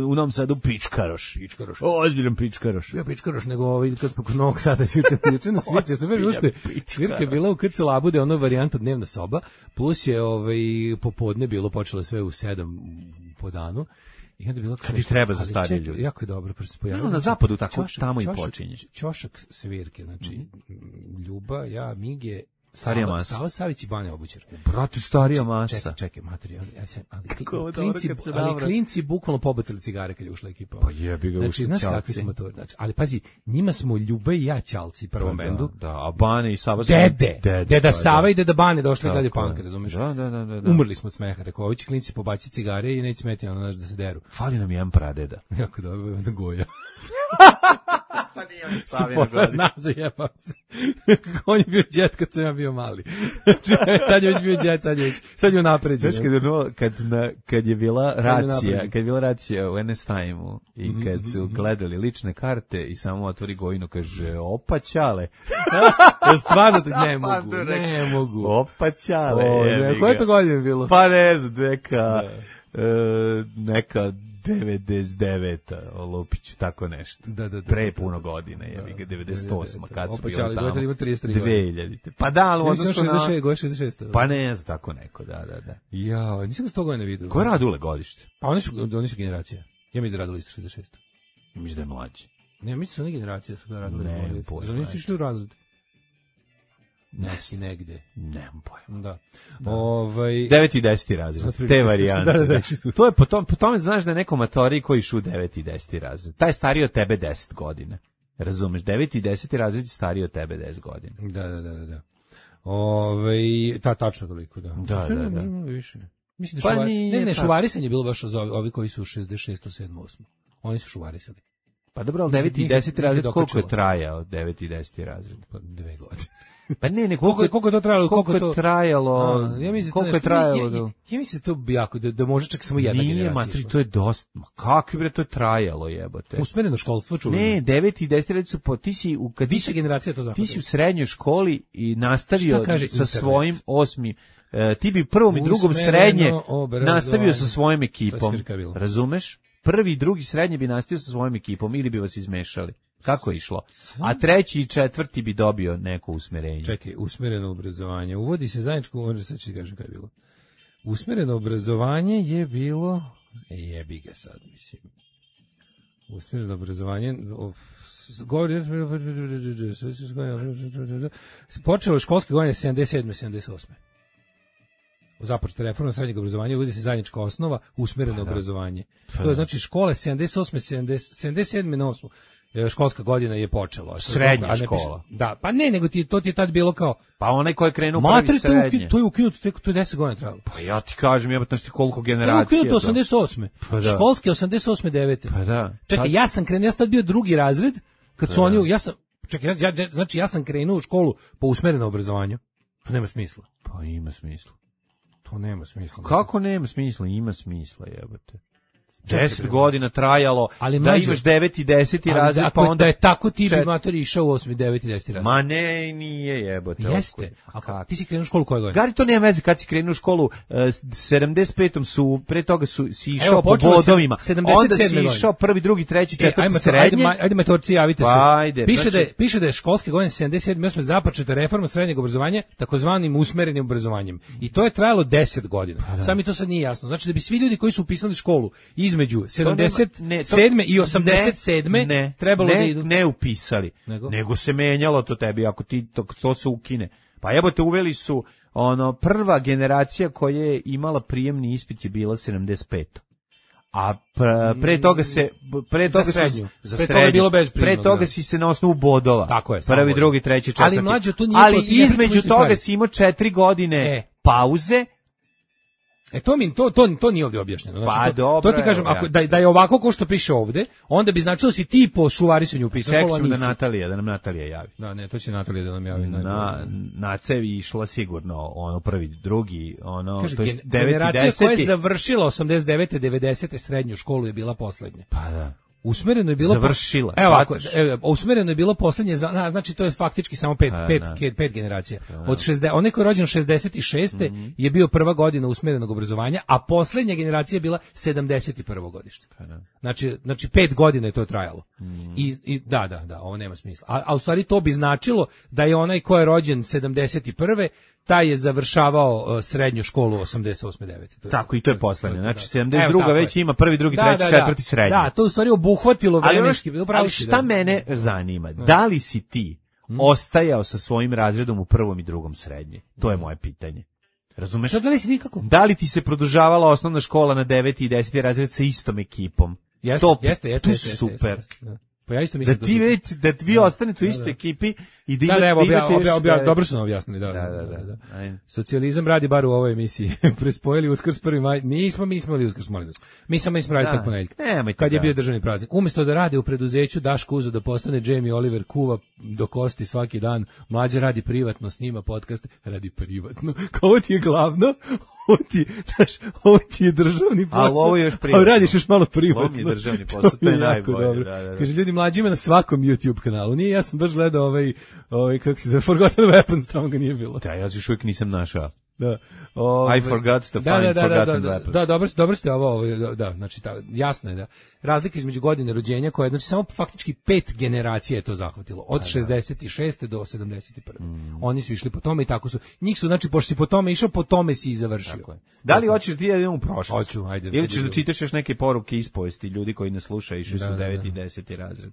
Speaker 7: u Novom Sadu pičkaroš.
Speaker 6: Pičkaroš.
Speaker 7: O, ozbiljan pičkaroš.
Speaker 6: Ja pičkaroš, nego ovaj, kad smo kod Novog Sada juče, juče na svici, ja sam već ušte, svirka je bila u K C Labude, ono varijanta dnevna soba, plus je ovaj, popodne bilo počelo sve u sedam po danu. I onda bilo
Speaker 7: kad i treba za starije ljude.
Speaker 6: Jako je dobro, prosto se pojavilo.
Speaker 7: No, na zapadu tako čošak, tamo i počinje.
Speaker 6: Ćošak svirke, znači mm. Ljuba, ja, Mige,
Speaker 7: starija
Speaker 6: Sava,
Speaker 7: masa.
Speaker 6: Sava Savić i Banja Obućar.
Speaker 7: Brate, starija masa.
Speaker 6: Čekaj, čekaj, materijal. Ja sam, ali, klinci, ali klinci bukvalno pobacili cigare kad je ušla ekipa.
Speaker 7: Pa jebi ga,
Speaker 6: znači, znaš kakvi smo to? Znači, ali pazi, njima smo Ljuba i ja Ćalci prvom
Speaker 7: da,
Speaker 6: bendu.
Speaker 7: Da, a Bane i Sava su...
Speaker 6: Dede, dede, deda Sava i deda Bane došli gledaju punk, razumiješ?
Speaker 7: Da, da, da, da.
Speaker 6: Umrli smo od smeha, rekao, ovi će klinci pobaci cigare i neće smeti ono, znaš, da se deru.
Speaker 7: Fali nam jedan pradeda.
Speaker 6: Jako dobro, da goja.
Speaker 7: Pa nije on Savina godiš.
Speaker 6: Znam, zajebam se. On je bio džet kad sam ja bio mali. Tad je već bio džet, sad je već, sad je napređen.
Speaker 7: Znaš, kad, no, kad, na, kad je bila racija, kad je bila racija u N S Time-u i kad su gledali lične karte i samo otvori Gojino, kaže, opa ćale.
Speaker 6: Stvarno, ne mogu, ne mogu.
Speaker 7: Opa ćale.
Speaker 6: O, ne, koje to godine bilo?
Speaker 7: Pa ne znam, neka, uh, neka devedeset deveta Lupić, tako nešto.
Speaker 6: Da, da, da,
Speaker 7: pre puno godine, je ga devedeset osma kad su bili tamo.
Speaker 6: Opa, ima trideset tri
Speaker 7: dve hiljadite. Pa da, ali onda su na
Speaker 6: šezdeset šest.
Speaker 7: Pa ne znam, tako neko, da, da, da.
Speaker 6: Ja, nisam sto godina vidio.
Speaker 7: Ko je Radule godište?
Speaker 6: Pa oni su, oni su generacija. Ja mislim da Radule isto šezdeset šest.
Speaker 7: Mislim da je mlađi.
Speaker 6: Ne, mislim da su oni generacija, da su da Radule.
Speaker 7: Ne,
Speaker 6: pojma. Oni su išli u razred.
Speaker 7: Neki
Speaker 6: negde.
Speaker 7: Nemam pojma.
Speaker 6: Da. da. Ovaj
Speaker 7: devet i deset razred. Te varijante.
Speaker 6: Da, da, da,
Speaker 7: to je po tom po tome znaš da je neko matori koji šu devet i deset razred. Taj je stariji od tebe deset godina. Razumeš? devet i deset razred je stariji od tebe deset godina.
Speaker 6: Da, da, da, da. Ovaj ta tačno toliko, da.
Speaker 7: Da, da, da.
Speaker 6: Više. Mislim da pa šuvari, ne, ne, šuvarisanje je bilo baš za ovi koji su šezdeset šest, sedam, osam. Oni su šuvarisali.
Speaker 7: Pa dobro, ali deveti i deseti razred koliko je trajao? deveti i deseti razred?
Speaker 6: Pa dve godine.
Speaker 7: Pa ne, ne,
Speaker 6: koliko, koliko je to trajalo?
Speaker 7: Koliko,
Speaker 6: koliko
Speaker 7: je
Speaker 6: to
Speaker 7: trajalo?
Speaker 6: A, ja mislim
Speaker 7: koliko
Speaker 6: to
Speaker 7: je trajalo?
Speaker 6: Ja, ja, ja mislim to bi jako da, da može čak samo jedna
Speaker 7: Nije,
Speaker 6: generacija.
Speaker 7: Nije, matri, to je dosta. Ma kakvi bre to je trajalo, jebote.
Speaker 6: Usmereno školstvo čuveno.
Speaker 7: Ne, deveti i deseti razred su po ti si u kad
Speaker 6: više generacija to zahvatilo.
Speaker 7: Ti si u srednjoj školi i nastavio sa internet? Svojim osmi e, ti bi prvom i drugom srednje nastavio sa svojom ekipom. Razumeš? Prvi i drugi srednje bi nastavio sa svojom ekipom ili bi vas izmešali. Kako je išlo? A treći i četvrti bi dobio neko usmerenje.
Speaker 6: Čekaj, usmereno obrazovanje. Uvodi se zajedničko, možda sad ću ti kažem kada je bilo. Usmereno obrazovanje je bilo, e, jebi ga sad, mislim. Usmereno obrazovanje, of, govori, počelo školske godine sedamdeset sedme sedamdeset osme Započeta reforma srednjeg obrazovanja, uvodi se zajednička osnova, usmereno pa da. obrazovanje. Pa to je znači škole sedamdeset osme sedamdeset sedme na osmu školska godina je počela.
Speaker 7: Srednja škola.
Speaker 6: Da, pa ne, nego ti to ti je tad bilo kao
Speaker 7: pa onaj ko je krenuo prvi srednje.
Speaker 6: To je ukinuto, to je, to je deset godina trajalo.
Speaker 7: Pa ja ti kažem, jebote, ti koliko generacija.
Speaker 6: To je ukinuto osamdeset osme Pa da. Školske osamdeset osme devete
Speaker 7: Pa da.
Speaker 6: Čekaj, ja sam krenuo, ja sam tad bio drugi razred, kad su pa oni, ja sam, čekaj, ja, ja, znači ja sam krenuo u školu po usmerenom obrazovanju. To nema smisla.
Speaker 7: Pa ima smisla.
Speaker 6: To nema smisla.
Speaker 7: Kako nema smisla? Ima smisla, jebote. Deset godina trajalo, ali da mlađe, imaš deveti i deseti razred, pa onda...
Speaker 6: Da je tako ti čet... bi matori išao u osmi, deveti i deseti razred.
Speaker 7: Ma ne, nije jebote.
Speaker 6: Jeste. A ti si krenuo u školu koje godine?
Speaker 7: Gari, to nema veze kad si krenuo u školu. Uh, sedamdeset petom su, pre toga su, si išao Evo, po bodovima. Onda si išao prvi, drugi, treći, četvrti, e, ajde,
Speaker 6: srednje. Ajde, ajde matorci, javite se.
Speaker 7: Pa, ajde.
Speaker 6: Piše,
Speaker 7: znači...
Speaker 6: da je, piše da je školske godine sedamdeset sedme osme započeta reforma srednjeg obrazovanja takozvanim usmerenim obrazovanjem. I to je trajalo deset godina. Pa, Sami to sad nije jasno. Znači da bi svi ljudi koji su upisali školu između sedamdeset sedme i osamdeset sedme
Speaker 7: ne,
Speaker 6: trebalo
Speaker 7: ne,
Speaker 6: da idu.
Speaker 7: Ne upisali, nego? nego se menjalo to tebi, ako ti to, to se ukine. Pa jebote, uveli su, ono, prva generacija koja je imala prijemni ispit je bila sedamdeset peta A pre, pre toga se pre toga
Speaker 6: za srednju,
Speaker 7: za
Speaker 6: pre
Speaker 7: srednju,
Speaker 6: toga je bilo bez
Speaker 7: pre toga si se na osnovu bodova.
Speaker 6: Tako je,
Speaker 7: prvi, drugi, treći, četvrti.
Speaker 6: Ali mlađe to nije
Speaker 7: Ali
Speaker 6: to,
Speaker 7: između toga si imao četiri godine e. pauze.
Speaker 6: E to mi to to to nije ovdje objašnjeno. Znači,
Speaker 7: pa
Speaker 6: to,
Speaker 7: dobro,
Speaker 6: to ti kažem, ako da, da je ovako kao što piše ovdje, onda bi značilo si ti po šuvarisanju upisao škola.
Speaker 7: Čekamo da Natalija, da nam Natalija javi.
Speaker 6: Da, ne, to će Natalija da nam javi.
Speaker 7: Na na cevi išla sigurno ono prvi, drugi, ono
Speaker 6: Kaže,
Speaker 7: to je
Speaker 6: gen, generacija koja je završila osamdeset devete devedesete srednju školu je bila poslednja.
Speaker 7: Pa da.
Speaker 6: Usmereno je bilo
Speaker 7: završila.
Speaker 6: Evo ovako, evo, usmereno je bilo poslednje, znači to je faktički samo pet,
Speaker 7: a,
Speaker 6: pet, pet, pet generacija. A, Od šezdeset, onaj koji je rođen šezdeset šeste Mm-hmm. je bio prva godina usmerenog obrazovanja, a poslednja generacija je bila sedamdeset prvo godište. A, znači, znači pet godina je to trajalo. Mm. I, I da, da, da, ovo nema smisla. A, a u stvari to bi značilo da je onaj koji je rođen sedamdeset prve taj je završavao uh, srednju školu osamdeset osme devete To je,
Speaker 7: tako, i to je poslednje. Znači, sedamdeset druga već ima prvi, drugi, treći, da, da, četvrti, srednji.
Speaker 6: Da, to u stvari obuhvatilo vremenski.
Speaker 7: Ali, ali šta da. mene zanima? Da li si ti hmm. ostajao sa svojim razredom u prvom i drugom srednje? To je moje pitanje. Razumeš?
Speaker 6: Šta da li si nikako?
Speaker 7: Da li ti se produžavala osnovna škola na deveti i deseti razred sa istom ekipom?
Speaker 6: Jeste,
Speaker 7: to,
Speaker 6: jeste, jeste.
Speaker 7: To
Speaker 6: jeste,
Speaker 7: super.
Speaker 6: Jeste, jeste, jeste. Pa ja isto mislim
Speaker 7: da ti već da vi ostanete u istoj ekipi i da,
Speaker 6: da, da, evo,
Speaker 7: da imate
Speaker 6: obja, obja, obja, dobro su nam objasnili, da.
Speaker 7: Da, da, da.
Speaker 6: da, da. Socijalizam radi bar u ovoj emisiji. Prespojili Uskrs prvi maj. Nismo mi imali Uskrs, molim vas. Mi samo nismo radili tako ponedjeljak. Kad je bio državni praznik. Umjesto da radi u preduzeću, Daško uzeo da postane Jamie Oliver, kuva do kosti svaki dan. Mlađe radi privatno, snima podcaste, radi privatno. Kao ti je glavno, ovo ti, znaš, ovo ti je državni posao.
Speaker 7: Ali ovo je još privatno.
Speaker 6: A radiš još malo privatno.
Speaker 7: Ovo mi je državni posao, to je najbolje.
Speaker 6: Da, da, da. Kaže, ljudi, Mlađe ima na svakom YouTube kanalu. Nije, ja sam baš gledao ovaj, ovaj kako se zove, Forgotten Weapons, tamo ga nije bilo.
Speaker 7: Da, ja još uvijek nisam našao.
Speaker 6: Da. Ove,
Speaker 7: I forgot to find
Speaker 6: da, da, da,
Speaker 7: Forgotten
Speaker 6: da, da,
Speaker 7: Weapons.
Speaker 6: Da, dobro, dobro ste ovo, ovo da, da, znači, ta, jasno je da razlika između godine rođenja koja je, znači, samo faktički pet generacija je to zahvatilo, od da, šezdeset šeste do sedamdeset prve Mm. Oni su išli po tome i tako su, njih su, znači, pošto si po tome išao, po tome si i završio.
Speaker 7: Tako je. Da li hoćeš ti da idemo u prošlost?
Speaker 6: Hoću, ajde.
Speaker 7: Ili ćeš da čitaš još neke poruke ispovesti ljudi koji ne slušaju, išli su deveti i deseti razred?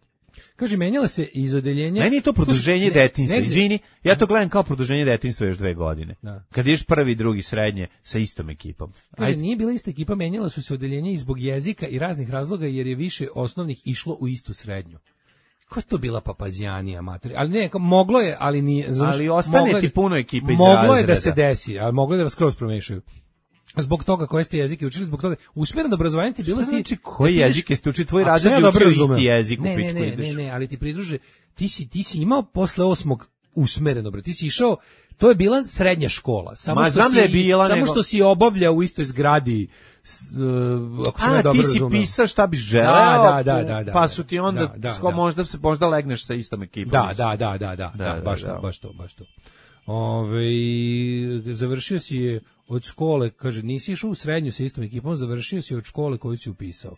Speaker 6: Kaže, menjala se iz odeljenja...
Speaker 7: Meni je to produženje ne, detinjstva, ne, izvini, ja to gledam kao produženje detinjstva još dve godine. Da. Kad ideš prvi, drugi, srednje sa istom ekipom.
Speaker 6: Kaže, nije bila ista ekipa, menjala su se odeljenja i zbog jezika i raznih razloga, jer je više osnovnih išlo u istu srednju. Ko je to bila papazijanija, materi? Ali ne, moglo je, ali nije... Znaš,
Speaker 7: ali ostane ti puno ekipe iz
Speaker 6: moglo
Speaker 7: razreda.
Speaker 6: Je da se desi, ali moglo je da vas skroz promešaju. zbog toga koje ste jezike učili, zbog toga usmereno obrazovanje ti bilo ti
Speaker 7: znači koji jezike ste učili, tvoj
Speaker 6: Ako
Speaker 7: razred
Speaker 6: sam ja
Speaker 7: je
Speaker 6: dobro
Speaker 7: učio
Speaker 6: razumeo.
Speaker 7: isti jezik u
Speaker 6: Ne, ne,
Speaker 7: pičku
Speaker 6: ne,
Speaker 7: ideš.
Speaker 6: ne, ne, ali ti pridruže, ti si, ti si imao posle osmog usmereno, bre, ti si išao, to je bila srednja škola, samo
Speaker 7: Ma,
Speaker 6: što
Speaker 7: znam
Speaker 6: si,
Speaker 7: da je bila,
Speaker 6: samo
Speaker 7: nego-
Speaker 6: što si obavljao u istoj zgradi, s, uh, ako sam ja
Speaker 7: A,
Speaker 6: dobro
Speaker 7: ti si
Speaker 6: razumeo.
Speaker 7: pisao šta biš želeo,
Speaker 6: Da, da, da, da, da,
Speaker 7: pa su ti onda,
Speaker 6: da, da,
Speaker 7: sko-
Speaker 6: da.
Speaker 7: možda se možda legneš sa istom ekipom.
Speaker 6: Da,
Speaker 7: mislim.
Speaker 6: da, da, da, da, da,
Speaker 7: da,
Speaker 6: baš
Speaker 7: da.
Speaker 6: to, baš to, baš to. Ove, završio si je od škole, kaže, nisi išao u srednju sa istom ekipom, završio si od škole koju si upisao.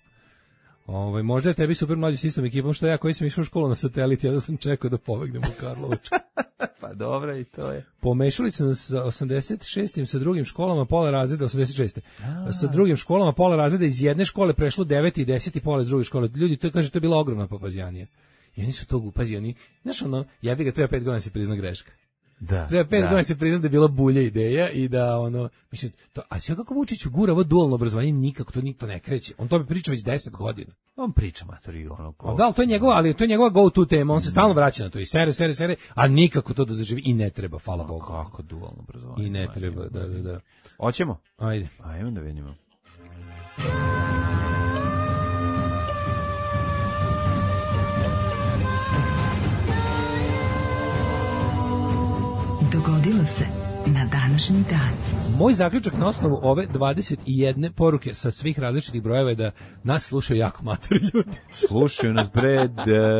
Speaker 6: Ove, možda je tebi super mlađi s istom ekipom, što ja koji sam išao u školu na satelit, ja da sam čekao da pobegnem u Karlovac.
Speaker 7: Pa dobro, i to je.
Speaker 6: Pomešali su nas sa osamdeset šestim sa drugim školama, pola razreda, osamdeset šeste Sa drugim školama, pola razreda iz jedne škole prešlo deveti i deseti pola iz druge škole. Ljudi, to kaže, to je bila ogromna papazjanija. I oni su to, pazi, oni, znaš ono, ja bih ga treba pet godina se prizna greška.
Speaker 7: Da.
Speaker 6: Treba pet
Speaker 7: da.
Speaker 6: godina se prizna da je bila bulja ideja i da ono, mislim, to, a sve kako Vučić gura ovo dualno obrazovanje, nikako to nikto ne kreće. On to bi priča već deset godina.
Speaker 7: On priča matori ono ko.
Speaker 6: A da, ali to je njegova, ali to je njegova go to tema, on se stalno vraća na to i sere, sere, sere, a nikako to da zaživi i ne treba, hvala Bogu.
Speaker 7: Kako dualno obrazovanje.
Speaker 6: I ne treba, da, da, da.
Speaker 7: Hoćemo?
Speaker 6: Ajde.
Speaker 7: Ajmo da vidimo.
Speaker 4: Dogodilo se na današnji dan.
Speaker 6: Moj zaključak na osnovu ove dvadeset jedne poruke sa svih različitih brojeva je da nas slušaju jako matori ljudi.
Speaker 7: Slušaju nas bre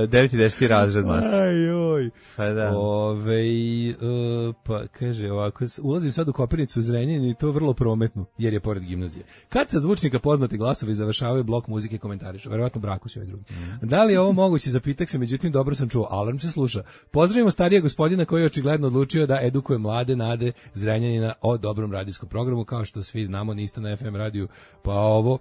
Speaker 7: devet i deset razred mas.
Speaker 6: Ajoj.
Speaker 7: Pa da.
Speaker 6: Ove, uh, pa kaže ovako, ulazim sad u Kopirnicu u Zrenjanin i to vrlo prometno, jer je pored gimnazije. Kad sa zvučnika poznati glasovi završavaju blok muzike komentarišu, verovatno braku se ovaj drugi. Mm. Da li je ovo moguće, zapitak se, međutim dobro sam čuo, alarm se sluša. Pozdravimo starije gospodina koji je očigledno odlučio da edukuje mlade nade Zrenjanina o dobrom radijskom programu, kao što svi znamo, niste na F M radiju, pa ovo,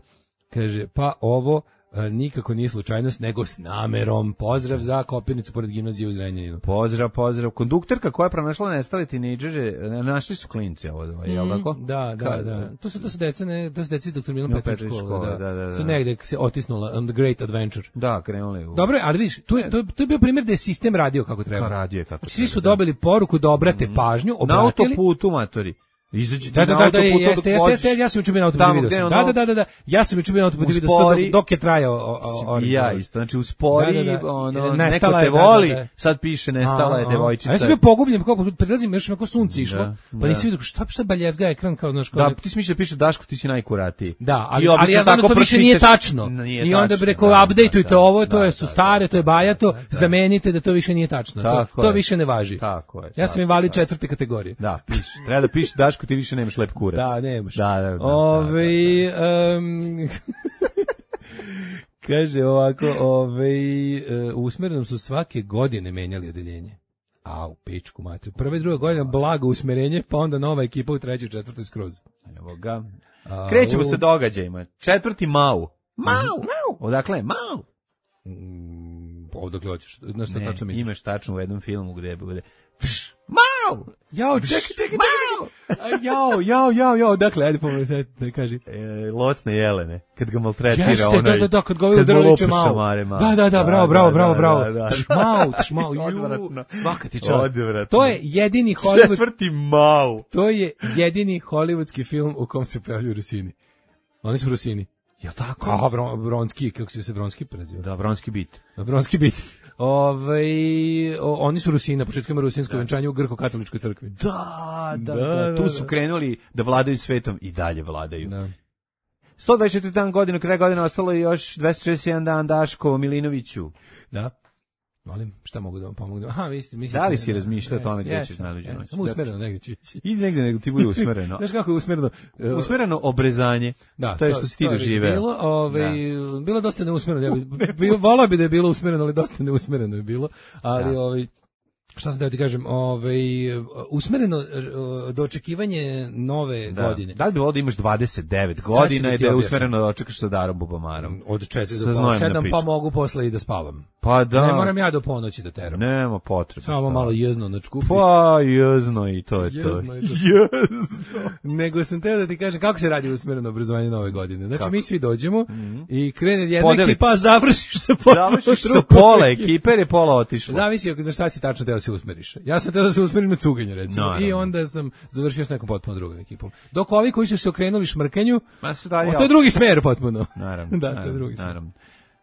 Speaker 6: kaže, pa ovo, nikako nije slučajnost, nego s namerom. Pozdrav za Kopirnicu pored gimnazije u Zrenjaninu.
Speaker 7: Pozdrav, pozdrav. Kondukterka koja je pronašla nestale tinejdžere, našli su klince ovo, mm, je li tako?
Speaker 6: Da, da,
Speaker 7: Ka,
Speaker 6: da. To su to su deca, ne, to su deca iz doktor Milan
Speaker 7: Milan
Speaker 6: Petrić
Speaker 7: Petrić
Speaker 6: škole,
Speaker 7: škole,
Speaker 6: da.
Speaker 7: da, da, da.
Speaker 6: Su negde se otisnula on the great adventure.
Speaker 7: Da, krenuli u.
Speaker 6: Dobro, ali vidiš, tu je, to, je- to je bio primjer da je sistem radio kako treba.
Speaker 7: Ka radio je kako
Speaker 6: Svi su
Speaker 7: treba, da.
Speaker 6: dobili poruku da obrate pažnju,
Speaker 7: Na
Speaker 6: obratili.
Speaker 7: autoputu, matori. Izađite
Speaker 6: Da, da,
Speaker 7: na
Speaker 6: da, da,
Speaker 7: autoputu
Speaker 6: jeste,
Speaker 7: dok
Speaker 6: jeste,
Speaker 7: voziš.
Speaker 6: jeste, ja sam juče bio na autoputu,
Speaker 7: Tamo
Speaker 6: vidio
Speaker 7: gde
Speaker 6: sam.
Speaker 7: ono-
Speaker 6: Da, da, da, da, da, ja sam juče bio na autoputu, vidio sam to
Speaker 7: Uspori-
Speaker 6: dok, dok je trajao. o- o- o-
Speaker 7: I ja isto, znači uspori,
Speaker 6: Da, da, da.
Speaker 7: ono,
Speaker 6: Nestala
Speaker 7: neko
Speaker 6: je,
Speaker 7: te
Speaker 6: da, da,
Speaker 7: voli,
Speaker 6: da.
Speaker 7: sad piše nestala je
Speaker 6: A, a.
Speaker 7: devojčica.
Speaker 6: A ja sam bio pogubljen, kako prilazim, još kako sunce išlo,
Speaker 7: Da,
Speaker 6: pa
Speaker 7: da.
Speaker 6: nisi vidio šta šta baljezga ekran kao znaš kao.
Speaker 7: Da, ti si mislio da piše Daško, ti si najkuratiji.
Speaker 6: Da, ali,
Speaker 7: I obično
Speaker 6: ali ja znam da
Speaker 7: tako
Speaker 6: to više nije
Speaker 7: pročitaš-
Speaker 6: tačno.
Speaker 7: Nije
Speaker 6: I onda
Speaker 7: tačno,
Speaker 6: bi rekao,
Speaker 7: da,
Speaker 6: updateujte
Speaker 7: da,
Speaker 6: ovo,
Speaker 7: da,
Speaker 6: to je
Speaker 7: da,
Speaker 6: su
Speaker 7: da,
Speaker 6: stare, to je bajato,
Speaker 7: da, da.
Speaker 6: zamenite da to više nije tačno. To,
Speaker 7: Tako
Speaker 6: to
Speaker 7: je.
Speaker 6: više ne važi.
Speaker 7: Tako je.
Speaker 6: Ja sam
Speaker 7: tako,
Speaker 6: invalid
Speaker 7: tako.
Speaker 6: četvrte kategorije.
Speaker 7: Da, piše. Treba da piše Daško, ti više nemaš lep kurac.
Speaker 6: Da, nemaš.
Speaker 7: Da, da, da. da,
Speaker 6: Ove,
Speaker 7: da,
Speaker 6: em, kaže ovako, ove, e, u usmerenom su svake godine menjali odeljenje. A u pičku matru. Prva i druga godina blago usmerenje, pa onda nova ekipa u trećoj, četvrtoj skroz.
Speaker 7: da. Evo ga.
Speaker 6: A,
Speaker 7: Krećemo
Speaker 6: u-
Speaker 7: sa događajima. Četvrti Mau. Mau, Mau. Odakle? Mau.
Speaker 6: Mm, odakle hoćeš? Znaš šta
Speaker 7: Ne,
Speaker 6: tačno misliš?
Speaker 7: imaš tačno u jednom filmu gde bude Pš, Mau.
Speaker 6: Jao, čekaj, čekaj, čekaj. A, Jao, jao, jao, jao, dakle, ajde pomoći sad da kaži.
Speaker 7: E, locne jelene, kad ga maltretira
Speaker 6: Jeste,
Speaker 7: onaj.
Speaker 6: da, da, da, kad ga ovaj
Speaker 7: kad mu
Speaker 6: udara viče
Speaker 7: lopuša
Speaker 6: Mau.
Speaker 7: mare, Mau.
Speaker 6: Da, da, da, bravo, bravo, bravo, bravo.
Speaker 7: Da, da, da.
Speaker 6: Šmau, šmau, ju,
Speaker 7: Odvratno.
Speaker 6: svaka ti čast.
Speaker 7: Odvratno.
Speaker 6: To je jedini Hollywood,
Speaker 7: Četvrti Mau.
Speaker 6: to je jedini hollywoodski film u kom se pojavljuju Rusini. Oni su Rusini.
Speaker 7: Ja tako?
Speaker 6: A, Vron, Vronski, kako se se Vronski preziva?
Speaker 7: Da, Vronski bit.
Speaker 6: Vronski bit. Ove, o, oni su Rusini, na početku ima rusinsko venčanje u Grko-katoličkoj crkvi.
Speaker 7: Da, da,
Speaker 6: Da,
Speaker 7: da,
Speaker 6: da,
Speaker 7: tu
Speaker 6: da.
Speaker 7: su krenuli da vladaju svetom i dalje vladaju.
Speaker 6: Da.
Speaker 7: sto dvadeset četiri dan godina, kraj godine ostalo je još dvesta šezdeset jedan dan Daško Milinoviću.
Speaker 6: Da. Molim, šta mogu da vam pomognem? Aha, vi ste, mislite...
Speaker 7: Da li si razmišljao o tome gde
Speaker 6: jesam,
Speaker 7: ćeš najluđe
Speaker 6: jesam,
Speaker 7: noći?
Speaker 6: Samo usmereno negdje će ići.
Speaker 7: I negde nego ti bude usmereno.
Speaker 6: Znaš kako je usmereno? E,
Speaker 7: Usmereno obrezanje.
Speaker 6: Da,
Speaker 7: to je što si ti
Speaker 6: to je već
Speaker 7: doživeo.
Speaker 6: Bilo, ovaj, bilo dosta neusmereno. Ja bi, bio, volao bi da je bilo usmereno, ali dosta neusmereno je bilo. Ali,
Speaker 7: Da.
Speaker 6: ovaj, šta sam da ti kažem, ovaj, usmereno eh, do očekivanje nove
Speaker 7: Da.
Speaker 6: godine.
Speaker 7: Da li bi volao da imaš dvadeset devet
Speaker 6: Sad ću
Speaker 7: godina
Speaker 6: da
Speaker 7: i
Speaker 6: ti
Speaker 7: da je
Speaker 6: objasnim.
Speaker 7: usmereno da očekaš sa Darom Bubamarom?
Speaker 6: Od četiri
Speaker 7: Sa
Speaker 6: do
Speaker 7: znojem
Speaker 6: pola
Speaker 7: na
Speaker 6: sedam,
Speaker 7: pičku.
Speaker 6: pa mogu posle i da spavam.
Speaker 7: Pa da.
Speaker 6: Ne moram ja do ponoći da teram.
Speaker 7: Nema potrebe.
Speaker 6: Samo malo jezno na čkupi.
Speaker 7: Pa jezno i to je to.
Speaker 6: Jezno je to.
Speaker 7: Jezno.
Speaker 6: Nego sam teo da ti kažem kako se radi usmereno obrazovanje nove godine. Znači, kako? Mi svi dođemo mm-hmm. i krene jedna Podelic. Ekipa, završiš sa pola.
Speaker 7: Završiš sa pola ekipe, jer je pola otišlo.
Speaker 6: Zavisi ako znaš šta si tačno teo da se usmeriš. Ja sam teo da se usmerim na cuganje, recimo. No, I onda sam završio s nekom potpuno drugom ekipom. Dok ovi koji su se okrenuli šmrkanju, o, to je drugi smer potpuno.
Speaker 7: Naravno.
Speaker 6: Da,
Speaker 7: naravno,
Speaker 6: to je drugi
Speaker 7: smer. Naravno.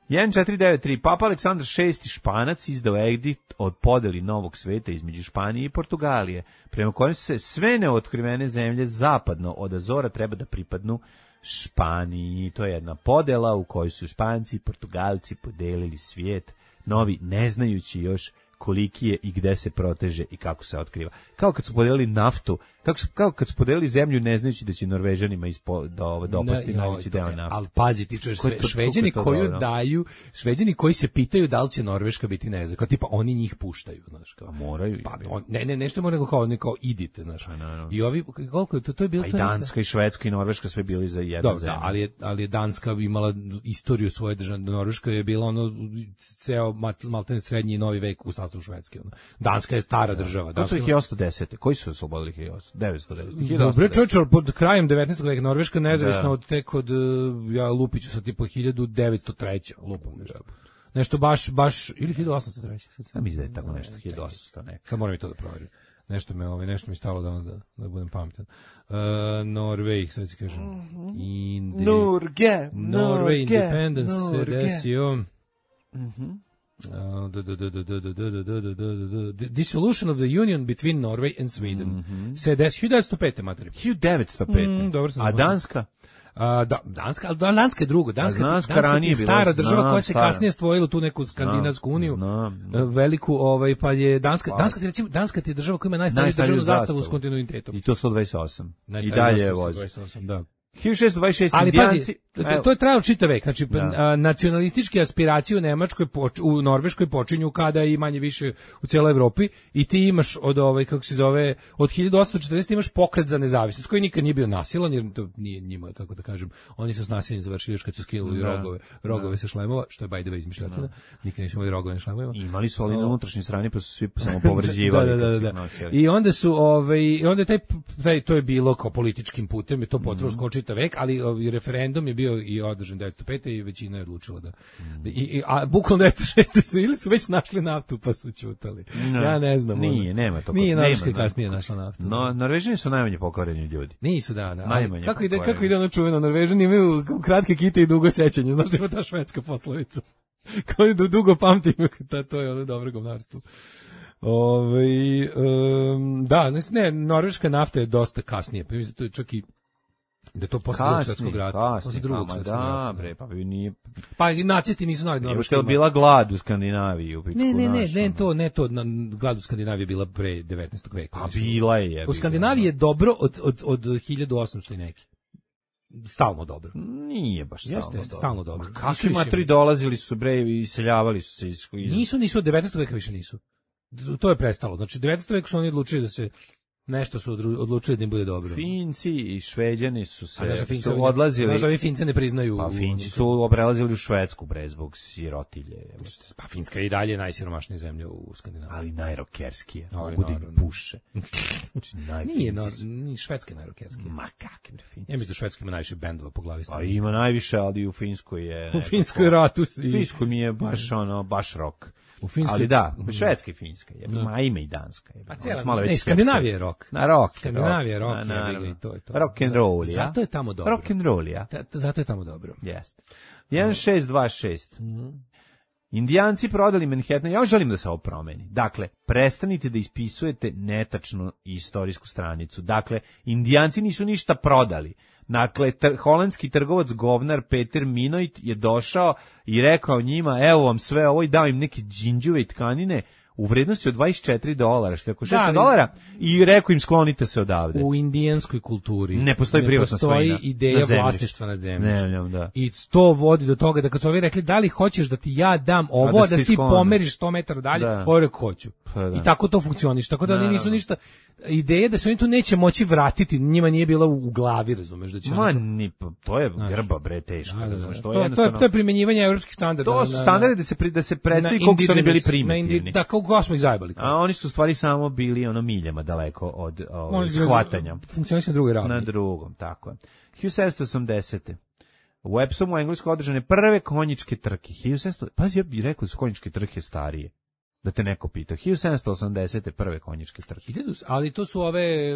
Speaker 7: jedan četiri devet tri Papa Aleksandar šesti Španac izdao edikt od podeli novog sveta između Španije i Portugalije, prema kojem se sve neotkrivene zemlje zapadno od Azora treba da pripadnu Španiji. To je jedna podela u kojoj su Španci i Portugalci podelili svijet, novi ne znajući još koliki je i gde se proteže i kako se otkriva. Kao kad su podelili naftu, kako su, kao kad su podelili zemlju ne znajući da će Norvežanima ispo, do, dopasti najveći deo nafte.
Speaker 6: Ali pazi, ti čuješ sve, Šveđani koju dobro? daju, Šveđani koji se pitaju da li će Norveška biti ne znam, kao tipa oni njih puštaju, znaš. Kao,
Speaker 7: A moraju.
Speaker 6: Pa, on, ne, ne, nešto mora nego kao, ne, kao idite, znaš.
Speaker 7: A, no, no.
Speaker 6: I ovi, koliko je to, to je bilo...
Speaker 7: A i Danska i Švedska i Norveška sve bili za jednu
Speaker 6: Dobro,
Speaker 7: zemlju.
Speaker 6: Da, ali je, ali je Danska imala istoriju svoje države, Norveška je bila ono, ceo maltene srednji i novi vek u sastavu Švedske, ono. Danska je stara država.
Speaker 7: To su ih hiljadu osamsto deset. Koji su oslobodili hiljadu devetsto deset?
Speaker 6: Dobre, čovječe, pod krajem devetnaestog veka Norveška nezavisna da. od tek od, ja lupiću sa tipa hiljadu devetsto treće lupam nešto. Nešto baš, baš, ili hiljadu osamsto treće
Speaker 7: Ja mislim da je tako nešto, hiljadu osamsto neka.
Speaker 6: Sad moram i to da proverim. Nešto me, ovaj, nešto mi stalo danas da, da budem pametan. Uh, Norvej, sad ću kažem. Indi...
Speaker 7: Norge,
Speaker 6: Norvej, Independence se desio.
Speaker 7: Mhm.
Speaker 6: Uh, the, the, the, the, the, the, the, the, the dissolution of the union between Norway and Sweden. Mm-hmm. Se des hiljadu devetsto pete materiju.
Speaker 7: hiljadu devetsto pete
Speaker 6: Mm, dobro sam
Speaker 7: A Danska?
Speaker 6: Uh, da, Danska, ali Danska je drugo. Danska,
Speaker 7: Danska,
Speaker 6: Danska je stara
Speaker 7: bilo,
Speaker 6: država
Speaker 7: znam,
Speaker 6: koja se
Speaker 7: stara.
Speaker 6: kasnije stvorila tu neku skandinavsku uniju.
Speaker 7: Znam, znam.
Speaker 6: Veliku, ovaj, pa je Danska, Danska, recimo, Danska je država koja ima najstariju državnu zastavu s kontinuitetom.
Speaker 7: I to sto dvadeset osam I dalje vozi.
Speaker 6: Da.
Speaker 7: hiljadu šessto dvadeset šest
Speaker 6: Ali
Speaker 7: Indijanci,
Speaker 6: pazi, to, to je trajalo čitav vek. Znači, a, nacionalističke aspiracije u Nemačkoj, poč, u Norveškoj počinju kada i manje više u cijeloj Evropi i ti imaš od ovaj, kako se zove, od hiljadu osamsto četrdeset imaš pokret za nezavisnost, koji nikad nije bio nasilan, jer to nije njima, kako da kažem, oni su s nasiljem završili još kad su skinuli rogove, rogove sa šlemova, što je by the way izmišljotina, nikad nisu imali rogove na šlemovima.
Speaker 7: Imali su ali na unutrašnjoj strani, pa su svi samo povređivali.
Speaker 6: da, da, da, da. I onda su, ovaj, i onda taj, taj, to je bilo kao političkim putem, je to potralo skoro čitav vek, ali i referendum je bio i održan devetsto pete i većina je odlučila da, mm. da i, i, a bukvalno devetsto šeste su ili su već našli naftu pa su ćutali. No, ja ne znam.
Speaker 7: Nije, ono. nema to.
Speaker 6: Nije Norveška kasnije našla naftu.
Speaker 7: No, Norvežani su najmanje pokvareni ljudi.
Speaker 6: Nisu, da, da.
Speaker 7: Najmanje
Speaker 6: kako ide, kako ide ono čuveno, Norvežani imaju kratke kite i dugo sećanje, znaš da ima ta švedska poslovica. Kao da dugo pamtim, ta, to je ono dobro govnarstvo. Ove, um, da, ne, norveška nafta je dosta kasnije, pa mislim, to je čak i da to posle drugog svjetskog rata, posle drugog svjetskog rata.
Speaker 7: Bre, pa nije.
Speaker 6: Pa i nacisti nisu znali da Norveška
Speaker 7: je bila glad u Skandinaviji u pičku.
Speaker 6: Ne, ne, ne, ne, to, ne to, na, glad u Skandinaviji je bila pre devetnaestog veka.
Speaker 7: A bila je.
Speaker 6: U Skandinaviji je dobro od od od hiljadu osamsto i neki. Stalno dobro.
Speaker 7: Nije baš stalno
Speaker 6: jeste,
Speaker 7: dobro.
Speaker 6: Stalno dobro.
Speaker 7: Kakvi matri dolazili su bre i iseljavali su se iz.
Speaker 6: Nisu, nisu od devetnaestog veka više nisu. To je prestalo. Znači devetnaestog veka su oni odlučili da se nešto su odlučili da im bude dobro.
Speaker 7: Finci i Šveđani su se
Speaker 6: da su
Speaker 7: su odlazili.
Speaker 6: Znaš da ovi Fince ne priznaju.
Speaker 7: Pa Finci su obrelazili u Švedsku bre zbog sirotilje.
Speaker 6: Pa Finska je i dalje najsiromašnija zemlja u Skandinaviji.
Speaker 7: Ali najrokerskija. Mogu da puše.
Speaker 6: Znači, nije, no, ni Švedska je najrokerskija.
Speaker 7: Ma kakvi bre Finci.
Speaker 6: Ja mislim da Švedska ima najviše bendova po glavi.
Speaker 7: A ima najviše, ali u Finskoj je.
Speaker 6: U Finskoj je ratus.
Speaker 7: U Finskoj mi je baš ono, baš rock.
Speaker 6: U Finskoj,
Speaker 7: ali da, Švedska i Finska, je, no. Ma ima i Danska. Je,
Speaker 6: pa cijela, ne, Skandinavija je rock.
Speaker 7: Na rock.
Speaker 6: Skandinavija je rock, na, je, i to je to.
Speaker 7: Rock and roll, ja.
Speaker 6: Zato je tamo dobro.
Speaker 7: Rock and roll, ja.
Speaker 6: Zato je tamo dobro.
Speaker 7: Jeste. jedan šest dva šest Mm-hmm. Indijanci prodali Manhattan, ja želim da se ovo promeni. Dakle, prestanite da ispisujete netačnu istorijsku stranicu. Dakle, Indijanci nisu ništa prodali. Dakle, tr- holandski trgovac govnar Peter Minoit je došao i rekao njima, evo vam sve ovo i dao im neke džinđuve i tkanine u vrednosti od dvadeset četiri dolara, što je oko šesto dolara, i rekao im sklonite se odavde.
Speaker 6: U indijanskoj kulturi
Speaker 7: ne postoji privatna svojina.
Speaker 6: Ne postoji ideja vlasništva nad zemljištem.
Speaker 7: Ne, ne, da.
Speaker 6: I to vodi do toga da kad su ovi rekli, da li hoćeš da ti ja dam ovo, da, da ti pomeriš sto metara dalje, ovo rekao hoću.
Speaker 7: Pa da.
Speaker 6: I tako to funkcioniše. Tako da oni nisu ništa ideje da se oni tu neće moći vratiti, njima nije bila u, u glavi, razumeš, da će
Speaker 7: Ma,
Speaker 6: oni...
Speaker 7: ni, to je grba, bre, teško,
Speaker 6: Da, da, da.
Speaker 7: razumeš,
Speaker 6: To,
Speaker 7: to je
Speaker 6: to, je, to je primenjivanje evropskih standarda.
Speaker 7: To su standardi da se, pri, da se predstavi koliko su oni bili primitivni.
Speaker 6: Da, kako smo ih zajebali.
Speaker 7: A oni su u stvari samo bili ono miljama daleko od ovaj, shvatanja.
Speaker 6: Funkcionisaju na drugoj ravni.
Speaker 7: Na drugom, tako je. hiljadu sedamsto osamdesete U Epsomu u Engleskoj održane prve konjičke trke. hiljadu sedamsto Pazi, ja bih rekao da su konjičke trke starije. Da te neko pita. hiljadu sedamsto osamdesete prve konjičke trke.
Speaker 6: Ali to su ove,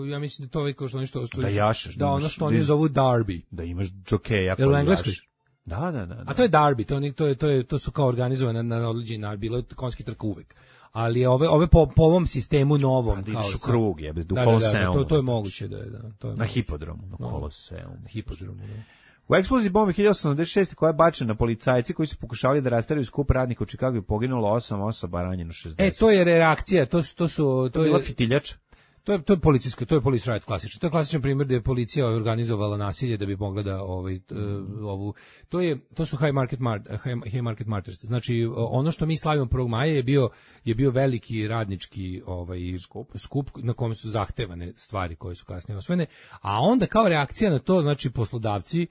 Speaker 6: ja mislim da to ove kao što oni što...
Speaker 7: Da jašeš.
Speaker 6: Da, ono što oni zovu Derby.
Speaker 7: Da imaš džokeja
Speaker 6: koji jaš.
Speaker 7: Da, da, da.
Speaker 6: A to je Derby, to, to, je, to, je, to su kao organizovane na određeni način, bilo je konjski trka uvek. Ali ove ove po, po ovom sistemu novom,
Speaker 7: kao u krug je,
Speaker 6: do Koloseumu. To, to je moguće da je, da. To je
Speaker 7: na hipodromu, na Koloseumu.
Speaker 6: Na hipodromu, da.
Speaker 7: U eksploziji bombe hiljadu osamsto osamdeset šeste koja je bačena na policajci koji su pokušavali da rasteraju skup radnika u Čikagu i poginulo osam osoba, ranjeno šezdeset.
Speaker 6: E, to je reakcija, to su... To, su, to,
Speaker 7: to je bila fitiljač?
Speaker 6: To je, to je policijsko, to je police riot klasično. To je klasičan primjer da je policija organizovala nasilje da bi mogla da ovaj, uh, ovu... To, je, to su high market, mar, high, high market martyrs. Znači, ono što mi slavimo prvog maja je bio, je bio veliki radnički ovaj, skup, skup na kome su zahtevane stvari koje su kasnije osvojene. A onda kao reakcija na to, znači poslodavci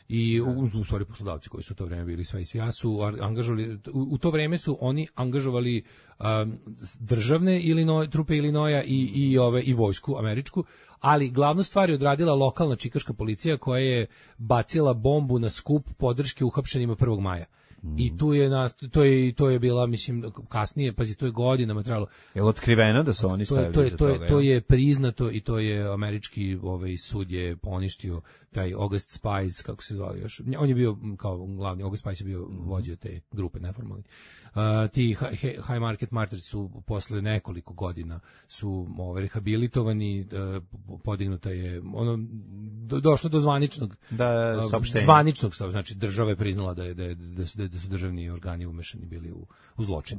Speaker 6: i u, u stvari poslodavci koji su u to vreme bili sve i svija su angažovali, u, u to vreme su oni angažovali um, državne Illinois, trupe Illinoisa i, i, ove, i vojsku američku, ali glavnu stvar je odradila lokalna čikaška policija koja je bacila bombu na skup podrške uhapšenima prvog maja. Mm. I tu je na, to je to je bila mislim kasnije, pazi, to je godinama trajalo.
Speaker 7: Je li otkriveno da su oni stavili
Speaker 6: to je,
Speaker 7: za
Speaker 6: to je,
Speaker 7: toga?
Speaker 6: To je priznato i to je američki ovaj sud je poništio taj August Spies, kako se zvao još. On je bio kao glavni, August Spies je bio vođa te grupe neformalni. Uh, ti high market martyrs su posle nekoliko godina su ovaj rehabilitovani, uh, podignuta je ono do, došlo do zvaničnog
Speaker 7: da saopštenja.
Speaker 6: Zvaničnog, znači država je priznala da je da je, da su, da su državni organi umešani bili u u zločin.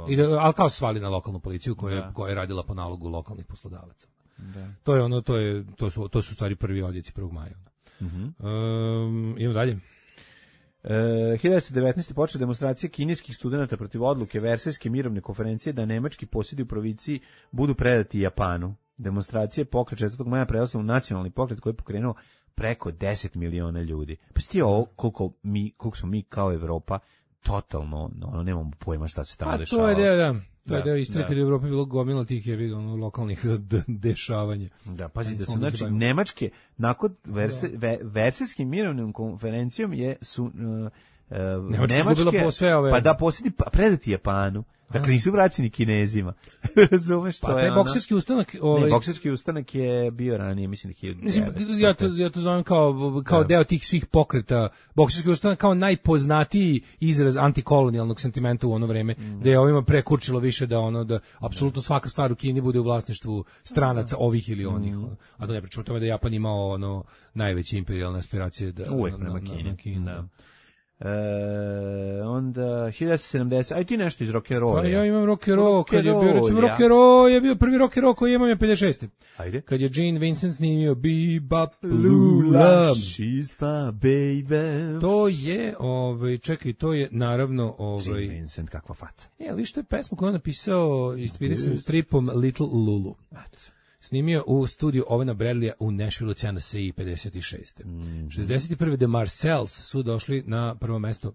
Speaker 6: I da, ali kao svali na lokalnu policiju koja da. koja je radila po nalogu lokalnih poslodavaca. Da. To je ono to je to su to su stvari prvi odjeci prvog maja. Mhm. Um, idemo dalje.
Speaker 7: Uh, hiljadu devetsto devetnaeste počela demonstracija kineskih studenata protiv odluke Versajske mirovne konferencije da nemački posjedi u provinciji budu predati Japanu. Demonstracija pokret četvrtog maja prerasla u nacionalni pokret koji je pokrenuo preko deset miliona ljudi. Pa sti ovo koliko mi koliko smo mi kao Evropa totalno ono nemamo pojma šta se tamo dešava.
Speaker 6: A to je da, da. To je da istina kad je u Evropi bilo gomila tih je ono lokalnih dešavanja.
Speaker 7: Da, pazi da su znači nemačke nakon verse, ve, Versajskim mirovnom konferencijom je su uh, uh, nemačke
Speaker 6: po sve ove...
Speaker 7: pa da posjedi pa predati Japanu. Dakle, nisu vraćeni Kinezima. Razumeš što
Speaker 6: pa,
Speaker 7: je
Speaker 6: taj bokserski ustanak...
Speaker 7: Ovaj... Ne, bokserski ustanak je bio ranije, mislim, hiljadu devetsto.
Speaker 6: Mislim, ja to, ja to zovem kao, kao deo tih svih pokreta. Bokserski ustanak kao najpoznatiji izraz antikolonijalnog sentimenta u ono vreme, mm. da je ovima prekurčilo više da ono, da apsolutno svaka stvar u Kini bude u vlasništvu stranaca ovih ili onih. Mm. A da ne pričamo o tome da Japan imao ono najveće imperijalne aspiracije da...
Speaker 7: Uvijek prema Kini. Kini da. E, onda hiljadu devetsto sedamdeset aj ti nešto iz rock and roll.
Speaker 6: Pa ja imam rock and roll, kad je bio recimo rock and roll, je bio prvi rock and roll koji imam je pedeset šeste
Speaker 7: Ajde.
Speaker 6: Kad je Gene Vincent snimio Bebop Lula,
Speaker 7: she's my baby.
Speaker 6: To je, ovaj, čekaj, to je naravno ovaj
Speaker 7: Gene Vincent, kakva faca.
Speaker 6: E, ali što je pesma koju on napisao inspirisan stripom Little Lulu. Snimio u studiju Ovena Bradleya u Nashville, Tennessee, pedeset šeste Mm. šezdeset prve The Marcells su došli na prvo mesto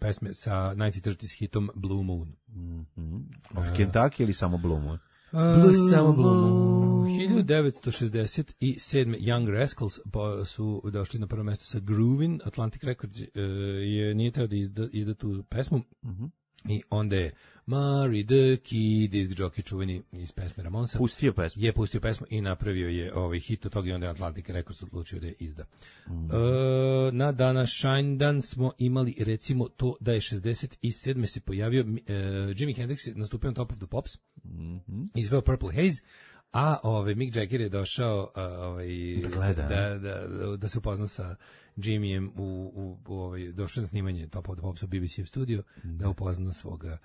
Speaker 6: pesme sa devetnaest trideset hitom Blue Moon.
Speaker 7: Mm-hmm. Of uh, Kentucky ili samo Blue Moon?
Speaker 6: Uh, Blue samo Blue Moon. hiljadu devetsto šezdeset sedme Young Rascals su došli na prvo mesto sa Groovin. Atlantic Records uh, je nije teo da izda, izda tu pesmu. Mm-hmm. I onda je Mari the Key, disk jockey čuveni iz pesme Ramonsa.
Speaker 7: Pustio pesmu.
Speaker 6: Je pustio pesmu i napravio je ovaj hit od toga i onda je Atlantic Records odlučio da je izda. Mm. E, na današnji dan smo imali recimo to da je šezdeset sedme se pojavio e, Jimi Hendrix je nastupio na Top of the Pops. Mm-hmm. Izveo Purple Haze. A ovaj Mick Jagger je došao ovaj da, da, da, da se upozna sa Jimmyjem u, u, u ovaj došao na snimanje Top of the Pops u B B C studio mm. da upozna svoga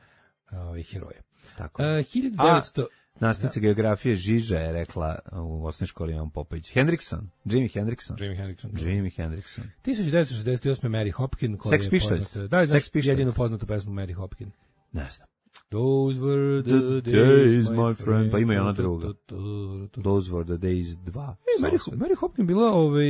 Speaker 6: ovaj heroja.
Speaker 7: Tako.
Speaker 6: Uh, hiljadu devetsto
Speaker 7: nastavnica geografije Žiža je rekla u osnovnoj školi Ivan Popović. Hendrickson, Jimi Hendrickson.
Speaker 6: Jimi Hendrickson.
Speaker 7: Jimi Hendrickson.
Speaker 6: hiljadu devetsto šezdeset osme Mary Hopkin koja
Speaker 7: Sex Pistols.
Speaker 6: Da, znači jedinu poznatu pesmu Mary Hopkin.
Speaker 7: Ne znam.
Speaker 6: Those were the,
Speaker 7: The
Speaker 6: days,
Speaker 7: days, my friend. Pa ima i ona druga.
Speaker 6: Tu, tu, tu, tu.
Speaker 7: Those were the days dva.
Speaker 6: E, Mary, Mary Hopkin bila ovaj,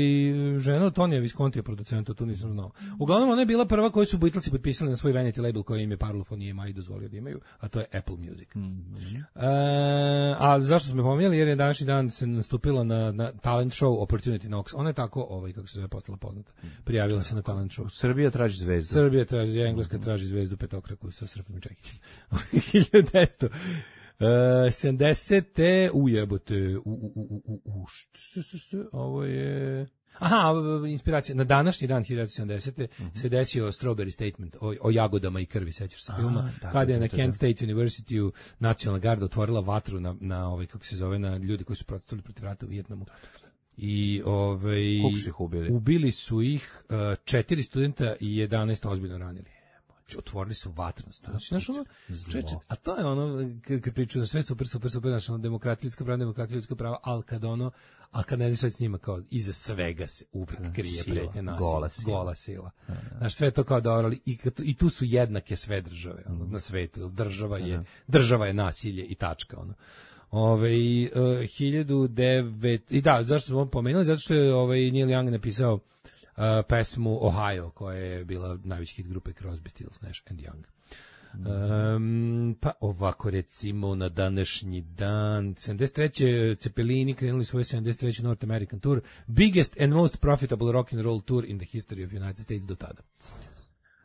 Speaker 6: žena od Tonija Viscontija, producenta, to nisam znao. Uglavnom, ona je bila prva koju su Beatlesi potpisali na svoj Vanity label koji im je Parlophone E M I dozvolio da imaju, a to je Apple Music. Mm-hmm. e, a zašto smo pominjali? Jer je današnji dan se nastupila na, na talent show Opportunity Knocks. Ona je tako, ovaj, kako se zove, postala poznata. Prijavila se na talent show.
Speaker 7: Srbija traži zvezdu.
Speaker 6: Srbija traži, Engleska traži zvezdu petokraku sa Srpom i Čekićem. hiljadu devetsto sedamdesete ujebote, u, u, u, u, u, što, što, što, ovo je... Aha, inspiracija. Na današnji dan hiljadu devetsto sedamdesete Mm-hmm. se desio Strawberry Statement o, o jagodama i krvi, sećaš se filma, da, kada je na Kent State University nacionalna garda otvorila vatru na, na ovaj, kako se zove, na ljudi koji su protestovali protiv rata u Vijetnamu. I ovaj,
Speaker 7: koliko su ih ubili?
Speaker 6: Ubili su ih uh, četiri studenta i jedanaest ozbiljno ranili. Otvorili su vatrenost. Znači, znaš, ono, čeče, a to je ono, kad pričaju sve super, super, super, znači, ono, demokratija, ljudska prava, demokratija, ljudska prava, ali kad ono, ali kad ne znaš šta s njima, kao, iza svega se uvijek krije pretnja nasilja.
Speaker 7: Gola sila.
Speaker 6: Gola sila. Znaš, sve to kao dobro, ali i, i tu su jednake sve države, ono, na svetu. Država je, država je nasilje i tačka, ono. Ove, uh, hiljadu devet i da, zašto smo pomenuli? Zato što je ovaj, Neil Young napisao Uh, pesmu Ohio, koja je bila najveći hit grupe Crosby, Stills, Nash and Young. Um, pa ovako recimo na današnji dan sedamdeset treće Cepelini krenuli svoj sedamdeset treći North American Tour, biggest and most profitable rock and roll tour in the history of United States do tada.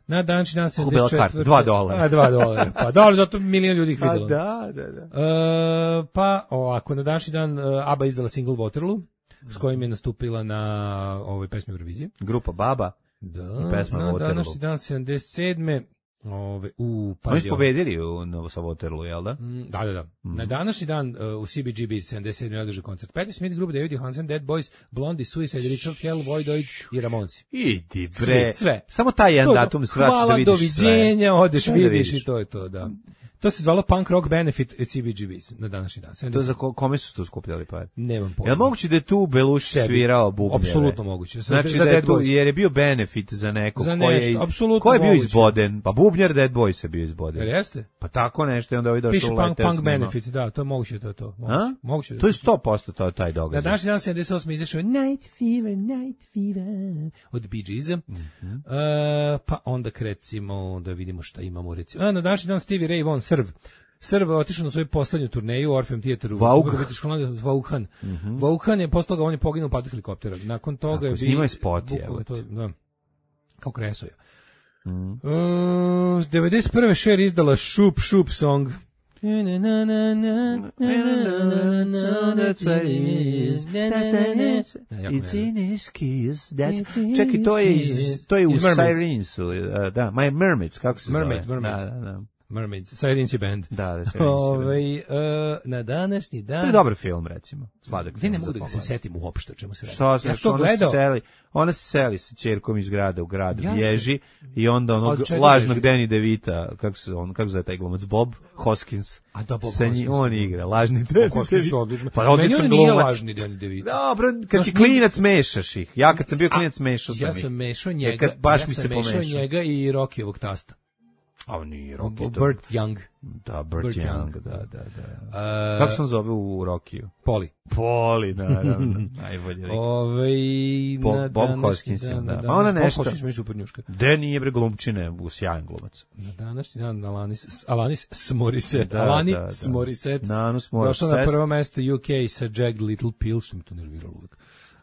Speaker 6: Na današnji dan sedamdeset četvrte
Speaker 7: dva dolara.
Speaker 6: A, dva dolara. Pa da, zato milion ljudi ih vidjelo.
Speaker 7: Da, da, da.
Speaker 6: Uh, pa ovako, na današnji dan uh, ABBA izdala single Waterloo, s kojim je nastupila na ovoj pesmi Eurovizije.
Speaker 7: Grupa Baba.
Speaker 6: Da,
Speaker 7: i pesma
Speaker 6: na
Speaker 7: Waterloo.
Speaker 6: današnji dan sedamdeset sedme Ove, u,
Speaker 7: Oni su pobedili u Novo sa Waterloo, jel da?
Speaker 6: Mm, da, da, da.
Speaker 7: Mm.
Speaker 6: Na današnji dan uh, u C B G B sedamdeset sedme održao koncert Patti Smith, grupa David Johansen, Dead Boys, Blondie, Suicide, Richard Hell, Void Deutsch i Ramonsi.
Speaker 7: Idi bre.
Speaker 6: Sve, sve.
Speaker 7: Samo taj jedan
Speaker 6: to,
Speaker 7: datum svrati da vidiš sve.
Speaker 6: Hvala, doviđenja, odeš,
Speaker 7: sve
Speaker 6: vidiš,
Speaker 7: da vidiš
Speaker 6: i to je to, da. To se zvalo Punk Rock Benefit at C B G B na današnji dan. sedamdeset
Speaker 7: To je za ko, kome su tu skupljali pare?
Speaker 6: Nemam pojma.
Speaker 7: Jel moguće da je tu Beluš svirao bubnjeve?
Speaker 6: Apsolutno moguće. Za,
Speaker 7: znači
Speaker 6: za
Speaker 7: da je
Speaker 6: Dead
Speaker 7: tu,
Speaker 6: Boys.
Speaker 7: jer je bio benefit za nekog
Speaker 6: za
Speaker 7: ko je,
Speaker 6: nešto, apsolutno
Speaker 7: ko je bio
Speaker 6: moguće.
Speaker 7: izboden. Pa bubnjar Dead Boys je bio izboden.
Speaker 6: Jel jeste?
Speaker 7: Pa tako nešto i onda ovaj došao
Speaker 6: Piše
Speaker 7: u
Speaker 6: punk,
Speaker 7: Letters.
Speaker 6: punk benefit, da, to je moguće, to je to. Moguće,
Speaker 7: A?
Speaker 6: moguće da
Speaker 7: to je sto posto to, taj događaj.
Speaker 6: Na današnji dan sedamdeset osme izašao je Night Fever, Night Fever od Bee Geesa. Mm-hmm. Uh, pa onda krecimo da vidimo šta imamo. Recimo. A, na današnji dan Stevie Ray Vaughan, Srb. Srb je otišao na svoju poslednju turneju u Orpheum Theateru. Vauhan. Mm-hmm. Vauhan je, posle toga on je poginuo u padu helikoptera. Nakon toga
Speaker 7: Tako,
Speaker 6: je...
Speaker 7: snimao je spot,
Speaker 6: je. Da, kao Kresoja.
Speaker 7: Mm.
Speaker 6: Uh, devedeset prve Cher izdala Shoop Shoop Song.
Speaker 7: It's in his kiss. That's... Čekaj, to je iz, to je u Sirensu. Da, My Mermaids, kako se
Speaker 6: Mermaids,
Speaker 7: zove?
Speaker 6: Mermaids.
Speaker 7: Da, da, da.
Speaker 6: Mermaids, Sirensi band.
Speaker 7: Da, da, Sirensi
Speaker 6: Ove, uh, na današnji dan...
Speaker 7: To je dobar film, recimo. Sladak
Speaker 6: Gde
Speaker 7: film
Speaker 6: ne mogu
Speaker 7: za
Speaker 6: da se
Speaker 7: pogled.
Speaker 6: setim uopšte o čemu se radi.
Speaker 7: Što se,
Speaker 6: ja to
Speaker 7: ona
Speaker 6: gledao.
Speaker 7: se seli, ona se seli sa ćerkom iz grada u grad,
Speaker 6: Ja
Speaker 7: bježi i onda onog
Speaker 6: Od čega
Speaker 7: lažnog
Speaker 6: bježi?
Speaker 7: Danny DeVita, kako se on, kako se zove taj glumac, Bob Hoskins.
Speaker 6: A da, Bob
Speaker 7: Sa njim,
Speaker 6: Hoskins.
Speaker 7: on igra, lažni Danny
Speaker 6: Hoskins
Speaker 7: DeVito.
Speaker 6: odlično.
Speaker 7: Pa
Speaker 6: Meni
Speaker 7: odličan
Speaker 6: on nije
Speaker 7: glumac.
Speaker 6: lažni Danny DeVito.
Speaker 7: Dobro, kad
Speaker 6: Znaš,
Speaker 7: si klinac mešaš ih. Ja kad sam bio klinac mešao sam
Speaker 6: Ja
Speaker 7: ih.
Speaker 6: sam mešao
Speaker 7: E,
Speaker 6: njega,
Speaker 7: kad baš
Speaker 6: ja
Speaker 7: mi
Speaker 6: sam
Speaker 7: se
Speaker 6: mešao
Speaker 7: pomešao.
Speaker 6: njega i Rockijevog tasta.
Speaker 7: A on nije Rocky.
Speaker 6: Burt Young.
Speaker 7: Da, Burt
Speaker 6: Burt
Speaker 7: Young,
Speaker 6: Young.
Speaker 7: da, da, da.
Speaker 6: Uh,
Speaker 7: Kako se on zove u Rockiju?
Speaker 6: Poli.
Speaker 7: Poli, naravno. Najbolje rekao.
Speaker 6: Ove,
Speaker 7: Bob,
Speaker 6: na
Speaker 7: Bob
Speaker 6: današnji
Speaker 7: Hoskins,
Speaker 6: dan,
Speaker 7: da.
Speaker 6: na
Speaker 7: Ma ona
Speaker 6: današnji-
Speaker 7: nešto...
Speaker 6: Bob Hoskins mi je super njuška.
Speaker 7: De nije bre glumčine, u sjajan glumac.
Speaker 6: Na današnji dan Alanis, Alanis Smoriset.
Speaker 7: Da,
Speaker 6: Alani
Speaker 7: da, da.
Speaker 6: Smoriset.
Speaker 7: Nanus Morissette.
Speaker 6: Došla na prvo mesto U K sa Jagged Little Pill, što mi to nerviralo uvijek.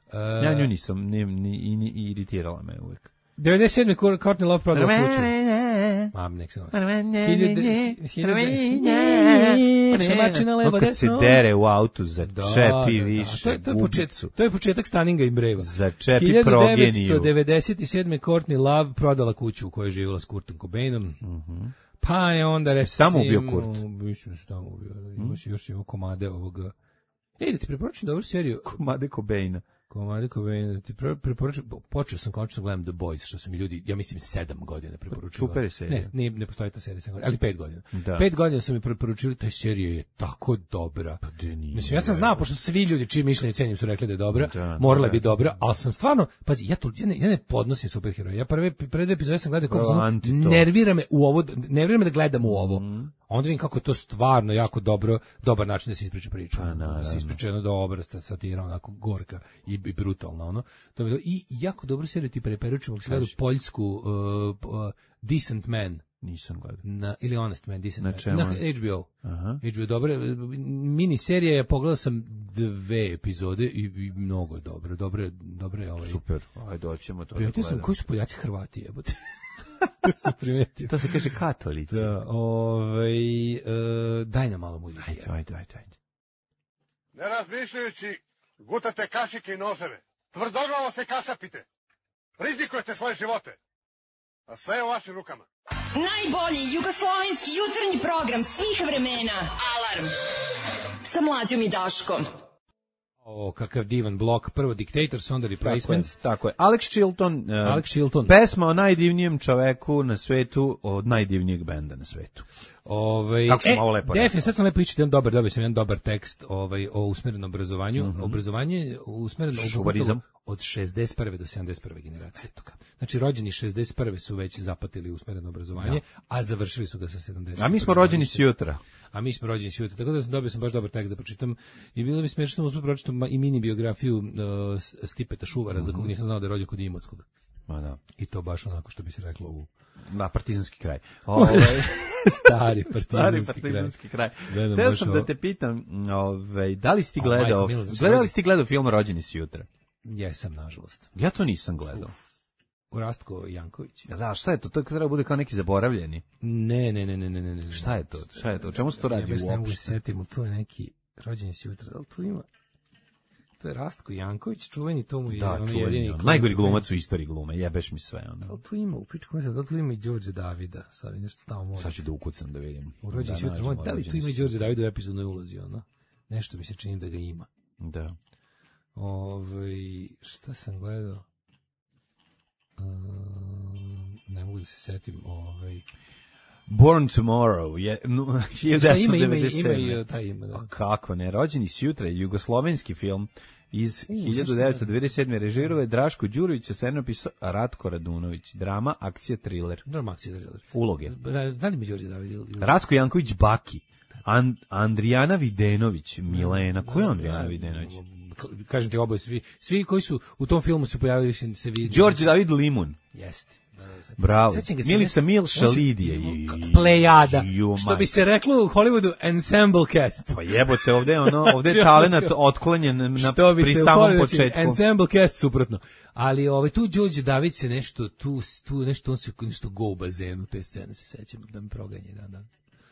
Speaker 6: Uh,
Speaker 7: Ja nju nisam, ni, ni, ni, i iritirala me uvijek.
Speaker 6: devedeset sedme Courtney Love prodala kuću. Mam, nek se nosi. Šamačina levo,
Speaker 7: Kad se dere u autu, začepi više
Speaker 6: To je, to, je početak,
Speaker 7: bubicu.
Speaker 6: to je početak Stanninga i Breva.
Speaker 7: Začepi progeniju.
Speaker 6: hiljadu devetsto devedeset sedme Courtney Love prodala kuću u kojoj je živjela s Kurtom Cobainom.
Speaker 7: Mm-hmm.
Speaker 6: Pa je onda recimo...
Speaker 7: Tamo ubio Kurt?
Speaker 6: Mislim da se tamo ubio. Ima se još ima komade ovoga... Ej, da ti preporučim dobru seriju.
Speaker 7: Komade Cobaina.
Speaker 6: Komade Cobaina, da ti pre, preporučim... Počeo sam končno gledam The Boys, što su mi ljudi, ja mislim, sedam godina preporučili.
Speaker 7: Super je serija.
Speaker 6: Ne, ne, ne postoji ta serija, sedam godina, ali pet godina.
Speaker 7: Da.
Speaker 6: Pet godina su mi preporučili, ta serija je tako dobra.
Speaker 7: Pa de nije.
Speaker 6: Mislim, ja sam znao, pošto svi ljudi čiji mišljenje cenim su rekli da je dobra,
Speaker 7: Da,
Speaker 6: morala
Speaker 7: da.
Speaker 6: bi dobra, ali sam stvarno, pazi, ja, to, ja, ne, ja ne podnosim superheroje. Ja prve, prve dve epizode sam gledao, kako
Speaker 7: Prvo
Speaker 6: sam,
Speaker 7: anti to.
Speaker 6: nervira me u ovo, nervira me da gledam u ovo. onda vidim kako je to stvarno jako dobro, dobar način da se ispriča priča.
Speaker 7: Pa,
Speaker 6: da se ispriča jedno dobro, satira, onako gorka i, i brutalna, ono. To bi, i jako dobro seriju ti preporučujem, ako si gledao poljsku uh, uh, Decent Man.
Speaker 7: Nisam gledao.
Speaker 6: Na, ili Honest Man, Decent
Speaker 7: na
Speaker 6: Man.
Speaker 7: čemu?
Speaker 6: Na H B O.
Speaker 7: Aha.
Speaker 6: H B O, dobro. Mini serija je, pogledao sam dve epizode i, i mnogo je dobro. Dobro, dobro je ovaj.
Speaker 7: Super, ajde, doćemo to.
Speaker 6: Primetio sam koji su Poljaci Hrvati, jebote. To sam primetio.
Speaker 7: To se kaže katolici.
Speaker 6: Da, ovaj, uh, daj nam malo muzike.
Speaker 7: Ajde, ajde, ajde, ajde.
Speaker 5: Ne razmišljajući, gutate kašike i noževe. Tvrdoglavo se kasapite. Rizikujete svoje živote. A sve je u vašim rukama.
Speaker 9: Najbolji jugoslovenski jutarnji program svih vremena. Alarm. Sa Mlađom i Daškom.
Speaker 6: O, kakav divan blok. Prvo Dictators, onda Replacements.
Speaker 7: Tako je, tako je. Alex Chilton, uh,
Speaker 6: Alex Chilton.
Speaker 7: Pesma o najdivnijem čoveku na svetu, od najdivnijeg benda na svetu.
Speaker 6: Ovaj,
Speaker 7: Kako sam
Speaker 6: e,
Speaker 7: ovo lepo
Speaker 6: definitivno, sad sam lepo ići, jedan dobar, dobio sam jedan dobar tekst ovaj, o usmerenom obrazovanju.
Speaker 7: Mm-hmm.
Speaker 6: Obrazovanje usmereno
Speaker 7: Šuvarizam.
Speaker 6: od šezdeset prve do sedamdeset prve generacije. Znači, rođeni šezdeset prve su već zapatili usmereno obrazovanje, ja. a završili su ga sa sedamdeset.
Speaker 7: A mi smo rođeni sjutra.
Speaker 6: A mi smo rođeni sjutra. Tako da sam dobio sam baš dobar tekst da pročitam. I bilo mi smiješno usput pročitam i mini biografiju uh, Stipeta Šuvara, mm-hmm. za kog nisam znao da je rođen kod Imotskog.
Speaker 7: Ma da.
Speaker 6: I to baš onako što bi se reklo u...
Speaker 7: Da, partizanski kraj. Ovaj
Speaker 6: stari partizanski,
Speaker 7: stari partizanski kraj.
Speaker 6: kraj.
Speaker 7: Teo sam ovo... da te pitam, ovaj, da li si ti gledao, oh, gledali si ti gledao film Rođeni si jutra?
Speaker 6: Jesam, nažalost.
Speaker 7: Ja to nisam gledao.
Speaker 6: Uf. Rastko Janković.
Speaker 7: Ja, da, šta je to? To treba bude kao neki zaboravljeni.
Speaker 6: Ne, ne, ne, ne, ne, ne.
Speaker 7: Šta je to? Šta je to? O čemu se to radi
Speaker 6: ja
Speaker 7: uopšte?
Speaker 6: Ne mogu se setiti, to je neki Rođeni si jutra. Da li tu ima? To je Rastko Janković, čuveni, to mu je
Speaker 7: da,
Speaker 6: on
Speaker 7: čuveni,
Speaker 6: jedini.
Speaker 7: On, najgori glumac u istoriji glume, jebeš mi sve. Ono.
Speaker 6: Da li tu ima, u pičku mislim, da li tu ima i Đorđe Davida? Sad nešto tamo može.
Speaker 7: Sad ću da ukucam da vidim.
Speaker 6: U Rođeni si jutra, da li tu ima i Đorđe Davida u epizodnoj ulozi, ono? Nešto mi se čini da ga ima.
Speaker 7: Da.
Speaker 6: Ove, šta sam gledao? Um, ne mogu da se setim. Ovaj
Speaker 7: Born Tomorrow je no, hiljadu devetsto devedeset sedme.
Speaker 6: Ima, ima i taj ima, da.
Speaker 7: A kako ne, Rođeni si jutra je jugoslovenski film iz U, hiljadu devetsto devedeset sedme. Režirao je Draško Đurović, a scenarij napisao Ratko Radunović. Drama, akcija, thriller.
Speaker 6: Drama, akcija, thriller.
Speaker 7: Uloge.
Speaker 6: Da li mi Đorđe David?
Speaker 7: Ratko Janković Baki. And, Andrijana Videnović, Milena. Ko je Andrijana Videnović?
Speaker 6: Kažem ti, oboje svi, svi koji su u tom filmu se pojavili se vidi.
Speaker 7: Đorđe David Limun.
Speaker 6: Jeste.
Speaker 7: Bravo. Milica Milša Lidije.
Speaker 6: Plejada. Što bi se reklo u Hollywoodu, ensemble cast.
Speaker 7: Pa jebote, ovde je ono, ovde je talenat otklonjen na, pri samom početku.
Speaker 6: Ensemble cast suprotno. Ali ovaj, tu Đorđe David se nešto, tu, tu nešto, on se nešto go u bazenu, te scene se sećam, da me proganje dan dan.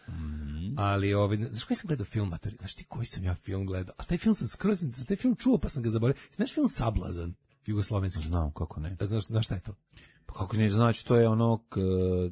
Speaker 6: Mm. Ali ovaj, znaš koji sam gledao film, mater, znaš ti koji sam ja film gledao, a taj film sam skroz, za taj film čuo pa sam ga zaboravio, znaš film Sablazan, jugoslovenski?
Speaker 7: Znam, kako ne.
Speaker 6: Znaš, znaš šta je to?
Speaker 7: Pa kako ne, znači to je ono, k,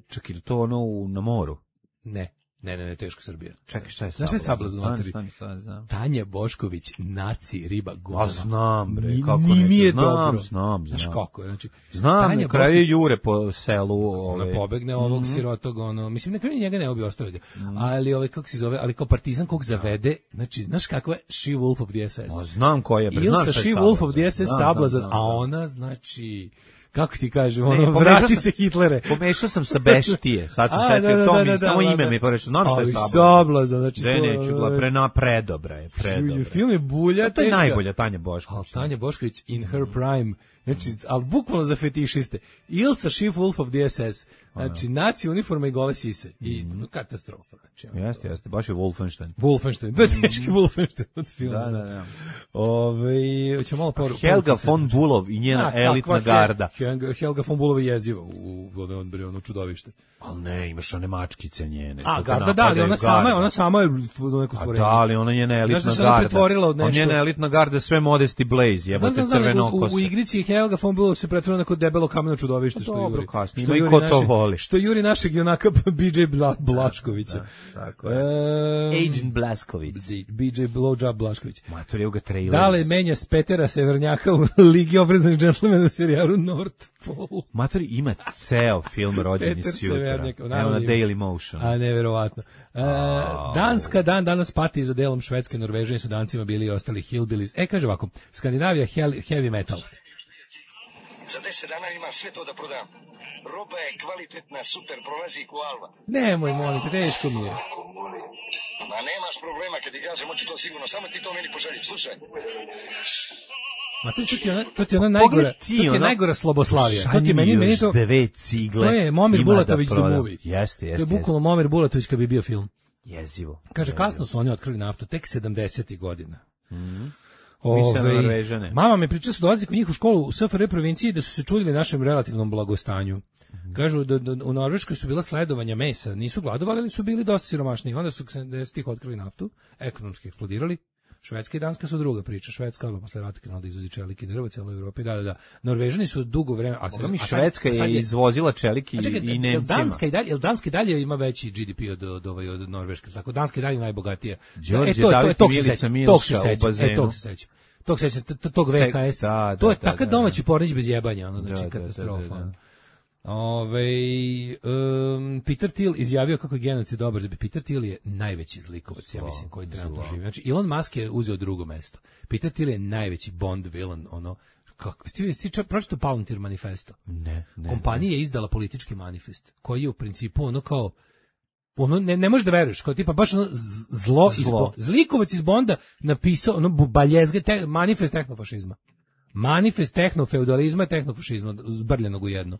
Speaker 7: čak ili to ono u, na moru?
Speaker 6: Ne. Ne, ne, ne, teško Srbija.
Speaker 7: Čekaj, šta je
Speaker 6: Znaš šta je Sablazan?
Speaker 7: Stani, stani, stani, znam.
Speaker 6: Tanja Bošković, naci, riba, govna.
Speaker 7: A znam, bre, kako
Speaker 6: ni,
Speaker 7: ne.
Speaker 6: Mi je
Speaker 7: znam,
Speaker 6: dobro.
Speaker 7: znam, znam.
Speaker 6: Znaš kako je, znači.
Speaker 7: Znam, na kraju jure po selu.
Speaker 6: Ona
Speaker 7: ove.
Speaker 6: pobegne ovog mm-hmm. sirotog, ono, mislim, na kraju njega ne obi ostavio ga. Mm. Ali, ovaj, kako se zove, ali kao partizan kog zavede, znači, znaš kakva je She Wolf of the S S?
Speaker 7: A znam ko je, bre,
Speaker 6: znam
Speaker 7: šta je
Speaker 6: She Wolf of the S S Sablazan, a ona, znači... Kako ti kažem, ono, ne, vrati sam, se Hitlere.
Speaker 7: Pomešao sam sa Beštije, sad sam setio, da, da, to mi, da, da, samo da, ime da. mi porečio, znam što je Sablazan.
Speaker 6: Sablazan, znači
Speaker 7: to... neću, gla, prena, predobra je, predobra.
Speaker 6: Film je bulja,
Speaker 7: to je najbolja Tanja Bošković.
Speaker 6: Ali Tanja Bošković in her prime, znači, ali bukvalno za fetišiste. Ilsa She Wolf of the S S, znači, naci uniforma i gole sise. I mm. katastrofa. Znači,
Speaker 7: jeste, jeste, baš je Wolfenstein.
Speaker 6: Wolfenstein, da teški Wolfenstein od filma.
Speaker 7: Da, da, da.
Speaker 6: Ove, hoće malo poru,
Speaker 7: Helga von Bulov i njena A, elitna garda.
Speaker 6: Helga, Helga von Bulov je jeziva u, u ono, ono čudovište.
Speaker 7: Ali ne, imaš one mačkice njene.
Speaker 6: A, garda, da, ali ona sama je, ona sama je neko stvorenje.
Speaker 7: A da, ali ona njena elitna garda. Ona njena elitna garda sve Modesty Blaze, jebote crvenokose.
Speaker 6: U igrici Helga von Bulov se pretvorila neko debelo kameno čudovište, što
Speaker 7: dobro,
Speaker 6: juri.
Speaker 7: Kasnije, što juri, ko to
Speaker 6: našeg,
Speaker 7: voli.
Speaker 6: što juri našeg junaka B J Bla, Blaškovića.
Speaker 7: Da, tako je. Um, Agent Blasković.
Speaker 6: B J Blowjob Blašković.
Speaker 7: Mator je u ga trailer.
Speaker 6: Dale menja s Petera Severnjaka u Ligi obrazanih džentlmena u serijalu North Pole.
Speaker 7: Mator ima ceo film Rođeni s jutra. Evo na Daily Motion.
Speaker 6: A neverovatno. Uh, oh. Danska dan danas pati za delom Švedske, Norvežani su dancima bili i ostali hillbillies. E, kaže ovako, Skandinavija heavy metal.
Speaker 10: Za deset dana imam sve to da prodam. Roba je kvalitetna, super, prolazi ko alva.
Speaker 6: Nemoj, molim te, teško mi je.
Speaker 10: Ma nemaš problema, kad ti kažem, hoću to sigurno, samo ti to meni poželi, slušaj.
Speaker 6: Ma to, to ti je ona, to ti je ona najgora, to ti je najgora Sloboslavija. To ti je meni, meni to,
Speaker 7: dve cigle.
Speaker 6: To je Momir Bulatović the movie.
Speaker 7: Jeste, jeste.
Speaker 6: To je bukvalno Momir Bulatović kad bi bio film.
Speaker 7: Jezivo.
Speaker 6: Kaže, kasno su oni otkrili naftu, tek sedamdesetih godina.
Speaker 7: Mhm.
Speaker 6: Ove, mama mi priča su dolazi kod njih u školu u S F R J provinciji da su se čudili našem relativnom blagostanju. Mm-hmm. Kažu da, da u Norveškoj su bila sledovanja mesa, nisu gladovali, ali su bili dosta siromašni. Onda su sedamdesetih otkrili naftu, ekonomski eksplodirali. Švedska i Danska su druga priča. Švedska, ali posle rata krenula da izvozi čelik i drvo cijeloj Evropi. Da, da, da. Norvežani su dugo vremena... A,
Speaker 7: a mi Švedska je izvozila čelik i, čekaj, i Nemcima.
Speaker 6: Danska i dalje, jel Danska i dalje ima veći G D P od, od, od, od Norveške? Tako, Danska i dalje najbogatija.
Speaker 7: Đorđe, e, to, to, to, Milica Milša u bazenu.
Speaker 6: E, tog se seća. Tog se seća, tog V K S. Da, to je da, takav da, domaći pornić bez jebanja, ono, znači, da, katastrofa. Da, da, da. Ove, um, Peter Thiel izjavio kako je genocid dobar, da bi Peter Thiel je najveći zlikovac, ja mislim, koji trenutno živi. Znači, Elon Musk je uzeo drugo mesto. Peter Thiel je najveći Bond villain, ono, kako, ti, ti pročito Palantir manifesto?
Speaker 7: Ne, ne.
Speaker 6: Kompanija je izdala politički manifest, koji je u principu ono kao, ono, ne, ne možeš da veruješ, kao tipa baš ono zlo, zlo. Iz, zlikovac iz Bonda napisao, ono, baljezge, te, manifest tehnofašizma. Manifest tehnofeudalizma i tehnofašizma, zbrljenog u jedno.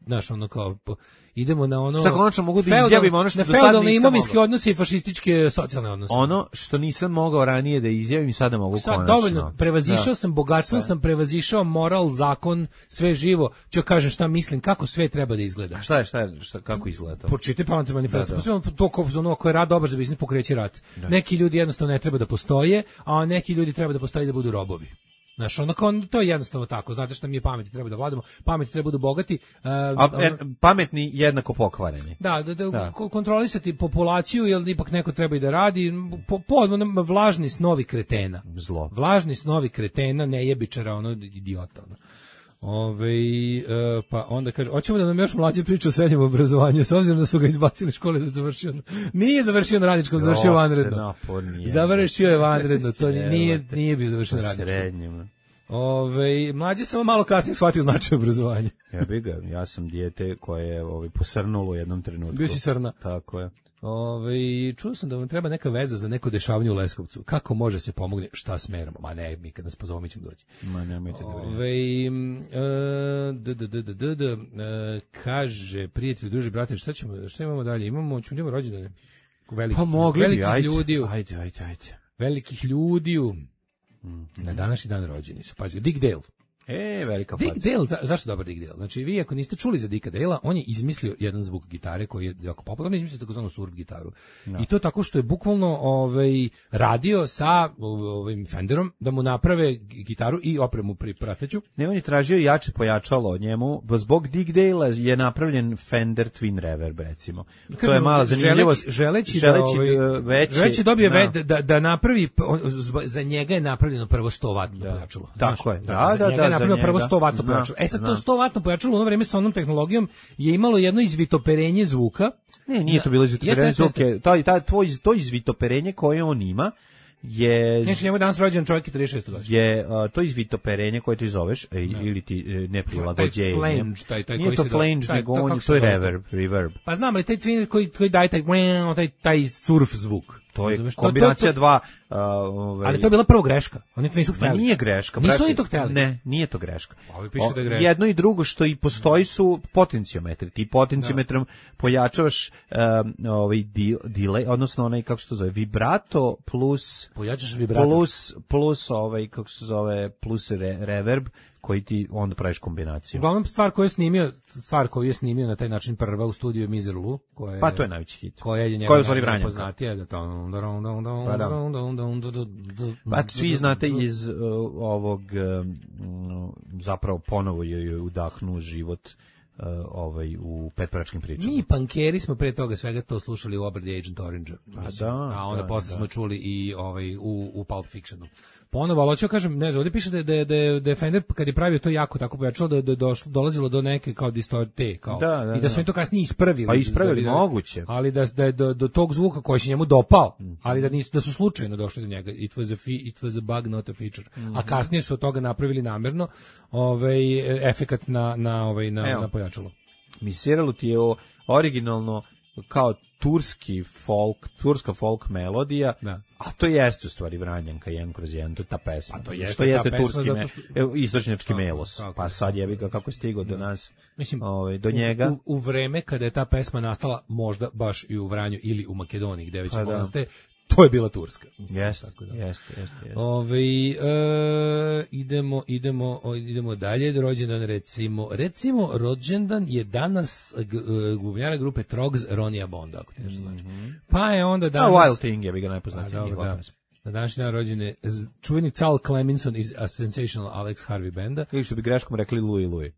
Speaker 6: Znaš, ono kao, po, idemo na ono...
Speaker 7: Sad konačno mogu da izjavim ono što do sad nisam
Speaker 6: feudalne imovinske odnose i fašističke socijalne odnose.
Speaker 7: Ono što nisam mogao ranije da izjavim, sada mogu sad, konačno.
Speaker 6: Dovoljno, prevazišao da. sam bogatstvo, sam prevazišao moral, zakon, sve živo. Ću kažem šta mislim, kako sve treba da izgleda.
Speaker 7: A šta je, šta je, šta, kako izgleda to?
Speaker 6: Počitaj Palantir manifesto. Da, da. To kao ono ko je rad dobar za biznis pokreće rat. Da. Neki ljudi jednostavno ne treba da postoje, a neki ljudi treba da postoje da budu robovi. Znaš, ono kao, to je jednostavno tako, znate šta mi je pameti, treba da vladamo, pameti treba da budu bogati. Uh,
Speaker 7: A, e, pametni jednako pokvareni.
Speaker 6: Da, da, da, da. kontrolisati populaciju, jer ipak neko treba i da radi, po, po, vlažni snovi kretena.
Speaker 7: Zlo.
Speaker 6: Vlažni snovi kretena, nejebičara, ono, idiota. Ono. Ove, uh, pa onda kaže, hoćemo da nam još mlađe priča o srednjem obrazovanju, s obzirom da su ga izbacili škole da završio. Nije završio na radničkom, završio vanredno. Završio je vanredno, to nije, nije bio završio na radničkom. Ove, mlađe samo malo kasnije shvatio značaj obrazovanja.
Speaker 7: Ja bih ga, ja sam dijete koje je ovaj, posrnulo u jednom trenutku.
Speaker 6: Bio si srna.
Speaker 7: Tako je.
Speaker 6: Ove, čuo sam da vam treba neka veza za neko dešavanje u Leskovcu. Kako može se pomogne? Šta smeramo? Ma ne, mi kad nas pozovemo mi ćemo doći.
Speaker 7: Ma nemojte da
Speaker 6: vreme. Kaže, prijatelji, druži, brate, šta ćemo, šta imamo dalje? Imamo, ćemo imamo rođendane. Velikih,
Speaker 7: pa mogli
Speaker 6: velikih
Speaker 7: bi, ajde,
Speaker 6: ljudi.
Speaker 7: Ajde, ajde, ajde.
Speaker 6: Velikih ljudi. Mm-hmm. Na današnji dan rođeni su. Pazi, Dick Dale.
Speaker 7: E, velika
Speaker 6: Dick faca. Dale, za, zašto dobar Dick Dale? Znači, vi ako niste čuli za Dicka Dale-a, on je izmislio jedan zvuk gitare koji je jako popularan, izmislio takozvanu surf gitaru. No. I to tako što je bukvalno ovaj, radio sa ovim Fenderom da mu naprave gitaru i opremu pri prateću.
Speaker 7: Ne, on je tražio jače pojačalo od njemu, zbog Dick Dale-a je napravljen Fender Twin Reverb, recimo. Kažem, to je mala zanimljivost.
Speaker 6: Želeći,
Speaker 7: želeći,
Speaker 6: želeći
Speaker 7: da, ovaj, veći,
Speaker 6: želeći dobije no. ve, da, da napravi, za njega je napravljeno prvo sto vatno
Speaker 7: da.
Speaker 6: pojačalo.
Speaker 7: Tako
Speaker 6: znaš,
Speaker 7: je, da, da, da.
Speaker 6: Napravio prvo sto vatno pojačalo. E sad to sto vatno pojačalo u ono vreme sa onom tehnologijom je imalo jedno izvitoperenje zvuka.
Speaker 7: Ne, nije to bilo izvitoperenje zvuka. To, to, tvoj, to izvitoperenje koje on ima je...
Speaker 6: Znači, njemu je danas rođen čovjek i trideset šest godišnji.
Speaker 7: Je uh, to izvitoperenje koje ti zoveš, e, ili ti e, neprilagođenje.
Speaker 6: Taj flange, taj, taj
Speaker 7: nije
Speaker 6: koji
Speaker 7: to
Speaker 6: se
Speaker 7: flange,
Speaker 6: do...
Speaker 7: nego on, to je reverb, reverb.
Speaker 6: Pa znam, ali taj twin koji, koji daje taj, taj, taj surf zvuk.
Speaker 7: To je Zoveš, kombinacija to, to, to, dva... Uh, ovaj...
Speaker 6: Ali to je bila prvo greška. Oni to nisu hteli.
Speaker 7: Ma nije greška.
Speaker 6: Nisu brate, oni to hteli.
Speaker 7: Ne, nije to greška.
Speaker 6: Ovi piše da je greška.
Speaker 7: Jedno i drugo što i postoji su potenciometri. Ti potenciometrom da. pojačavaš um, ovaj delay, odnosno onaj, kako se to zove, vibrato plus...
Speaker 6: Pojačaš vibrato.
Speaker 7: Plus, plus ovaj, kako se zove, plus re, reverb, koji ti onda praviš kombinaciju.
Speaker 6: Uglavnom stvar koju je snimio, stvar koju je snimio na taj način prva u studiju je Mizer Lou, koja je
Speaker 7: pa to je najveći hit.
Speaker 6: Koja je
Speaker 7: njegova
Speaker 6: najpoznatija da to
Speaker 7: pa svi znate iz uh, ovog um, zapravo ponovo je udahnuo život uh, ovaj u petpračkim pričama.
Speaker 6: Mi pankeri smo pre toga svega to slušali u obradi Agent Orange.
Speaker 7: A, da,
Speaker 6: a onda
Speaker 7: da,
Speaker 6: posle
Speaker 7: da.
Speaker 6: smo čuli i ovaj u u Pulp Fictionu. Ponovo, ali hoću kažem, ne znam, ovdje piše da je, da je, da je Fender kad je pravio to jako tako pojačalo da je došlo, dolazilo do neke kao distorte, kao,
Speaker 7: da, da,
Speaker 6: i da su oni to kasnije ispravili.
Speaker 7: Pa ispravili,
Speaker 6: da,
Speaker 7: moguće.
Speaker 6: Ali da, da je do, do tog zvuka koji se njemu dopao, mm-hmm. ali da nisu, da su slučajno došli do njega. It was a, fi, it was a bug, not a feature. Mm-hmm. A kasnije su od toga napravili namjerno ovaj, efekat na, na, ovaj, na, na pojačalo.
Speaker 7: Misiralo ti je o, originalno kao turski folk, turska folk melodija,
Speaker 6: da.
Speaker 7: A to jeste u stvari Vranjanka jedan kroz jedan, to je ta pesma.
Speaker 6: A to jeste,
Speaker 7: što jeste turski,
Speaker 6: što...
Speaker 7: me, evo, istočnjački
Speaker 6: tako,
Speaker 7: melos,
Speaker 6: tako,
Speaker 7: pa sad jebi ga kako je stigao do nas,
Speaker 6: mislim,
Speaker 7: ovaj, do njega.
Speaker 6: U, u vreme kada je ta pesma nastala, možda baš i u Vranju ili u Makedoniji, gde već pa nastaje, to je bila turska.
Speaker 7: Jeste, da. jeste, jeste.
Speaker 6: Ove, e, idemo, idemo, o, idemo dalje, rođendan recimo, recimo rođendan je danas bubnjara grupe Trogs Ronija Bonda, ako ti nešto znači. Mm-hmm. Pa je onda danas...
Speaker 7: A Wild Thing je bi ga najpoznatiji njihova pesma.
Speaker 6: Na današnji dan rođen je čuveni Cal Cleminson iz A Sensational Alex Harvey benda.
Speaker 7: Ili što bi greškom rekli Louis Louis.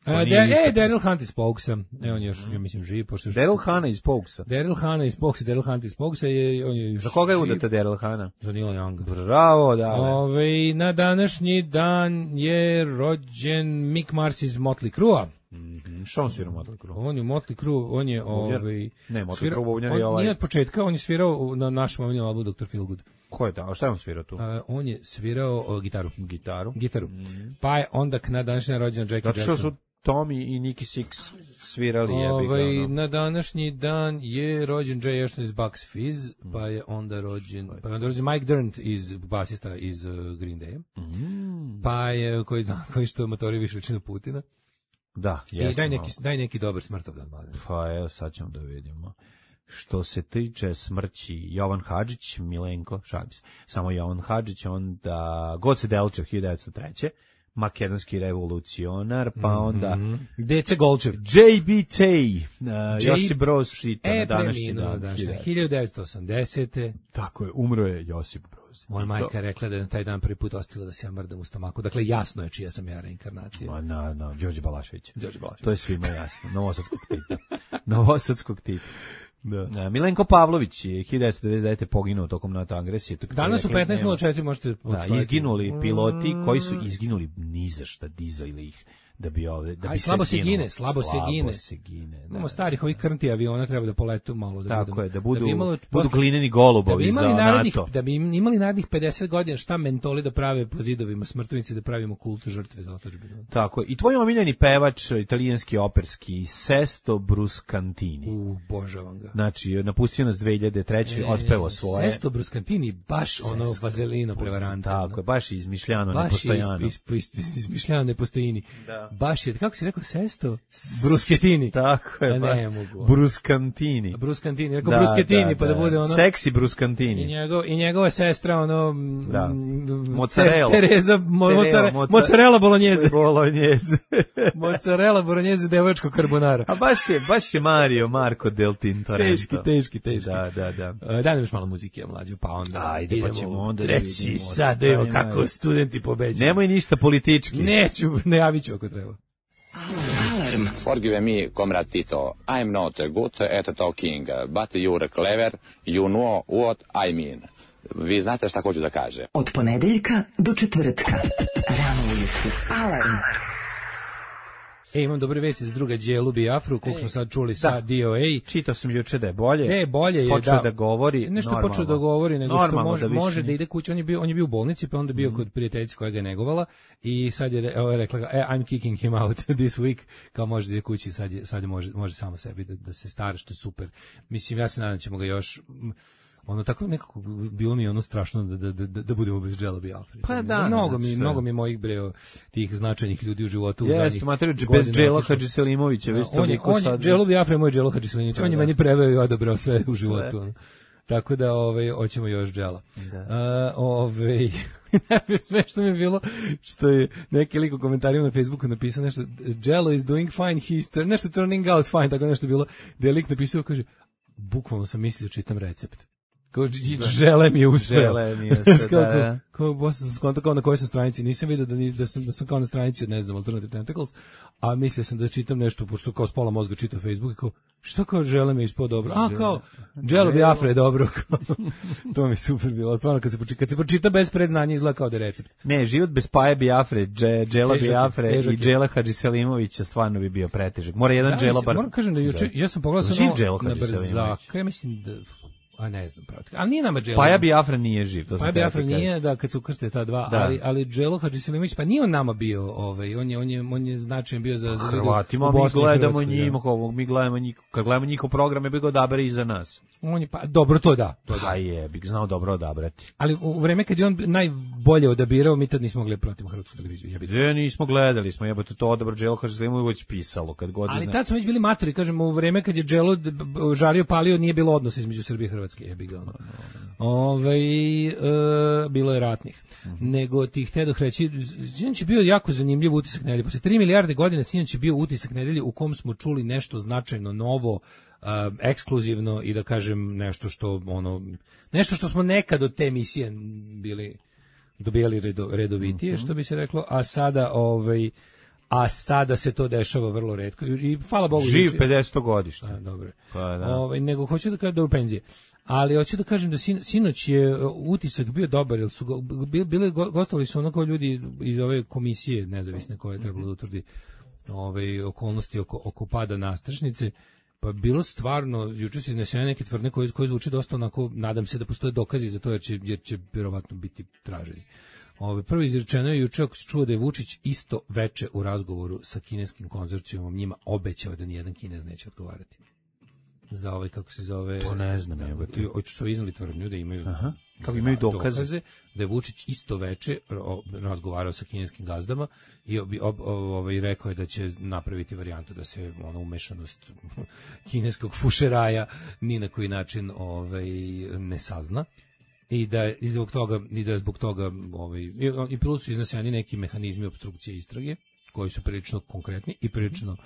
Speaker 6: Uh, e, Daryl Hunt iz Pogsa. E, on je još, ja mislim, živ.
Speaker 7: Daryl Hannah iz Pogsa.
Speaker 6: Daryl Hannah iz Pogsa, Daryl Hunt iz Pogsa je, on je još
Speaker 7: za koga je
Speaker 6: živ.
Speaker 7: udata Daryl Hannah?
Speaker 6: Za Neil Young.
Speaker 7: Bravo, da.
Speaker 6: Ove, na današnji dan je rođen Mick Mars iz Motley Crue-a.
Speaker 7: Mm-hmm. Što on svira Motley Crue?
Speaker 6: On je Motley Crue, on je... Ovaj,
Speaker 7: ne, Motley Crue bubnjar je
Speaker 6: on,
Speaker 7: ovaj...
Speaker 6: Nije od početka, on je svirao na našem omiljenom albumu doktor Feelgood.
Speaker 7: Ko je ta? A šta je on svirao tu?
Speaker 6: Uh, on je svirao uh, gitaru.
Speaker 7: Gitaru?
Speaker 6: Gitaru. Mm. Pa je onda na današnji dan rođen Jackie Jackson.
Speaker 7: Zato što su Tommy i Nicky Six svirali
Speaker 6: Ove,
Speaker 7: jebi ga.
Speaker 6: Na današnji dan je rođen Jay Ashton iz Bucks Fizz, pa je onda rođen, pa je onda rođen Mike Dirnt iz basista iz uh, Green Day. Mm. Pa je koji koji što motori više većinu Putina.
Speaker 7: Da,
Speaker 6: jeste. I daj neki daj neki dobar smrtovdan, mladen.
Speaker 7: Pa evo sad ćemo da vidimo. Što se tiče smrći Jovan Hadžić, Milenko, šalim se, samo Jovan Hadžić, onda Goce Delčev hiljadu devetsto treće makedonski revolucionar, pa onda
Speaker 6: mm-hmm. Dece Golčev,
Speaker 7: J B T, uh, Josip Broz Šita,
Speaker 6: e,
Speaker 7: na današnji dan,
Speaker 6: hiljadu devetsto osamdesete
Speaker 7: Tako je, umro je Josip Broz.
Speaker 6: Moja majka je rekla da je na taj dan prvi put ostila da se ja mrdam u stomaku, dakle jasno je čija sam ja reinkarnacija.
Speaker 7: Ma na, na, Đorđe Balašević.
Speaker 6: Đorđe Balašević.
Speaker 7: To je svima jasno, Novosadskog Tita. Novosadskog Tita. Da. Milenko Pavlović je hiljadu devetsto devedeset devete poginuo tokom NATO agresije.
Speaker 6: Danas u petnaest nula četiri možete...
Speaker 7: Da, izginuli piloti koji su izginuli ni za šta, dizali ih da bi ove da bi
Speaker 6: Aj, slabo se gine, slabo, slabo se gine.
Speaker 7: Se gine.
Speaker 6: Imamo starih ovih krnti aviona, treba da poletu malo da
Speaker 7: tako
Speaker 6: budu.
Speaker 7: je, da budu,
Speaker 6: da bi imalo,
Speaker 7: budu glineni golubovi
Speaker 6: da bi
Speaker 7: za
Speaker 6: narednih,
Speaker 7: NATO.
Speaker 6: Da bi imali narednih pedeset godina šta mentoli da prave po zidovima smrtnici, da pravimo kult žrtve za otadžbinu.
Speaker 7: Tako, i tvoj omiljeni pevač, italijanski operski, Sesto Bruscantini.
Speaker 6: U, božavam ga.
Speaker 7: Znači, napustio nas dve hiljade treće, e, otpevao svoje.
Speaker 6: Sesto Bruscantini, baš Sesto, ono vazelino prevaranta.
Speaker 7: Tako je, baš izmišljano, nepostojano.
Speaker 6: Baš is, is, is, izmišljano nepostojini. Da. Baš je, kako si rekao, Sesto Brusketini.
Speaker 7: Tako je,
Speaker 6: ba, ne mogu.
Speaker 7: Bruskantini.
Speaker 6: Bruskantini, rekao da, Brusketini, da, pa da, da bude ono...
Speaker 7: Seksi Bruskantini.
Speaker 6: I, njegov, i njegova sestra, ono...
Speaker 7: Da. Mozzarella.
Speaker 6: Tereza, mo, mozzarella, mozzarella bolognese.
Speaker 7: Bolognese.
Speaker 6: Mozzarella bolognese, devojačko carbonara.
Speaker 7: A baš je, baš je Mario, Marco del Tintorento.
Speaker 6: Teški, teški, teški.
Speaker 7: Da, da, da.
Speaker 6: Uh, Daj nam još malo muzike, mlađo, pa onda...
Speaker 7: Ajde,
Speaker 6: idemo,
Speaker 7: pa ćemo onda
Speaker 6: treći
Speaker 7: da vidimo.
Speaker 6: sad, evo kako studenti pobeđuju.
Speaker 7: Nemoj ništa politički.
Speaker 6: Neću, ne javit ću ako treba.
Speaker 11: Alarm. Forgive me, Comrade Tito. I'm not good at talking, but you're clever. You know what I mean. Vi znate šta hoću da kažem.
Speaker 4: Od ponedeljka do četvrtka. Rano ujutru. Alarm.
Speaker 6: E, imam dobre vesti za druga Đelu Biafru, koliko smo sad čuli sa D O A.
Speaker 7: Čitao sam juče da je bolje.
Speaker 6: Ne, bolje je,
Speaker 7: počeo
Speaker 6: da.
Speaker 7: da govori
Speaker 6: nešto
Speaker 7: normalno.
Speaker 6: počeo da govori, nego
Speaker 7: normalno,
Speaker 6: što može
Speaker 7: da,
Speaker 6: može da ide kući. On je bio, on je bio u bolnici, pa onda bio mm. kod prijateljice koja ga je negovala i sad je, evo, je rekla, e, I'm kicking him out this week, kao može da ide kući, sad, je, sad je može, može samo sebi da, da se stara, što je super. Mislim, ja se nadam da ćemo ga još... Ono tako nekako bilo mi ono strašno da da da da budemo bez Đela Biafre.
Speaker 7: Pa da,
Speaker 6: mnogo mi
Speaker 7: sve.
Speaker 6: mnogo mi mojih breo tih značajnih ljudi u životu u
Speaker 7: zadnjih.
Speaker 6: Jeste,
Speaker 7: materiju bez Đela Hadžiselimovića, vi ste
Speaker 6: toliko sad. Đelo Biafre je moj Đelo Hadžiselimović. On je meni preveo i odabrao sve u životu. Sve. Tako da ovaj hoćemo još Đela. Da. Uh, ovaj smešno mi je bilo što je neki lik u komentarima na Facebooku napisao nešto Đelo is doing fine, he's nešto turning out fine, tako nešto bilo. Da je lik napisao, kaže, bukvalno sam mislio čitam recept. Kao žele mi je uspeo.
Speaker 7: Žele mi je uspeo, da, da.
Speaker 6: Kao, kao, sam skonto kao na kojoj sam stranici. Nisam vidio da, ni, da, sam, da sam kao na stranici od, ne znam, Alternative Tentacles, a mislio sam da čitam nešto, pošto kao s pola mozga čitao Facebook i kao, što kao žele mi je ispod dobro? A, kao, Đelo Biafre je dobro. To mi je super bilo. Stvarno, kad se, počita, kad se počita bez predznanja izgleda kao da je recept.
Speaker 7: Ne, život bez Paje Biafre, Đela Biafre i Đela Hadžiselimovića stvarno bi bio pretežak. Mora jedan Đelo bar...
Speaker 6: Moram kažem da juče, ja sam pogledao sam
Speaker 7: na Brzaka,
Speaker 6: ja mislim da A ne znam pravo. Ali nije nama Dželo.
Speaker 7: Paja Biafra nije živ, to
Speaker 6: Paja Biafra nije, da, kad su ukrste ta dva, da. ali ali Dželo Hadžiselimović, pa nije on nama bio, ovaj, on je on je on je značajan bio za za
Speaker 7: Hrvatima, mi gledamo njima, mi gledamo njih, kad gledamo njihov program, je bi ga odabere i za nas.
Speaker 6: On je pa dobro to da, to da.
Speaker 7: Pa je, bih znao dobro odabrati.
Speaker 6: Ali u vreme kad je on najbolje odabirao, mi tad nismo gledali pratimo hrvatsku televiziju. Ja bih.
Speaker 7: Ne, nismo gledali, smo jebote to odabrao Dželo Hadžiselimović pisalo kad god.
Speaker 6: Ali tad smo već bili matori, kažemo, u vreme kad je Dželo žario palio, nije bilo odnosa između Srbije i Hrvatske, jebi ga ono. Ovaj e, bilo je ratnih. Mm-hmm. Nego ti htedoh reći, sinoć je bio jako zanimljiv utisak nedelje. Posle tri milijarde godina sinoć je bio utisak nedelje u kom smo čuli nešto značajno novo, uh, ekskluzivno i da kažem nešto što ono nešto što smo nekad od te emisije bili dobijali redo, redovitije, mm-hmm. što bi se reklo, a sada ovaj a sada se to dešava vrlo retko i hvala Bogu
Speaker 7: živ pedeset godišnji.
Speaker 6: A dobro.
Speaker 7: Pa da.
Speaker 6: Ovaj nego hoću da kažem da u penzije. Ali hoću da kažem da sin, sinoć je utisak bio dobar, jer su go, bili gostovali su onako ljudi iz ove komisije nezavisne koje je trebalo da utvrdi ove okolnosti oko, oko pada nastrešnice. Pa bilo stvarno, juče su iznesene neke tvrdnje koje, koje zvuči dosta onako, nadam se da postoje dokazi za to jer će, jer će vjerovatno biti traženi. Ove, prvo izrečeno je juče, ako se čuo da je Vučić isto veče u razgovoru sa kineskim konzorcijumom njima obećao da nijedan Kinez neće odgovarati za ovaj, kako se zove...
Speaker 7: To ne znam, evo ti.
Speaker 6: Hoću su iznali tvrdnju da imaju...
Speaker 7: Aha. Kako imaju dokaze?
Speaker 6: dokaze da je Vučić isto veče razgovarao sa kineskim gazdama i ob, ob, ovaj, rekao je da će napraviti varijantu da se ono umešanost kineskog fušeraja ni na koji način ovaj, ne sazna. I da i zbog toga i da zbog toga ovaj i, i plus su izneseni neki mehanizmi opstrukcije istrage koji su prilično konkretni i prilično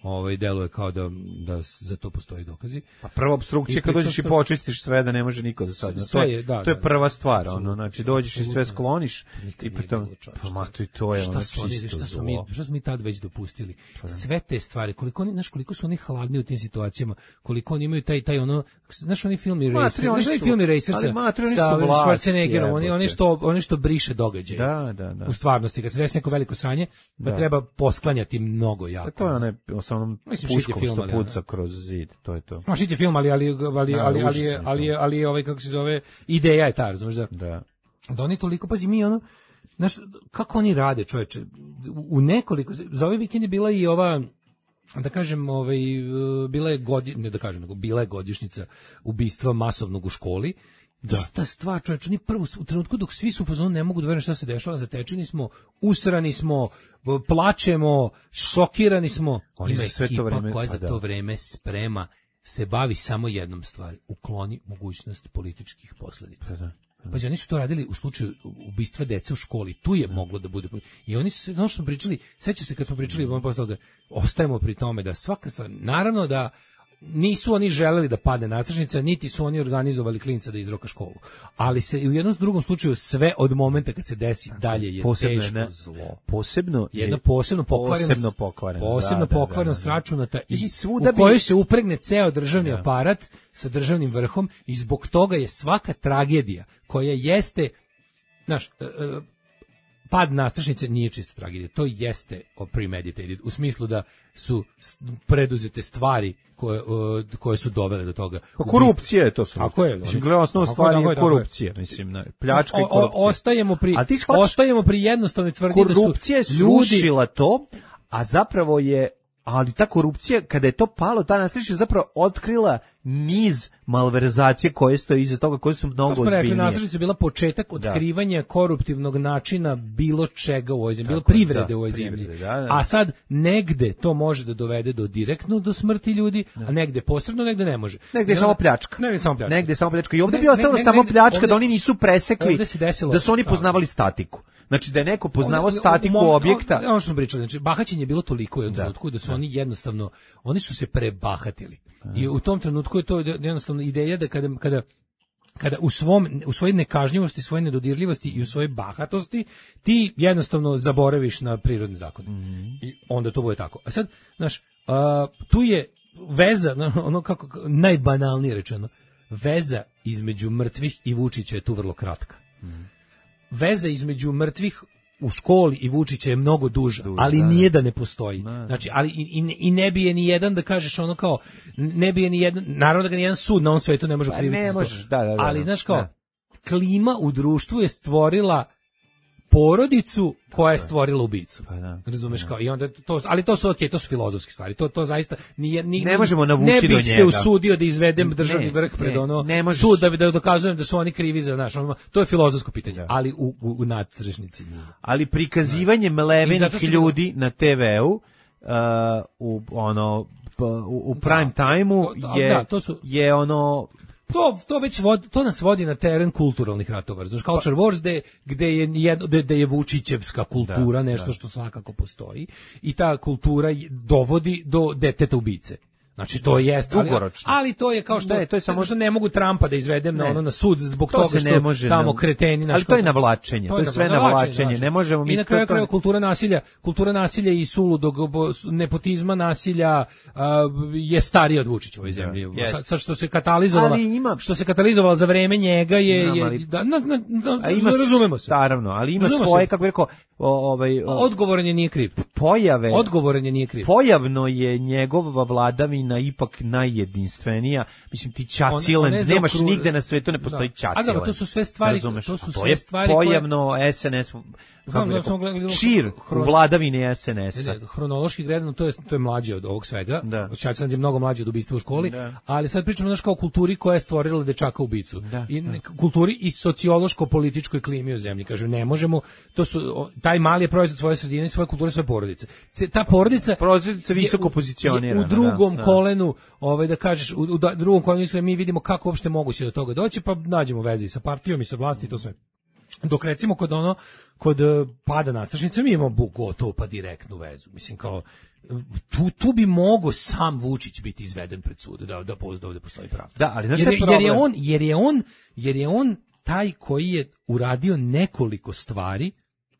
Speaker 6: ovaj deluje kao da da za to postoji dokazi.
Speaker 7: Pa prva opstrukcija kad dođeš i počistiš sve da ne može niko za sad. To je da, to je prva stvar, ono, znači dođeš i sve skloniš i potom pa ma to i to je ono čisto.
Speaker 6: Šta su mi šta smo mi tad već dopustili? Sve te stvari, koliko oni, znaš, koliko su oni hladni u tim situacijama, koliko oni imaju taj taj ono, znaš, oni filmi Racer, znaš, oni filmi Racer sa Schwarzeneggerom, oni oni što oni što briše događaje.
Speaker 7: Da, da, da.
Speaker 6: U stvarnosti kad se desi neko veliko sranje, pa treba posklanjati mnogo jako.
Speaker 7: To je onaj onom puškom film, što puca kroz zid, to je to.
Speaker 6: Ma šiti film, ali ali ali ali ali ali ali ovaj kako se zove, ideja je ta, razumeš da.
Speaker 7: Da.
Speaker 6: Da oni toliko, pazi, mi ono, znaš, kako oni rade, čoveče, u nekoliko, za ovaj vikend je bila i ova, da kažem, ovaj, bila je godi, ne da kažem, nego bila je godišnjica ubistva masovnog u školi. Da. Ista stvar, čovječ, oni prvo u trenutku dok svi su u fazonu ne mogu da veruju šta se dešava, zatečeni smo, usrani smo, plačemo, šokirani smo.
Speaker 7: Oni
Speaker 6: Ima
Speaker 7: sve
Speaker 6: ekipa
Speaker 7: to vreme,
Speaker 6: koja za
Speaker 7: da.
Speaker 6: to vreme sprema, se bavi samo jednom stvari, ukloni mogućnost političkih posledica.
Speaker 7: Da, da.
Speaker 6: Pazi, oni su to radili u slučaju ubistva dece u školi, tu je moglo da bude. I oni su, ono što smo pričali, seća se kad smo pričali, mm. posle toga, ostajemo pri tome da svaka stvar, naravno da nisu oni želeli da padne nastrešnica, niti su oni organizovali klinca da izroka školu. Ali se u jednom drugom slučaju sve od momenta kad se desi dalje je posebno teško ne, zlo.
Speaker 7: Posebno
Speaker 6: jedna posebno pokvarenost,
Speaker 7: posebno pokvarenost,
Speaker 6: posebno
Speaker 7: da,
Speaker 6: pokvarenost
Speaker 7: da, da, da.
Speaker 6: računata i
Speaker 7: svuda
Speaker 6: u kojoj
Speaker 7: bi...
Speaker 6: se upregne ceo državni
Speaker 7: da.
Speaker 6: aparat sa državnim vrhom i zbog toga je svaka tragedija koja jeste, znaš, pad nastrešnice nije čista tragedija, to jeste premeditated, u smislu da su preduzete stvari koje, koje su dovele do toga.
Speaker 7: Korupcija je to su.
Speaker 6: Tako je.
Speaker 7: Mislim, gledamo, osnovna stvar je korupcija, mislim, pljačka i korupcija.
Speaker 6: Ostajemo pri, ostajemo pri jednostavnoj tvrdnji da su
Speaker 7: korupcija je srušila to, a zapravo je, ali ta korupcija, kada je to palo, ta nastrešnica zapravo otkrila niz malverzacije koje stoje iza toga, koje su mnogo ozbiljnije. To smo rekli, nastrešnica je bila početak otkrivanja da. koruptivnog načina bilo čega u ovoj zemlji, bilo privrede da, u ovoj zemlji. Da, da. A sad negde to može da dovede do direktno do smrti ljudi, da. a negde posredno, negde ne može. Negde je samo pljačka.
Speaker 6: Negde je samo pljačka.
Speaker 7: Negde je samo pljačka. I ovde bi ostala ne, samo pljačka, ovde, da oni nisu presekli, da su oni poznavali statiku. Znači da je neko poznavao statiku o, objekta.
Speaker 6: Ono što smo pričali, znači bahaćenje je bilo toliko u jednom trenutku da su da. oni jednostavno, oni su se prebahatili. I u tom trenutku je to jednostavno ideja da kada, kada, kada u, svom, u svojoj nekažnjivosti, svojoj nedodirljivosti i u svojoj bahatosti ti jednostavno zaboraviš na prirodne zakone. Mm-hmm. I onda to bude tako. A sad, znaš, a, tu je veza, ono kako, najbanalnije rečeno, veza između mrtvih i Vučića je tu vrlo kratka. Mm-hmm. Veza između mrtvih u školi i Vučića je mnogo duža,
Speaker 7: Duž,
Speaker 6: ali
Speaker 7: da,
Speaker 6: nije da ne postoji.
Speaker 7: Da.
Speaker 6: Znači, ali i, i, i ne bi je ni jedan da kažeš ono kao, ne bi je ni jedan, naravno da ga ni jedan sud na ovom svetu ne može
Speaker 7: Pa
Speaker 6: kriviti.
Speaker 7: ne
Speaker 6: za to.
Speaker 7: možeš, da, da, da,
Speaker 6: ali,
Speaker 7: da.
Speaker 6: znaš kao,
Speaker 7: Da.
Speaker 6: klima u društvu je stvorila porodicu koja je stvorila ubicu.
Speaker 7: Pa da.
Speaker 6: Razumeš kao i onda to, ali to su okej, to su filozofske stvari. To to zaista nije ni
Speaker 7: Ne možemo navući
Speaker 6: ne
Speaker 7: do
Speaker 6: bih
Speaker 7: njega.
Speaker 6: se usudio da izvedem državni
Speaker 7: Ne,
Speaker 6: vrh pred
Speaker 7: ne,
Speaker 6: ono
Speaker 7: ne možeš.
Speaker 6: sud da bi da dokazujem da su oni krivi za naš ono, to je filozofsko pitanje,
Speaker 7: Da.
Speaker 6: ali u u, u nadstrešnici nije.
Speaker 7: Ali prikazivanje
Speaker 6: I zato
Speaker 7: mlevenih
Speaker 6: sam-
Speaker 7: ljudi na te veu uh, u ono p- u, u prime timeu
Speaker 6: To- to-
Speaker 7: je
Speaker 6: da, to su-
Speaker 7: je ono
Speaker 6: To to već vod, to nas vodi na teren kulturalnih ratova. Znači culture wars gde gde je jedno gde, gde je Vučićevska kultura
Speaker 7: Da,
Speaker 6: nešto
Speaker 7: da.
Speaker 6: što svakako postoji i ta kultura je- dovodi do deteta ubice. Znači to jest, ali,
Speaker 7: Dugoročno.
Speaker 6: ali to je kao što
Speaker 7: Ne, to je samo-
Speaker 6: što ne mogu Trumpa da izvedem na
Speaker 7: Ne.
Speaker 6: ono na sud zbog
Speaker 7: To
Speaker 6: toga
Speaker 7: se
Speaker 6: što
Speaker 7: ne može
Speaker 6: tamo
Speaker 7: na-
Speaker 6: kreteni naš
Speaker 7: ali to je navlačenje, to je sve navlačenje, ne možemo mi
Speaker 6: I na
Speaker 7: to-
Speaker 6: kraju
Speaker 7: to-
Speaker 6: krajeva kultura nasilja, kultura nasilja i suludog bo- nepotizma nasilja a, je starija od Vučića u ovoj zemlji.
Speaker 7: jest.
Speaker 6: Sad, sad što se katalizovala,
Speaker 7: Ali ima-
Speaker 6: što se katalizovala za vreme njega je,
Speaker 7: Znam,
Speaker 6: je
Speaker 7: ali-
Speaker 6: da, na, na, na,
Speaker 7: a ima
Speaker 6: razumemo se.
Speaker 7: Naravno, ali ima
Speaker 6: Razumemo
Speaker 7: svoje
Speaker 6: se.
Speaker 7: kako bih rekao o, ovaj o,
Speaker 6: Odgovoran je nije kriv.
Speaker 7: pojave
Speaker 6: Odgovoran je nije kriv.
Speaker 7: pojavno je njegova vladavina ipak najjedinstvenija. Mislim ti
Speaker 6: On-
Speaker 7: Čacilen,
Speaker 6: on je
Speaker 7: nemaš
Speaker 6: zaokru-
Speaker 7: nigde na svetu ne postoji
Speaker 6: Da.
Speaker 7: Čacilen.
Speaker 6: A dobro, to su sve stvari-
Speaker 7: Razumeš?
Speaker 6: to su
Speaker 7: A
Speaker 6: sve
Speaker 7: je
Speaker 6: stvari koje-
Speaker 7: pojavno S N S
Speaker 6: Znam
Speaker 7: kako
Speaker 6: da
Speaker 7: bi
Speaker 6: smo
Speaker 7: rekao,
Speaker 6: gledali-
Speaker 7: čir
Speaker 6: hron-
Speaker 7: u vladavini S N S-a.
Speaker 6: Ne, ne, hronološki gledano to je to je mlađe od ovog svega.
Speaker 7: Da.
Speaker 6: Čačić je mnogo mlađi od ubistva u školi,
Speaker 7: Da.
Speaker 6: ali sad pričamo znaš kao o kulturi koja je stvorila dečaka ubicu.
Speaker 7: Da,
Speaker 6: I
Speaker 7: da.
Speaker 6: ne- kulturi i sociološko političkoj klimi u zemlji. Kažem, ne možemo, to su o, taj mali je proizvod svoje sredine, svoje kulture, svoje porodice. Ce- Ta porodica
Speaker 7: Porodica
Speaker 6: je
Speaker 7: visoko
Speaker 6: u-
Speaker 7: pozicionirana,
Speaker 6: je u drugom
Speaker 7: da, da.
Speaker 6: kolenu, ovaj da kažeš, u, u da- drugom kolenu sve mi vidimo kako uopšte moguće do toga doći, pa nađemo veze i sa partijom i sa vlasti i to sve. Dok recimo kod ono kod eh, pada nastrešnice mi imamo bu- gotovo pa direktnu vezu. Mislim kao tu, tu bi mogo sam Vučić biti izveden pred sud da da, da ovde postoji pravda.
Speaker 7: Da, ali znaš
Speaker 6: jer,
Speaker 7: šta je
Speaker 6: je- jer je
Speaker 7: problem?
Speaker 6: on jer je on jer je on taj koji je uradio nekoliko stvari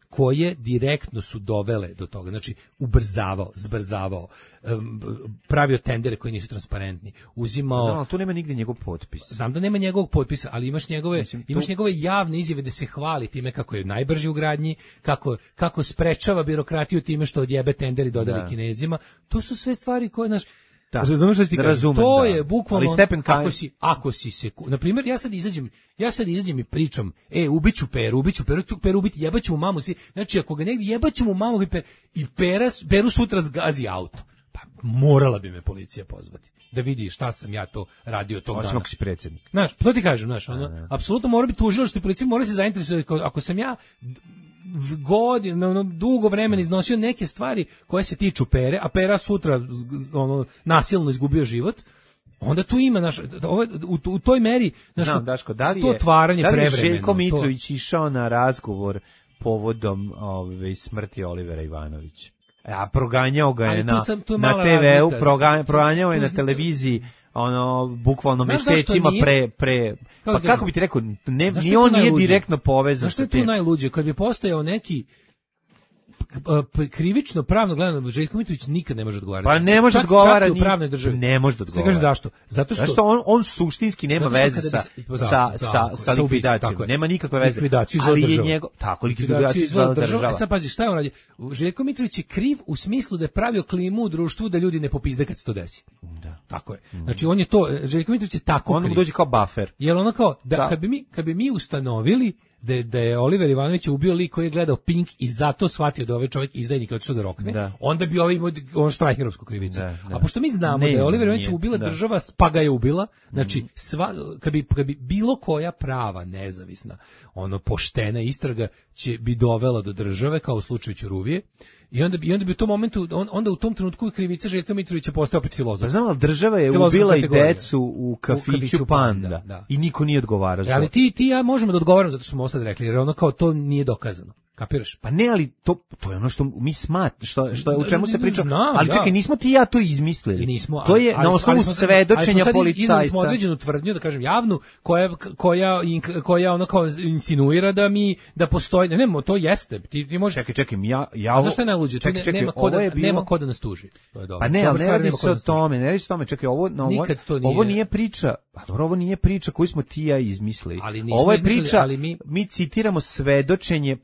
Speaker 6: koje direktno su dovele do toga. Znači, ubrzavao, zbrzavao, em, pravio tendere koji nisu transparentni, uzimao...
Speaker 7: Znam, ali tu nema nigde njegov potpis.
Speaker 6: Znam da nema njegovog potpisa, ali imaš njegove,
Speaker 7: Mislim, tu-
Speaker 6: imaš njegove javne izjave da se hvali time kako je najbrži u gradnji, kako, kako sprečava birokratiju time što odjebe tender i dodali
Speaker 7: Da.
Speaker 6: Kinezima. To su sve stvari koje, znaš,
Speaker 7: Da.
Speaker 6: razumeš što ti kažem?
Speaker 7: Razumem,
Speaker 6: To
Speaker 7: da.
Speaker 6: je bukvalno,
Speaker 7: Ali Stepen Kaj-
Speaker 6: ako si, ako si se, na primjer, ja sad izađem, ja sad izađem i pričam, e, ubiću Peru, ubiću Peru, tu Peru ubiti, jebaću mu mamu, si, znači, ako ga negdje jebaću mu mamu i, per, i pera, Peru sutra zgazi auto, pa morala bi me policija pozvati, da vidi šta sam ja to radio tog
Speaker 7: Osim
Speaker 6: dana.
Speaker 7: ako si predsjednik.
Speaker 6: Znaš, to ti kažem, znaš, ono, apsolutno mora biti tužilaštvo i policija mora se zainteresovati, ako- ako sam ja godinu, ono, dugo vremena iznosio neke stvari koje se tiču Pere, a Pera sutra z- z- ono, nasilno izgubio život, onda tu ima naš, ovo, u, u toj meri znaš,
Speaker 7: Znam, Daško, da li
Speaker 6: to
Speaker 7: je,
Speaker 6: otvaranje
Speaker 7: da li je
Speaker 6: prevremeno,
Speaker 7: Željko
Speaker 6: to-
Speaker 7: Mitrović išao na razgovor povodom ove, smrti Olivera Ivanovića? A proganjao ga je
Speaker 6: Ali tu
Speaker 7: na,
Speaker 6: sam- tu je
Speaker 7: na
Speaker 6: mala
Speaker 7: te veu,
Speaker 6: razlika.
Speaker 7: proga- proganjao je
Speaker 6: Tu
Speaker 7: na
Speaker 6: zna-
Speaker 7: televiziji ono bukvalno
Speaker 6: Znaš zašto
Speaker 7: mesecima
Speaker 6: nije?
Speaker 7: pre pre
Speaker 6: Kako
Speaker 7: pa
Speaker 6: ti
Speaker 7: kako
Speaker 6: kažem?
Speaker 7: bi ti rekao ne
Speaker 6: Znaš
Speaker 7: ni
Speaker 6: šta je
Speaker 7: on
Speaker 6: tu
Speaker 7: nije
Speaker 6: najluđe?
Speaker 7: direktno povezan
Speaker 6: Znaš šta
Speaker 7: sa
Speaker 6: je tu
Speaker 7: tim.
Speaker 6: najluđe? Kad bi postojao neki p- krivično pravno gledano Željko Mitrović nikad ne može odgovarati.
Speaker 7: Pa ne može
Speaker 6: Čak-
Speaker 7: odgovara
Speaker 6: čak i u
Speaker 7: ni-
Speaker 6: pravnoj državi.
Speaker 7: ne može da
Speaker 6: Se
Speaker 7: odgovara.
Speaker 6: kaže zašto? Zato što,
Speaker 7: Zato što on on suštinski nema
Speaker 6: zato što
Speaker 7: veze
Speaker 6: kada
Speaker 7: sa
Speaker 6: bi se- da,
Speaker 7: sa
Speaker 6: da,
Speaker 7: sa
Speaker 6: tako,
Speaker 7: sa
Speaker 6: sa ubistvom,
Speaker 7: likvidacijom.
Speaker 6: tako je.
Speaker 7: Nema nikakve veze.
Speaker 6: Likvidaciju izvela
Speaker 7: Ali je
Speaker 6: država.
Speaker 7: njegov tako
Speaker 6: Likvidaciju
Speaker 7: likvidaciju izvela
Speaker 6: izvela
Speaker 7: država.
Speaker 6: E sad pazi, šta je on radi? Željko Mitrović je kriv u smislu da je pravio klimu u društvu da ljudi ne popizde kad se to desi.
Speaker 7: Da.
Speaker 6: Tako je. Znači on je to, Željko Mitrović je tako
Speaker 7: On mu
Speaker 6: kriv.
Speaker 7: dođe kao buffer.
Speaker 6: Jel ono kao, da,
Speaker 7: Da.
Speaker 6: kad bi mi, kad bi mi ustanovili da je, da je Oliver Ivanović ubio lik koji je gledao Pink i zato shvatio da ovaj čovjek izdajnik i otišao da rokne,
Speaker 7: Da.
Speaker 6: onda bi ovaj imao on štrajkerovsku krivicu.
Speaker 7: Da, da.
Speaker 6: A pošto mi znamo
Speaker 7: Ne,
Speaker 6: da je Oliver Ivanović
Speaker 7: nije,
Speaker 6: ubila
Speaker 7: da.
Speaker 6: država, pa ga je ubila, znači sva, kad, bi, kad bi bilo koja prava, nezavisna, ono poštena istraga će bi dovela do države, kao u slučaju Ćuruvije, i onda bi, i onda bi u tom momentu, on, onda u tom trenutku krivica Željka Mitrovića postaje opet filozof.
Speaker 7: Pa znam, ali država je
Speaker 6: Filozofska
Speaker 7: ubila i
Speaker 6: kategorija.
Speaker 7: decu u kafiću,
Speaker 6: kafiću
Speaker 7: Panda,
Speaker 6: Panda, da.
Speaker 7: i niko nije odgovarao.
Speaker 6: E,
Speaker 7: za
Speaker 6: ali
Speaker 7: to.
Speaker 6: ti, ti i ja možemo da odgovaramo zato što smo ovo sad rekli, jer ono kao to nije dokazano. Kapiraš?
Speaker 7: Pa ne, ali to, to je ono što mi smat, što, što, u čemu se priča.
Speaker 6: Znam,
Speaker 7: ali
Speaker 6: da.
Speaker 7: čekaj, nismo ti i ja to izmislili.
Speaker 6: I nismo,
Speaker 7: to je
Speaker 6: ali-
Speaker 7: na
Speaker 6: ali-
Speaker 7: osnovu
Speaker 6: ali smo sad-
Speaker 7: svedočenja
Speaker 6: ali smo sad iz- iznali
Speaker 7: policajca.
Speaker 6: smo određenu tvrdnju, da kažem javnu, koja koja ink- koja ono kao insinuira da mi da postoji, ne, ne, to jeste. Ti ti možeš.
Speaker 7: Čekaj, čekaj, ja ja
Speaker 6: A
Speaker 7: ovo-
Speaker 6: zašto je najluđe? Tu
Speaker 7: Čekaj,
Speaker 6: ne-
Speaker 7: čekaj,
Speaker 6: nema ko
Speaker 7: ovo
Speaker 6: da
Speaker 7: je bilo-
Speaker 6: nema ko da nas tuži. To je dobro.
Speaker 7: Pa ne,
Speaker 6: Dobra
Speaker 7: ali ne
Speaker 6: stvar,
Speaker 7: radi
Speaker 6: nema ko
Speaker 7: se
Speaker 6: da
Speaker 7: o
Speaker 6: nas tuži.
Speaker 7: tome, ne radi se o tome. Čekaj, ovo, no, ovo,
Speaker 6: Nikad to
Speaker 7: ovo
Speaker 6: nije-
Speaker 7: nije priča, pa dobro, ovo nije priča koju smo ti i ja izmislili.
Speaker 6: Ali nismo
Speaker 7: Ovo je
Speaker 6: izmislili,
Speaker 7: priča,
Speaker 6: ali mi-
Speaker 7: mi citiramo svedočenje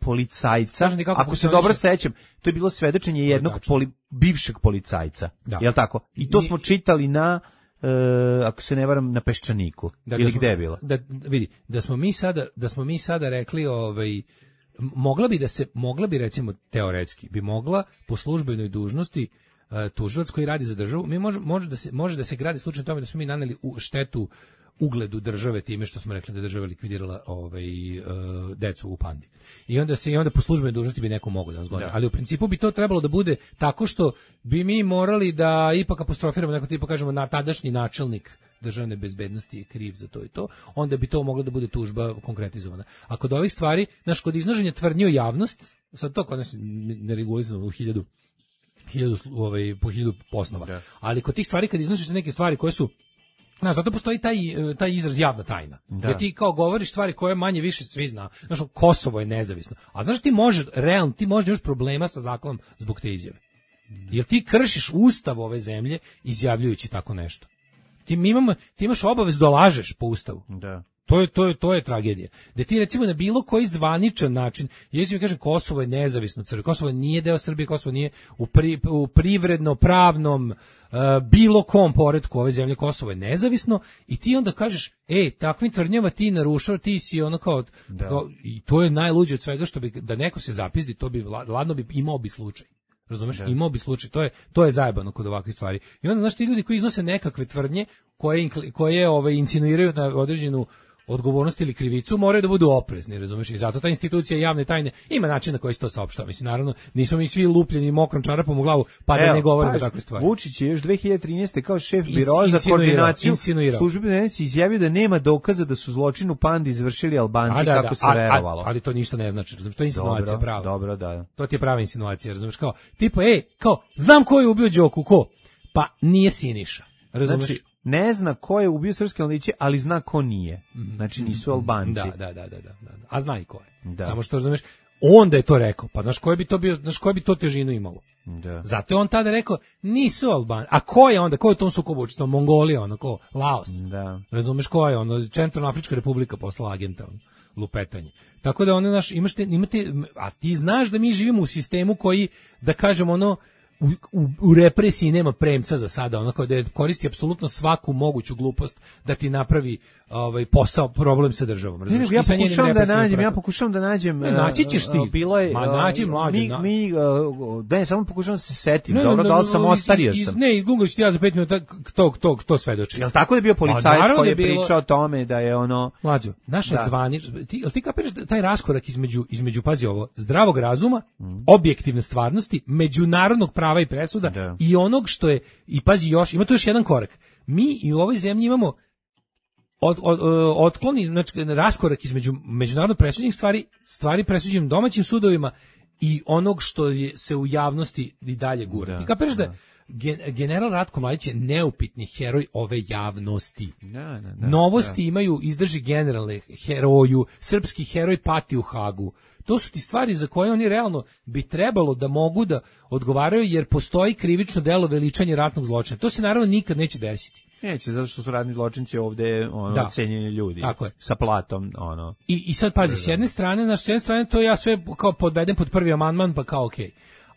Speaker 7: policajca, ako se dobro sećam, to je bilo svedočenje jednog poli, bivšeg policajca, da. Jel tako? I to smo čitali na, uh, ako se ne varam, na Peščaniku, da, ili da smo, gde je bilo?
Speaker 6: Da, vidi, da smo mi sada, da smo mi sada rekli, ovaj, mogla bi da se, mogla bi recimo teoretski, bi mogla po službenoj dužnosti uh, tužilac koji radi za državu, mi može, može, da se, može da se gradi slučaj tome da smo mi naneli u štetu ugledu države time što smo rekli da država likvidirala ovaj uh, decu u Pandi. I onda se i onda po službenoj dužnosti bi neko mogao da nas goni. Ali u principu bi to trebalo da bude tako što bi mi morali da ipak apostrofiramo neko tipa kažemo na tadašnji načelnik državne bezbednosti je kriv za to i to, onda bi to moglo da bude tužba konkretizovana. A kod ovih stvari, znaš, kod iznoženja tvrdnji u javnost, sad to kod nas neregulisano u hiljadu, hiljadu ovaj, po hiljadu osnova, da. Ali kod tih stvari kad iznosiš neke stvari koje su znaš, zato postoji taj, taj izraz javna tajna. Da. Gdje ti kao govoriš stvari koje manje više svi zna. Znaš, Kosovo je nezavisno. A znaš ti možeš, realno, ti možeš imaš problema sa zakonom zbog te izjave. Jer ti kršiš ustav ove zemlje izjavljujući tako nešto. Ti, imamo, ti imaš obavezu da lažeš po ustavu. Da. To je, to je, to je tragedija. Da ti recimo na bilo koji zvaničan način, jeći mi kažem Kosovo je nezavisno crkva, Kosovo nije deo Srbije, Kosovo nije u, pri, u privredno, pravnom, uh, bilo kom poretku ove zemlje, Kosovo je nezavisno i ti onda kažeš, ej, takvim tvrdnjama ti narušao, ti si ono kao, kao, i to je najluđe od svega što bi, da neko se zapizdi, to bi, ladno bi, imao bi slučaj. Razumeš, da. Imao bi slučaj, to je to je zajebano kod ovakvih stvari. I onda znaš ti ljudi koji iznose nekakve tvrdnje koje koje ove insinuiraju na određenu odgovornost ili krivicu, moraju da budu oprezni, razumeš? I zato ta institucija javne tajne ima način na koji se to saopštava. Mislim, naravno, nismo mi svi lupljeni mokrom čarapom u glavu, pa da ne govorimo takve stvari.
Speaker 7: Vučić je još dve hiljade trinaeste kao šef biroa za koordinaciju službe izjavio da nema dokaza da su zločin u Pandi izvršili Albanci, da, kako da, se a, verovalo.
Speaker 6: A, ali to ništa ne znači, razumeš? To je insinuacija prava.
Speaker 7: Dobro, da.
Speaker 6: To ti je prava insinuacija, razumeš? Kao, tipa, ej, kao, znam ko je ubio Đoku, ko? Pa nije Siniša, razumeš?
Speaker 7: Znači, ne zna ko je ubio srpske mladiće, ali zna ko nije. Znači nisu Albanci.
Speaker 6: Da, da, da, da, da, da. A zna i ko je. Da. Samo što razumeš, onda je to rekao. Pa znaš koje bi to bio, znaš koje bi to težinu imalo. Da. Zato je on tada rekao, nisu Albanci. A ko je onda, ko je u tom sukobu učestvovao? Mongolija, ono ko, Laos. Da. Razumeš ko je ono, Centralnoafrička republika poslala agenta, ono, lupetanje. Tako da ono naš imaš te, imate, a ti znaš da mi živimo u sistemu koji, da kažemo ono, U, u, u represiji nema premca za sada, ono kao da koristi apsolutno svaku moguću glupost da ti napravi ovaj posao, problem sa državom.
Speaker 7: Ne, ne, ja pokušavam da nađem, ja pokušavam da nađem.
Speaker 6: Ne, naći ćeš ti.
Speaker 7: Bilo je,
Speaker 6: ma naći mlađe.
Speaker 7: Mi, na... mi da ne, samo pokušavam da se setim. Ne, dobro, ne, da li sam ostario sam.
Speaker 6: Ne, izgugliš ti ja za pet minuta tog tog to svedoči.
Speaker 7: Jel tako da je bio policajac koji je bilo... pričao o tome da je ono
Speaker 6: mlađo. Naše da. Zvanič, ti jel ti kapiraš taj raskorak između između pazi ovo, zdravog razuma, mm. objektivne stvarnosti, međunarodnog prava i presuda da. I onog što je, i pazi još, ima tu još jedan korak. Mi i u ovoj zemlji imamo od, od, otkloni, znači raskorak između međunarodno presuđenih stvari, stvari presuđenim domaćim sudovima i onog što je, se u javnosti i dalje gura. Ti kapiraš da, da general Ratko Mladić je neupitni heroj ove javnosti. Da, da, da, Novosti da. Imaju izdrži generalne heroju, srpski heroj pati u Hagu. To su ti stvari za koje oni realno bi trebalo da mogu da odgovaraju jer postoji krivično delo veličanje ratnog zločina. To se naravno nikad neće desiti.
Speaker 7: Neće, zato što su radni zločinci ovde ono, da. Cenjeni ljudi.
Speaker 6: Tako je.
Speaker 7: Sa platom. Ono.
Speaker 6: I, i sad pazi, s jedne strane, na s jedne strane to ja sve kao podvedem pod prvi amandman, pa kao okej. Okay.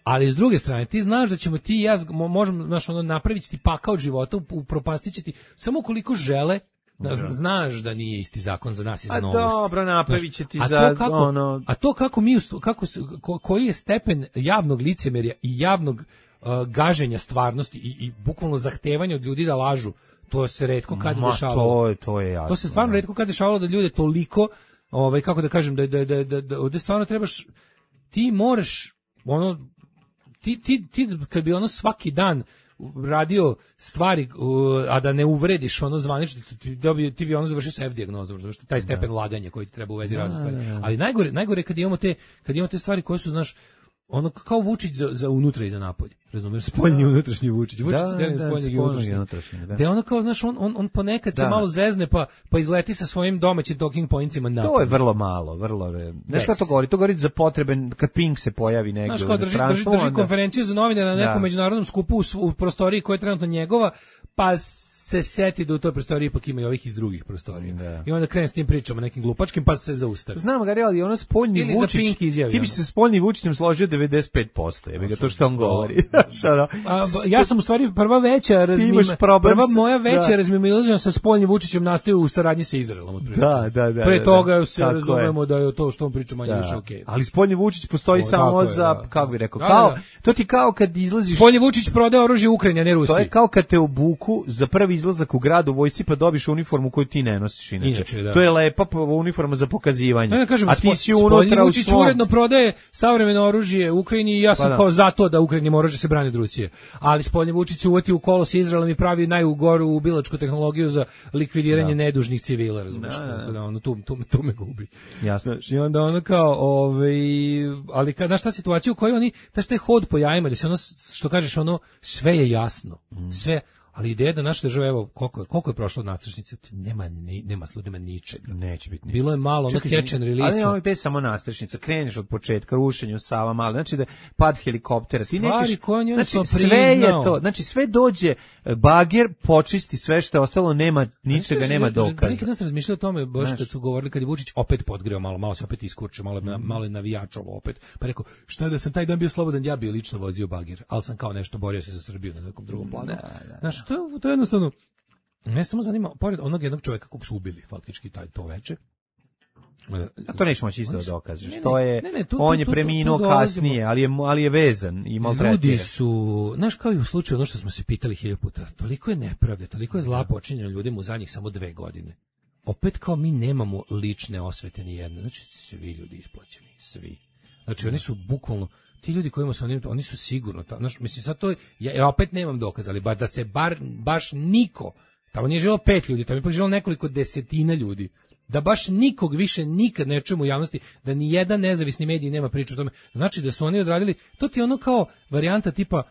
Speaker 6: Ali s druge strane, ti znaš da ćemo ti i ja možemo znaš, ono, napraviti ti pakao od života, upropastići ti samo ukoliko žele. Da, znaš da nije isti zakon za nas i za Novosti.
Speaker 7: A dobro, napravit će ti znaš, za
Speaker 6: kako,
Speaker 7: ono...
Speaker 6: A to kako mi, kako, ko, koji je stepen javnog licemerja i javnog uh, gaženja stvarnosti i, i bukvalno zahtevanja od ljudi da lažu, to se retko kad
Speaker 7: Ma,
Speaker 6: dešavalo.
Speaker 7: To je, to je jasno.
Speaker 6: To se stvarno retko kad dešavalo da ljude toliko, ovaj, kako da kažem, da, da, da, da, da ovde stvarno trebaš, ti moraš, ono, ti, ti, ti kad bi ono svaki dan radio stvari, a da ne uvrediš ono zvanično, ti, ti, ti bi ono završio sa F dijagnozom, zato što taj stepen da. Laganja koji ti treba u vezi razne stvari. Ali najgore, najgore kad imamo te, kad imamo te stvari koje su, znaš, ono kao Vučić za, za unutra i za napolje. Razumeš, spoljni i unutrašnji Vučić. Vučić
Speaker 7: da,
Speaker 6: se deli na spoljni i unutrašnji. Da. Da ono kao, znaš, on, on, on ponekad da. Se malo zezne pa, pa izleti sa svojim domaćim talking pointsima napolje.
Speaker 7: To je vrlo malo, vrlo... Znaš šta to govori? To govori za potrebe kad Pink se pojavi negdje.
Speaker 6: Znaš, kao drži, drži, drži konferenciju za novinare na nekom da. Međunarodnom skupu u, u prostoriji koja je trenutno njegova, pa se seti da u toj prostoriji ipak ima i ovih iz drugih prostorija.
Speaker 7: Da.
Speaker 6: I onda krene s tim pričama nekim glupačkim, pa se zaustavi.
Speaker 7: Znam ga, ali ono spoljni
Speaker 6: Ili za
Speaker 7: Vučić,
Speaker 6: Pink izjavi,
Speaker 7: ti bi
Speaker 6: ono.
Speaker 7: se spoljni Vučićem složio devedeset pet posto, je ga to što on govori.
Speaker 6: A, ja sam u stvari prva veća razmima, prva moja veća
Speaker 7: da.
Speaker 6: razmimoilaženja sa spoljnim Vučićem nastaje u saradnji sa Izraelom. Otprilike.
Speaker 7: Da, da, da.
Speaker 6: Pre
Speaker 7: da,
Speaker 6: toga
Speaker 7: da.
Speaker 6: se
Speaker 7: Tako
Speaker 6: razumemo
Speaker 7: je.
Speaker 6: da je to što on priča manje
Speaker 7: Da.
Speaker 6: više okej. Okay.
Speaker 7: Ali spoljni Vučić postoji
Speaker 6: O,
Speaker 7: samo
Speaker 6: je,
Speaker 7: za,
Speaker 6: da.
Speaker 7: kako bi rekao,
Speaker 6: Da,
Speaker 7: kao,
Speaker 6: da, da.
Speaker 7: to ti kao kad izlaziš...
Speaker 6: Spoljni Vučić prodaje oružje Ukrajini, a ne Rusiji.
Speaker 7: To je kao kad te obuku za prvi izlazak u grad u vojsci pa dobiš uniformu koju ti ne nosiš inače.
Speaker 6: Inače, da.
Speaker 7: To je lepa uniforma za pokazivanje.
Speaker 6: Ne, kažem,
Speaker 7: a ti si
Speaker 6: Spoljni
Speaker 7: unutra u
Speaker 6: Vučić
Speaker 7: svom...
Speaker 6: uredno prodaje savremeno oružje Ukrajini i ja sam
Speaker 7: Pa da.
Speaker 6: kao za to da Ukrajini mora da se brani od Rusije. Ali Spoljni Vučić se uvati u kolo sa Izraelom i pravi najugoru ubilačku tehnologiju za likvidiranje
Speaker 7: Da.
Speaker 6: nedužnih civila, razumiješ?
Speaker 7: Da, da, da.
Speaker 6: Da, ono, tu, tu, tu me gubi.
Speaker 7: Jasno.
Speaker 6: Znaš, i onda ono kao, ovaj, ali kad, znaš ta situacija u kojoj oni, znaš taj hod po jajima, da se ono, što kažeš, ono, sve je jasno,
Speaker 7: Mm.
Speaker 6: sve, ali ideja da naša država, evo, koliko je, koliko je prošlo od nastrešnice, nema, ni, nema slud, nema ničega.
Speaker 7: Neće biti ničega.
Speaker 6: Bilo je malo, ono,
Speaker 7: Čekaj,
Speaker 6: catch and
Speaker 7: ali
Speaker 6: release.
Speaker 7: ono gde je samo nastrešnica, kreneš od početka, rušenje u Sava Male, znači da pad helikoptera, ti
Speaker 6: Stvari
Speaker 7: nećeš,
Speaker 6: koje on je
Speaker 7: znači
Speaker 6: jednostavno
Speaker 7: sve je
Speaker 6: priznao.
Speaker 7: to, znači sve dođe, bager počisti sve što je ostalo, nema ničega, nema dokaza.
Speaker 6: Nekad nas razmišljao o tome, baš
Speaker 7: Znaš.
Speaker 6: kad su govorili, kad je Vučić opet podgreo malo, malo se opet iskurčio, malo, je- malo je navijačovo opet, pa rekao, šta da sam taj dan bio slobodan, ja bio lično vozio bagir, ali sam kao nešto borio se za Srbiju na nekom drugom planu.
Speaker 7: Da, da,
Speaker 6: Znaš, to, je- to je jednostavno, ne samo zanima, pored onog jednog čoveka kog su ubili, faktički taj, to veče.
Speaker 7: A to nećeš moći isto da
Speaker 6: Oni su-
Speaker 7: dokažeš.
Speaker 6: ne, ne,
Speaker 7: To je,
Speaker 6: ne, ne, tu-
Speaker 7: on
Speaker 6: tu-
Speaker 7: je
Speaker 6: tu- tu
Speaker 7: preminuo
Speaker 6: dolazimo.
Speaker 7: kasnije, ali je, ali je vezan i maltretiran.
Speaker 6: Ljudi su, znaš, kao i u slučaju ono što smo se pitali hiljadu puta, toliko je nepravde, toliko je zla počinjeno ljudima u zadnjih samo dve godine. Opet kao mi nemamo lične osvete ni jedne, znači svi ljudi isplaćeni, svi. Znači oni su bukvalno, ti ljudi kojima su oni, oni su sigurno, ta, znaš, mislim sad to, ja, ja opet nemam dokaza, ali ba, da se bar, baš niko, tamo nije živjelo pet ljudi, tamo je ipak živjelo nekoliko desetina ljudi, da baš nikog više nikad ne čujemo u javnosti, da ni jedan nezavisni medij nema priču o tome, znači da su oni odradili, to ti je ono kao varijanta tipa,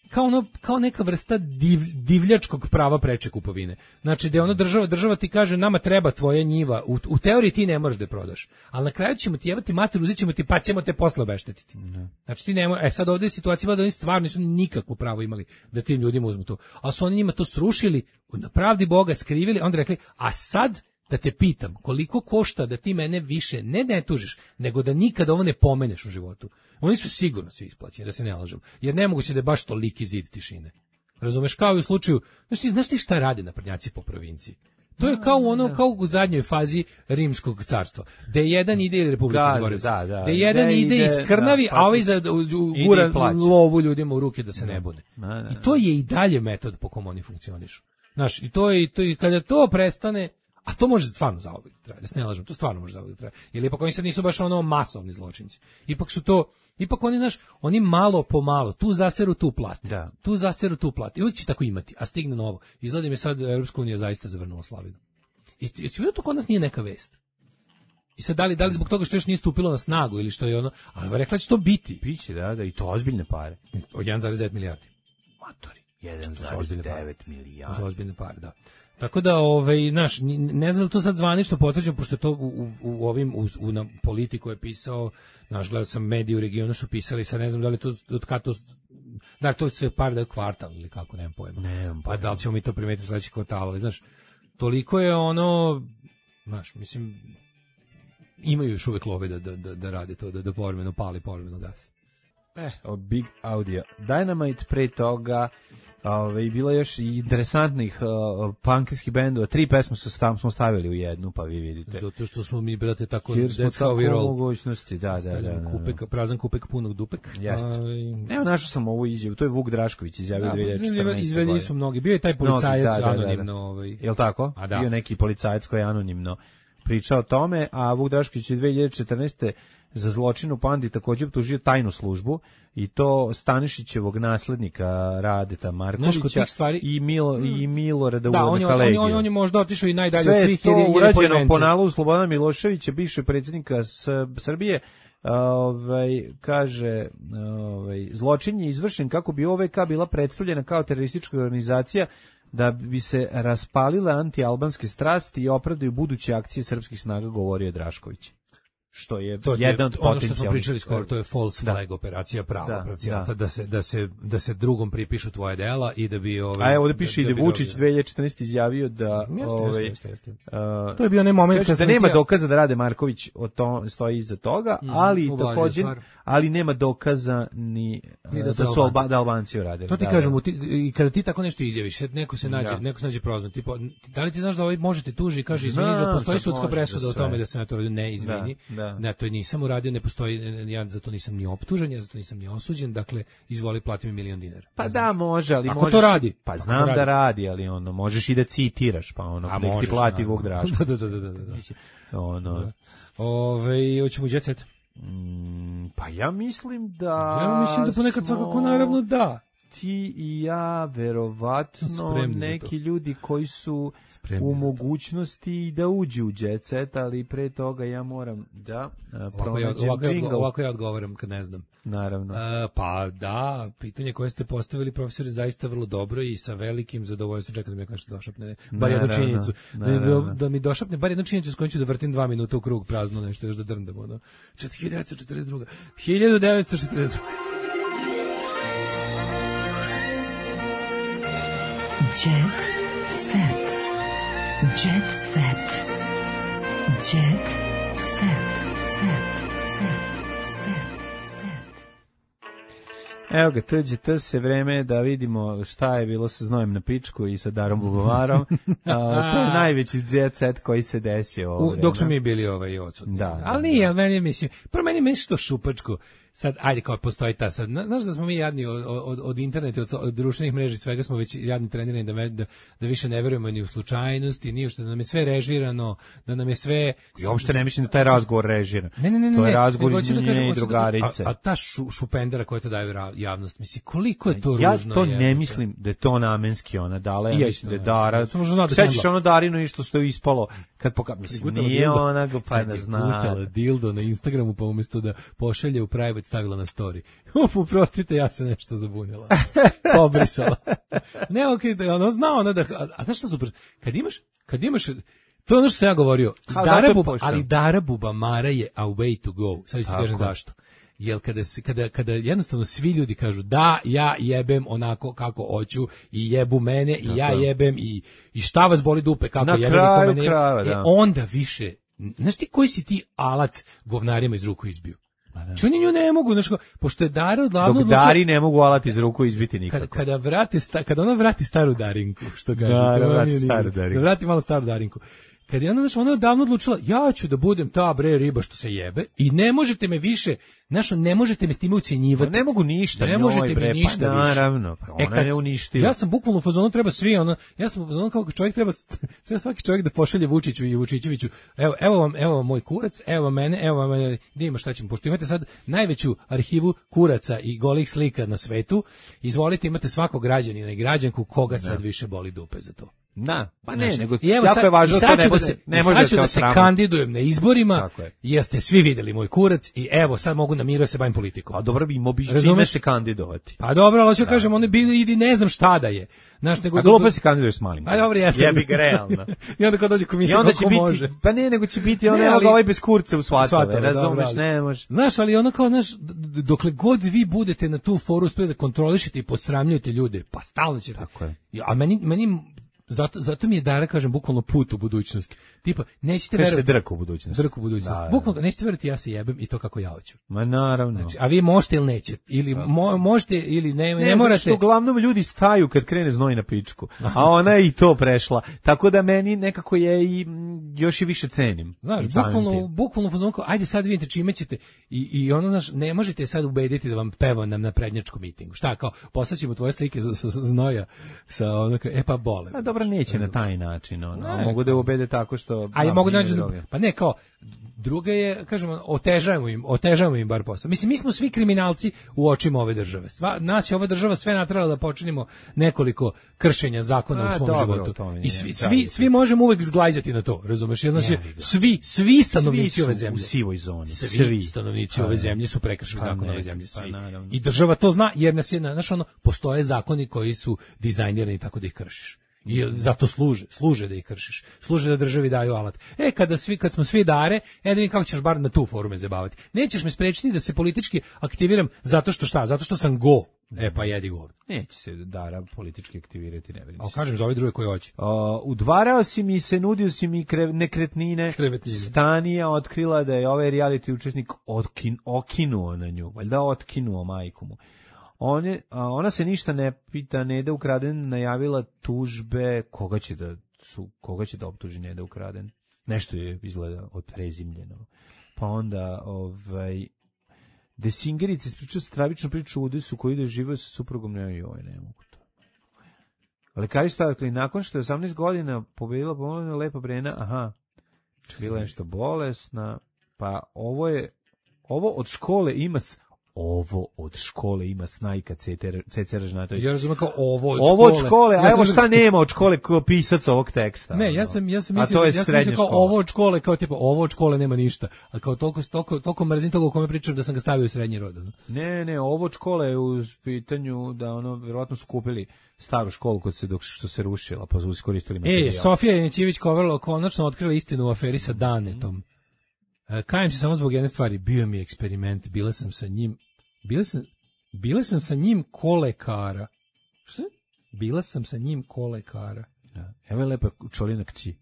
Speaker 6: kao ono, kao neka vrsta div, divljačkog prava preče kupovine. Znači da je ono država, država ti kaže nama treba tvoja njiva, u, u teoriji ti ne možeš da je prodaš, ali na kraju ćemo ti jebati mater, uzet ćemo ti pa ćemo te posle obeštetiti. Znači ti ne možeš, e sad ovdje je situacija da oni stvarno nisu nikakvo pravo imali da tim ljudima uzmu to, ali su oni njima to srušili, na pravdi Boga skrivili, onda rekli, a sad da te pitam, koliko košta da ti mene više ne ne tužiš, nego da nikada ovo ne pomeneš u životu. Oni su sigurno svi isplaćeni, da se ne lažem. Jer nemoguće da je baš toliki zid tišine. Razumeš, kao i u slučaju, znaš ti, znaš ti šta rade naprednjaci po provinciji? To je kao ono, kao u zadnjoj fazi rimskog carstva. Da jedan ide ili Republika
Speaker 7: Da,
Speaker 6: Govorec.
Speaker 7: da, da.
Speaker 6: Da jedan
Speaker 7: Da
Speaker 6: ide
Speaker 7: ide,
Speaker 6: iz krnavi,
Speaker 7: da,
Speaker 6: a ovaj za u- u-
Speaker 7: ide
Speaker 6: gura
Speaker 7: i plaća.
Speaker 6: lovu ljudima u ruke da se ne bune.
Speaker 7: Da, da, da.
Speaker 6: I to je i dalje metod po kom oni funkcionišu. Znaš, i to je, i to i kada to prestane, a to može stvarno zauvijek trajati, da se ne lažem, to stvarno može zauvijek trajati. Jer ipak oni sad nisu baš ono masovni zločinci. Ipak su to, ipak oni, znaš, oni malo po malo, tu zaseru, tu plati.
Speaker 7: Da.
Speaker 6: Tu zaseru, tu plati. I uvijek će tako imati, a stigne novo. Izgleda mi sad Europska unija zaista zavrnula slavinu. I jesi vidio to kod nas nije neka vest? I sad da li, da li zbog toga što još nije stupilo na snagu ili što je ono, ali rekla će to biti.
Speaker 7: Biće, da, da, i to ozbiljne pare.
Speaker 6: Od jedan zarez devet milijardi.
Speaker 7: Matori, jedan
Speaker 6: To su
Speaker 7: zarez
Speaker 6: ozbiljne pare.
Speaker 7: devet
Speaker 6: To su
Speaker 7: milijardi.
Speaker 6: ozbiljne pare, da. Tako da, ovaj, naš, ne znam da to sad zvanično potvrđeno, pošto je to u, u, u ovim, u, u na Politiku je pisao, naš, gledao sam mediji u regionu su pisali, sad ne znam da li to, od kada to, da li to se par da je kvartal ili kako, nemam pojma.
Speaker 7: Nemam
Speaker 6: Pa
Speaker 7: pojma.
Speaker 6: da li ćemo mi to primetiti sledeći kvartal, ali, znaš, toliko je ono, znaš, mislim, imaju još uvek love da, da, da, da rade to, da, da povremeno pali, povremeno gasi.
Speaker 7: Eh, od Big Audio Dynamite, pre toga ovaj, bilo još i interesantnih uh, punkirskih bendova, tri pesme su tam smo stavili u jednu, pa vi vidite.
Speaker 6: Zato što smo mi, brate, tako,
Speaker 7: Jer smo
Speaker 6: that's how we
Speaker 7: tako
Speaker 6: roll.
Speaker 7: mogućnosti, da, da, da. da, da.
Speaker 6: Kupek, prazan kupek punog dupek.
Speaker 7: Jeste.
Speaker 6: Ovaj,
Speaker 7: Evo, našao sam ovu izjavu, to je Vuk Drašković izjavio
Speaker 6: Da,
Speaker 7: dve hiljade četrnaeste.
Speaker 6: izvedeni izvedeni su mnogi. Bio je taj
Speaker 7: Mnogi,
Speaker 6: policajac
Speaker 7: da, da, da, da.
Speaker 6: anonimno. Ovaj.
Speaker 7: Jel tako?
Speaker 6: A da.
Speaker 7: Bio neki policajac koji je anonimno pričao o tome, a Vuk Drašković je dve hiljade četrnaeste. za zločin u Pandi također optužio tajnu službu i to Stanišićevog naslednika Radeta Markovića
Speaker 6: stvari,
Speaker 7: i Milo i Milorada
Speaker 6: da, on je, on, je, on, je, on je možda otišao i najdalje
Speaker 7: sve
Speaker 6: od svih
Speaker 7: to
Speaker 6: jer je, jer je
Speaker 7: urađeno
Speaker 6: poimence.
Speaker 7: po nalogu Slobodana Miloševića, bivšeg predsjednika Srbije. Ovaj kaže, ovaj zločin je izvršen kako bi O V K bila predstavljena kao teroristička organizacija da bi se raspalile antialbanske strasti i opravdaju buduće akcije srpskih snaga, govorio Drašković. što je
Speaker 6: to
Speaker 7: jedan od
Speaker 6: ono što smo
Speaker 7: potencijalnih.
Speaker 6: pričali skoro, to je false
Speaker 7: Da.
Speaker 6: flag operacija prava
Speaker 7: Da,
Speaker 6: pravcijata,
Speaker 7: da.
Speaker 6: da se da se da se drugom pripišu tvoje dela i da bi ovaj
Speaker 7: A evo ovde piše i da
Speaker 6: bi
Speaker 7: Vučić
Speaker 6: dobio.
Speaker 7: dve hiljade četrnaeste izjavio da
Speaker 6: Jeste,
Speaker 7: ovaj
Speaker 6: jeste, jeste, jeste.
Speaker 7: uh,
Speaker 6: To je bio onaj moment
Speaker 7: kaže
Speaker 6: kad
Speaker 7: da
Speaker 6: sam
Speaker 7: nema
Speaker 6: htio-
Speaker 7: dokaza da Rade Marković o to stoji iza toga,
Speaker 6: Mhm,
Speaker 7: ali
Speaker 6: ublažio
Speaker 7: takođe
Speaker 6: stvar.
Speaker 7: ali nema dokaza ni,
Speaker 6: Ni
Speaker 7: uh,
Speaker 6: da
Speaker 7: da,
Speaker 6: su
Speaker 7: su
Speaker 6: Albanci.
Speaker 7: Alba, da Albanci uradili.
Speaker 6: To ti
Speaker 7: da,
Speaker 6: kažem,
Speaker 7: da.
Speaker 6: u ti- i kada ti tako nešto izjaviš, sad neko se nađe,
Speaker 7: Da.
Speaker 6: neko se nađe prozvan, tipa, da li ti znaš da ovaj možete tuži i kaže izvini,
Speaker 7: Znam,
Speaker 6: da postoji
Speaker 7: sad
Speaker 6: sudska
Speaker 7: može
Speaker 6: presuda
Speaker 7: za
Speaker 6: o tome
Speaker 7: sve.
Speaker 6: da sam ja to radio, ne, izvini.
Speaker 7: Da, da.
Speaker 6: Ne, to nisam uradio, ne postoji, ne, ne, ja za to nisam ni optužen, ja za to nisam ni osuđen, dakle, izvoli plati mi milion dinara.
Speaker 7: Pa da, može, ali
Speaker 6: Ako
Speaker 7: možeš...
Speaker 6: to radi,
Speaker 7: Pa
Speaker 6: ako
Speaker 7: znam
Speaker 6: to
Speaker 7: da
Speaker 6: radi.
Speaker 7: radi, ali ono, možeš i da citiraš, pa ono,
Speaker 6: A
Speaker 7: nek ti
Speaker 6: možeš,
Speaker 7: plati
Speaker 6: naravno.
Speaker 7: Vuk Draško.
Speaker 6: Da, da, da, da, da.
Speaker 7: Mislim, ono...
Speaker 6: Ove, hoćemo u Jet Set?
Speaker 7: Mm, pa ja mislim da...
Speaker 6: Ja mislim da ponekad
Speaker 7: smo
Speaker 6: svakako naravno da.
Speaker 7: Ti i ja, verovatno,
Speaker 6: Spremni za
Speaker 7: neki
Speaker 6: to.
Speaker 7: ljudi koji su
Speaker 6: Spremni
Speaker 7: u
Speaker 6: za to.
Speaker 7: mogućnosti da uđu u Jet Set, ali pre toga ja moram da uh,
Speaker 6: Ovako ja,
Speaker 7: pronađem
Speaker 6: ovako, ja,
Speaker 7: džingl.
Speaker 6: ovako ja odgovaram kad ne znam.
Speaker 7: Naravno.
Speaker 6: E, pa da, pitanje koje ste postavili, profesore, zaista vrlo dobro i sa velikim zadovoljstvom. Čekam da mi nešto došapne, bar jednu
Speaker 7: Naravno,
Speaker 6: činjenicu. Da mi,
Speaker 7: naravno.
Speaker 6: da mi došapne bar jednu činjenicu s kojom ću da vrtim dva minuta u krug prazno nešto, još da drndam. Ono. hiljadu devetsto četrdeset druga. hiljadu devetsto četrdeset druga.
Speaker 4: Jet set. Jet set. Jet set. Set. Set. Set. Set.
Speaker 7: Evo ga, tuđe to se vreme da vidimo šta je bilo sa Znojem na pičku i sa Darom Bubovarom. A, to je najveći Jet Set koji se desio ovo
Speaker 6: U,
Speaker 7: vreme.
Speaker 6: dok smo mi bili ovaj odsutni.
Speaker 7: Da, da,
Speaker 6: ali nije, ali meni mislim, prvo meni meni što šupačko. Sad, ajde, kao postoji ta sad, na- znaš da smo mi jadni od, od, od interneta, od, od društvenih mreža i svega smo već jadni trenirani da, me- da, da više ne verujemo ni u slučajnosti, ni u što, da nam je sve režirano, da nam je sve...
Speaker 7: I uopšte ne mislim da taj razgovor režiran.
Speaker 6: Ne, ne, ne, ne.
Speaker 7: To je
Speaker 6: ne,
Speaker 7: razgovor
Speaker 6: nego hoću da
Speaker 7: između
Speaker 6: kažem,
Speaker 7: nje i
Speaker 6: hoću da-
Speaker 7: drugarice.
Speaker 6: A, a ta šu, šupendera koja to daju ra- javnost, misli, koliko je to
Speaker 7: Ja
Speaker 6: ružno.
Speaker 7: to
Speaker 6: jebote.
Speaker 7: ne mislim da je to namenski ona dala, ja
Speaker 6: I ja
Speaker 7: mislim da je
Speaker 6: isto ne
Speaker 7: Dara.
Speaker 6: mislim. Samo što zna da
Speaker 7: Sećaš
Speaker 6: kendla.
Speaker 7: ono Darino i što što je ispalo kad poka mislim
Speaker 6: Prigutala
Speaker 7: nije
Speaker 6: dildo.
Speaker 7: ona ga pa
Speaker 6: Kad
Speaker 7: ne
Speaker 6: je
Speaker 7: zna.
Speaker 6: gutala dildo na Instagramu, pa umjesto da pošalje u private stavila na story. Uf, uprostite, ja se nešto zabunila. Pobrisala. Ne, okej, da ono zna ona da, a, a znaš što super? Kad imaš, kad imaš, to je ono što sam ja govorio,
Speaker 7: Ha, zato
Speaker 6: Dara
Speaker 7: je
Speaker 6: Buba,
Speaker 7: pošteno.
Speaker 6: ali Dara Bubamara je a way to go. Sad ću ti
Speaker 7: Tako.
Speaker 6: kažem zašto. Jel kada, se, kada, kada jednostavno svi ljudi kažu da, ja jebem onako kako hoću i jebu mene i ja
Speaker 7: Tako.
Speaker 6: jebem i, i šta vas boli dupe kako
Speaker 7: Na
Speaker 6: jebem i
Speaker 7: kraju
Speaker 6: kome ne jebem.
Speaker 7: krajeva,
Speaker 6: E,
Speaker 7: da.
Speaker 6: onda više, znaš ti koji si ti alat govnarima iz ruku izbio? Či oni nju ne mogu, znaš, kao, pošto je Dara odlavno
Speaker 7: Dok
Speaker 6: odlučila-
Speaker 7: Dari ne mogu alati iz ruku izbiti nikako.
Speaker 6: kada, kada, vrati sta, kada ona vrati staru Darinku, što kaže,
Speaker 7: Da, da
Speaker 6: to
Speaker 7: vrati
Speaker 6: mi je
Speaker 7: staru
Speaker 6: niz-
Speaker 7: Darinku.
Speaker 6: da vrati malo staru Darinku. Kad je ona, znaš, ona je davno odlučila, ja ću da budem ta bre riba što se jebe i ne možete me više, znaš, ne možete me s time ucenjivati.
Speaker 7: Pa ne mogu ništa
Speaker 6: Ne
Speaker 7: njoj,
Speaker 6: možete
Speaker 7: bre,
Speaker 6: mi
Speaker 7: pa
Speaker 6: ništa više.
Speaker 7: naravno, pa ona
Speaker 6: kad-
Speaker 7: je uništila.
Speaker 6: Ja sam bukvalno u fazonu treba svi, ono, ja sam u fazonu kao čovjek treba, treba svaki čovjek da pošalje Vučiću i Vučićeviću, evo, evo vam, evo vam moj kurac, evo vam mene, evo vam, e, gdje ima šta ćemo, pošto imate sad najveću arhivu kuraca i golih slika na svetu, izvolite, imate svakog građanina i građanku koga sad više boli dupe za to.
Speaker 7: Da, pa ne,
Speaker 6: Znaš,
Speaker 7: nego
Speaker 6: i evo
Speaker 7: jako
Speaker 6: sad-
Speaker 7: je važno
Speaker 6: i
Speaker 7: da
Speaker 6: sad
Speaker 7: to
Speaker 6: ću
Speaker 7: ne bude,
Speaker 6: se,
Speaker 7: ne
Speaker 6: i
Speaker 7: može
Speaker 6: sad
Speaker 7: da
Speaker 6: ću
Speaker 7: kao
Speaker 6: da se
Speaker 7: sramotno.
Speaker 6: kandidujem na izborima,
Speaker 7: Tako je.
Speaker 6: jer ste svi videli moj kurac i evo sad mogu na miru da se bavim politikom.
Speaker 7: A dobro bi imao bi čime
Speaker 6: Razumeš?
Speaker 7: se kandidovati.
Speaker 6: Pa dobro, ali hoću da kažem, oni bili idi ne znam šta da je. Znaš, nego
Speaker 7: A glupo se kandiduješ s malim.
Speaker 6: A dobro, jeste.
Speaker 7: Jebi ga realno.
Speaker 6: I onda kad dođe
Speaker 7: I
Speaker 6: komisija,
Speaker 7: onda će
Speaker 6: kako
Speaker 7: biti,
Speaker 6: može.
Speaker 7: pa ne, nego će biti, on
Speaker 6: Ne,
Speaker 7: evo
Speaker 6: ali-
Speaker 7: ga ovaj bez kurca u svatove,
Speaker 6: Svatove, dobro,
Speaker 7: razumeš,
Speaker 6: ali-
Speaker 7: ne može.
Speaker 6: Znaš, ali ono kao, znaš, d- d- dokle god vi budete na tu foru uspeli da kontrolišete i posramljujete ljude, pa stalno ćete.
Speaker 7: Tako je.
Speaker 6: Ja, a meni, meni zato, zato mi je Dara, kažem, bukvalno put u budućnost. Tipa, nećete
Speaker 7: Kaže se
Speaker 6: verovati.
Speaker 7: drk u budućnosti.
Speaker 6: Drk u budućnost.
Speaker 7: Da, da.
Speaker 6: Bukvalno, nećete verovati, ja se jebem i to kako ja hoću.
Speaker 7: Ma naravno.
Speaker 6: Znači, a vi možete ili nećete, ili mo, možete ili ne, ne,
Speaker 7: Ne,
Speaker 6: morate.
Speaker 7: zato što uglavnom ljudi staju kad krene znoj na pičku, a ona je i to prešla. Tako da meni nekako je i mm, još i više cenim.
Speaker 6: Znaš,
Speaker 7: Samim
Speaker 6: bukvalno,
Speaker 7: tim.
Speaker 6: bukvalno fazon kao, ajde sad vidite čime ćete i, i ono, znaš, ne možete sad ubediti da vam peva nam na prednjačkom mitingu. Šta, kao, poslaćemo tvoje slike sa, sa, sa znoja, sa ono, kao, e pa bole.
Speaker 7: A dobro, neće na taj način, ono.
Speaker 6: Ne,
Speaker 7: Mogu da je ubede tako što...
Speaker 6: A ja
Speaker 7: da,
Speaker 6: mogu da
Speaker 7: nije
Speaker 6: nađem,
Speaker 7: droga.
Speaker 6: pa ne, kao, druga je, kažemo, otežajemo im, otežajemo im bar posao. Mislim, mi smo svi kriminalci u očima ove države. Sva, nas je ova država sve natrala da počinimo nekoliko kršenja zakona
Speaker 7: A,
Speaker 6: u svom
Speaker 7: dobro,
Speaker 6: životu.
Speaker 7: to mi
Speaker 6: I
Speaker 7: nije
Speaker 6: svi,
Speaker 7: pravi
Speaker 6: svi, svi možemo uvek zglajzati na to, razumeš? Jer nas je,
Speaker 7: Jebi ga.
Speaker 6: svi, svi stanovnici
Speaker 7: Svi su
Speaker 6: ove
Speaker 7: u
Speaker 6: zemlje.
Speaker 7: sivoj zoni.
Speaker 6: Svi,
Speaker 7: Svi.
Speaker 6: stanovnici
Speaker 7: Pa
Speaker 6: ove
Speaker 7: ne.
Speaker 6: zemlje su prekršili
Speaker 7: Pa
Speaker 6: zakon
Speaker 7: ne,
Speaker 6: ove zemlje.
Speaker 7: pa
Speaker 6: Svi.
Speaker 7: naravno.
Speaker 6: I država to zna, jer nas je, znaš, ono, postoje zakoni koji su dizajnirani tako da ih kršiš. I zato služe, služe da ih kršiš. Služe da državi daju alat. E, kada, svi, kad smo svi dare, e da vidim kako ćeš bar na tu forume zabavati. Nećeš me sprečiti da se politički aktiviram zato što šta? Zato što sam go. E, pa jedi go.
Speaker 7: Neće se dara politički aktivirati, ne vidim.
Speaker 6: A kažem za ove druge koje hoće.
Speaker 7: Uh, udvarao si mi se, nudio si mi krev, nekretnine.
Speaker 6: Krevetnine.
Speaker 7: Stanija otkrila da je ovaj reality učesnik otkin, okinuo na nju. Valjda otkinuo majku mu. On je, a ona se ništa ne pita, Neda Ukraden najavila tužbe, koga će da su, koga će da optuži Neda Ukraden. Nešto je izgleda odprezimljeno. Pa onda ovaj Desingerica ispričao stravičnu priču o udesu koji ide živio sa suprugom, ne joj, ne mogu to. Lekari su dakle, nakon što je osamnaest godina pobedila bolna Lepa Brena, aha, bila je nešto bolesna, pa ovo je, ovo od škole ima ovo od škole ima Snajka Ceca Ražnatović.
Speaker 6: Ja razumem kao ovo od
Speaker 7: ovo
Speaker 6: škole.
Speaker 7: Ovo od škole, a
Speaker 6: ja
Speaker 7: evo
Speaker 6: sam...
Speaker 7: šta nema od škole kao pisac ovog teksta.
Speaker 6: Ne, ja sam ja sam mislio, ja sam mislio kao škola. Ovo od škole, kao tipa ovo od škole nema ništa. A kao toliko toliko toliko mrzim toga o kome pričam da sam ga stavio u srednji rod.
Speaker 7: Ne, ne, ovo od škole je u pitanju da ono verovatno su kupili staru školu kod se dok što se rušila, pa su iskoristili materijal.
Speaker 6: E, Sofija Janićević Kovarlo konačno otkrila istinu u aferi sa Danetom. E, kajem se samo zbog jedne stvari, bio mi eksperiment, bila sam sa njim Bila sam, bila sam sa njim kolekara. Šta? Bila sam sa njim kolekara.
Speaker 7: Da. Evo je lepa čolina kći.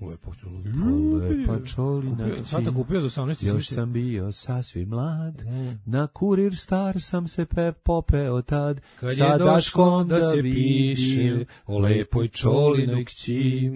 Speaker 6: Lepo čolina.
Speaker 7: Lepa čolina kći.
Speaker 6: Sada kupio za osamnaest.
Speaker 7: Još sam bio sasvim mlad. Mm. Na kurir star sam se pe popeo tad.
Speaker 6: Kad je došlo da se piše o lepoj čolinoj kći.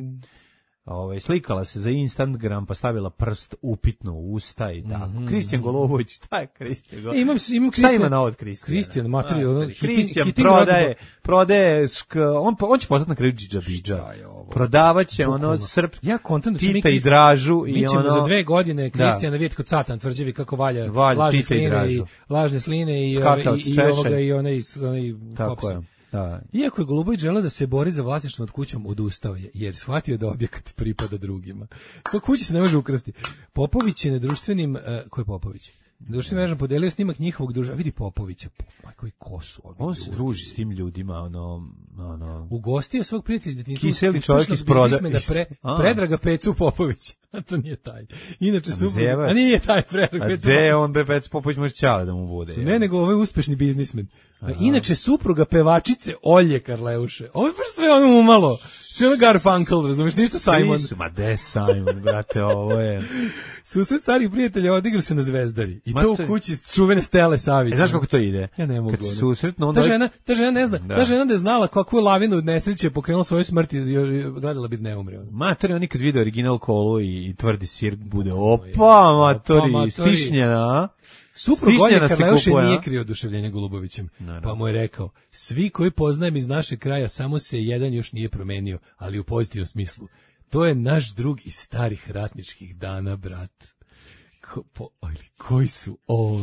Speaker 7: Ove, slikala se za Instagram, pa stavila prst upitno u usta i tako. Mm-hmm. Kristijan Golubović, šta je Kristijan Golubović?
Speaker 6: E, imam, imam
Speaker 7: Kristijan. Šta ima na od Kristijana?
Speaker 6: Kristijan, materiju.
Speaker 7: Kristijan prodaje, prodaje, sk, on, on će postati na kraju džidžabidža. Prodavaće ono srp,
Speaker 6: ja kontent,
Speaker 7: Tita i Dražu.
Speaker 6: Mi ćemo ono, za dve godine Kristijana vidjeti kod Satan tvrđevi kako valja,
Speaker 7: valja
Speaker 6: lažne sline i, i lažne sline i, ove, i, i ovoga i onaj, onaj
Speaker 7: tako je. Da.
Speaker 6: Iako je Golubović želeo da se bori za vlasništvo nad kućom, odustao je, jer shvatio da objekat pripada drugima. Ko kuća se ne može ukrasti. Popović je na društvenim... Uh, ko je Popović? Društvenim mrežama podelio snimak njihovog druža. Vidi Popovića, pa koji kosu.
Speaker 7: On se druži s tim ljudima, ono... ono...
Speaker 6: Ugostio svog prijatelja iz detinjstva.
Speaker 7: Kiseli čovjek iz proda...
Speaker 6: Pre, Predraga Pecu Popović. A to nije taj. Inače su... A nije taj Predrag Pecu Popović.
Speaker 7: A gde on be Pecu Popović može ćale da mu bude?
Speaker 6: Ne, nego ovaj uspešni biznismen. Aha. Inače supruga pevačice Olje Karleuše. Ovo je baš sve ono umalo. Sve ono Garfunkel, razumiješ, ništa Simon.
Speaker 7: Su, ma de Simon, brate, ovo je...
Speaker 6: Susret starih prijatelja odigrao se na Zvezdari. I ma to u kući čuvene Stele Savić.
Speaker 7: E, znaš kako to ide?
Speaker 6: Ja ne mogu.
Speaker 7: Kad se susretno, onda...
Speaker 6: Ta žena, ta žena ne zna, da. ta žena da je znala kakvu lavinu od nesreće je pokrenula svoju smrt i gledala bi da ne umre.
Speaker 7: Matori, on nikad vidio original kolu i, i tvrdi sir bude, opa, matori, matori. Stišnjena, a?
Speaker 6: Suprug Olje Karleuše nije krio oduševljenje Golubovićem, pa mu je rekao, svi koji poznajem iz našeg kraja, samo se jedan još nije promenio, ali u pozitivnom smislu. To je naš drug iz starih ratničkih dana, brat. Ko, po, ali, koji su ovo?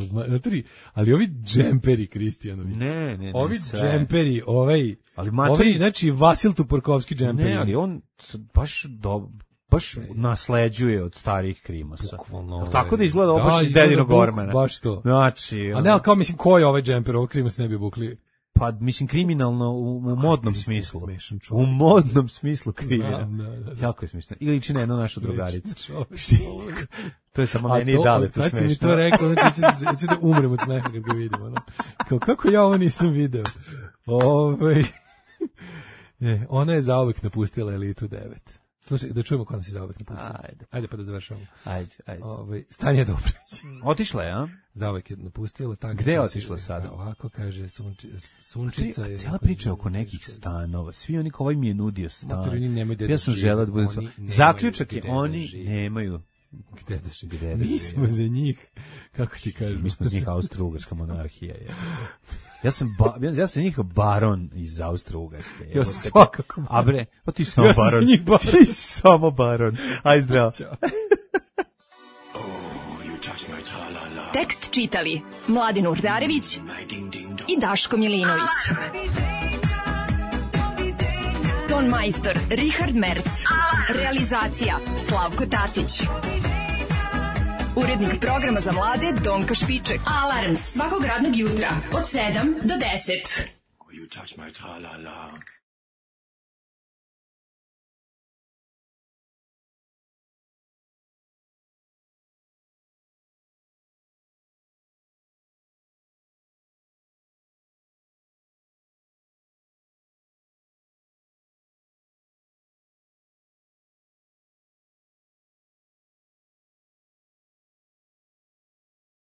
Speaker 6: Ali ovi džemperi, Kristijanovi.
Speaker 7: Ne, ne, ne.
Speaker 6: Ovi
Speaker 7: sve.
Speaker 6: džemperi, ovaj,
Speaker 7: ali matori,
Speaker 6: ovi, znači, Vasil Tuporkovski džemperi.
Speaker 7: Ne, ali on baš do... baš nasleđuje od starih krimasa.
Speaker 6: Bukvalno.
Speaker 7: Tako da izgleda ovo baš iz Dedinog Gormana.
Speaker 6: Baš to.
Speaker 7: Znači,
Speaker 6: a ne, ali kao mislim, ko je ovaj džemper, ovo krimas ne bi obukli?
Speaker 7: Pa, mislim, kriminalno u, u modnom smislu. U modnom smislu kriminalno. Da, da, da. Jako je smišno. Ili liči na jednu našu drugaricu. To je samo meni i dale to smešno. Kad si mi to rekao, znači da, da umrem od smeha kad ga vidim. Ono. Kao, kako ja ovo nisam video? Ove... Ne, ona je zauvek napustila Elitu devet. Slušaj, da čujemo ko nas je zauvek napustila. Ajde. Ajde pa da završamo. Ajde, ajde.
Speaker 6: Ove, Stanja Dobrović.
Speaker 7: Otišla je, a?
Speaker 6: Zauvek je napustila.
Speaker 7: Gde je otišla sada?
Speaker 6: Ovako kaže sunči, Sunčica.
Speaker 7: Tri, cijela priča oko nekih stanova. Svi oni kao ovaj mi je nudio stan.
Speaker 6: Ja
Speaker 7: sam želeo da bude... Zaključak je, oni nemaju
Speaker 6: gde da žive. Mi smo za njih, kako ti kažem?
Speaker 7: Mi smo za njih Austro-Ugarska monarhija. Je. Ja sam ba, ja sam njih baron iz Austro-Ugarske.
Speaker 6: Ja sam svakako.
Speaker 7: A bre, pa ti si samo ja baron. baron. Ti si samo baron. Aj zdravo.
Speaker 9: Tekst čitali Mladin Urdarević i Daško Milinović. Ton majstor Richard Merc. Realizacija Slavko Tatić. Urednik programa za mlade Donka Špiček. Alarms svakog radnog jutra od sedam do deset. You touch my tra-la-la.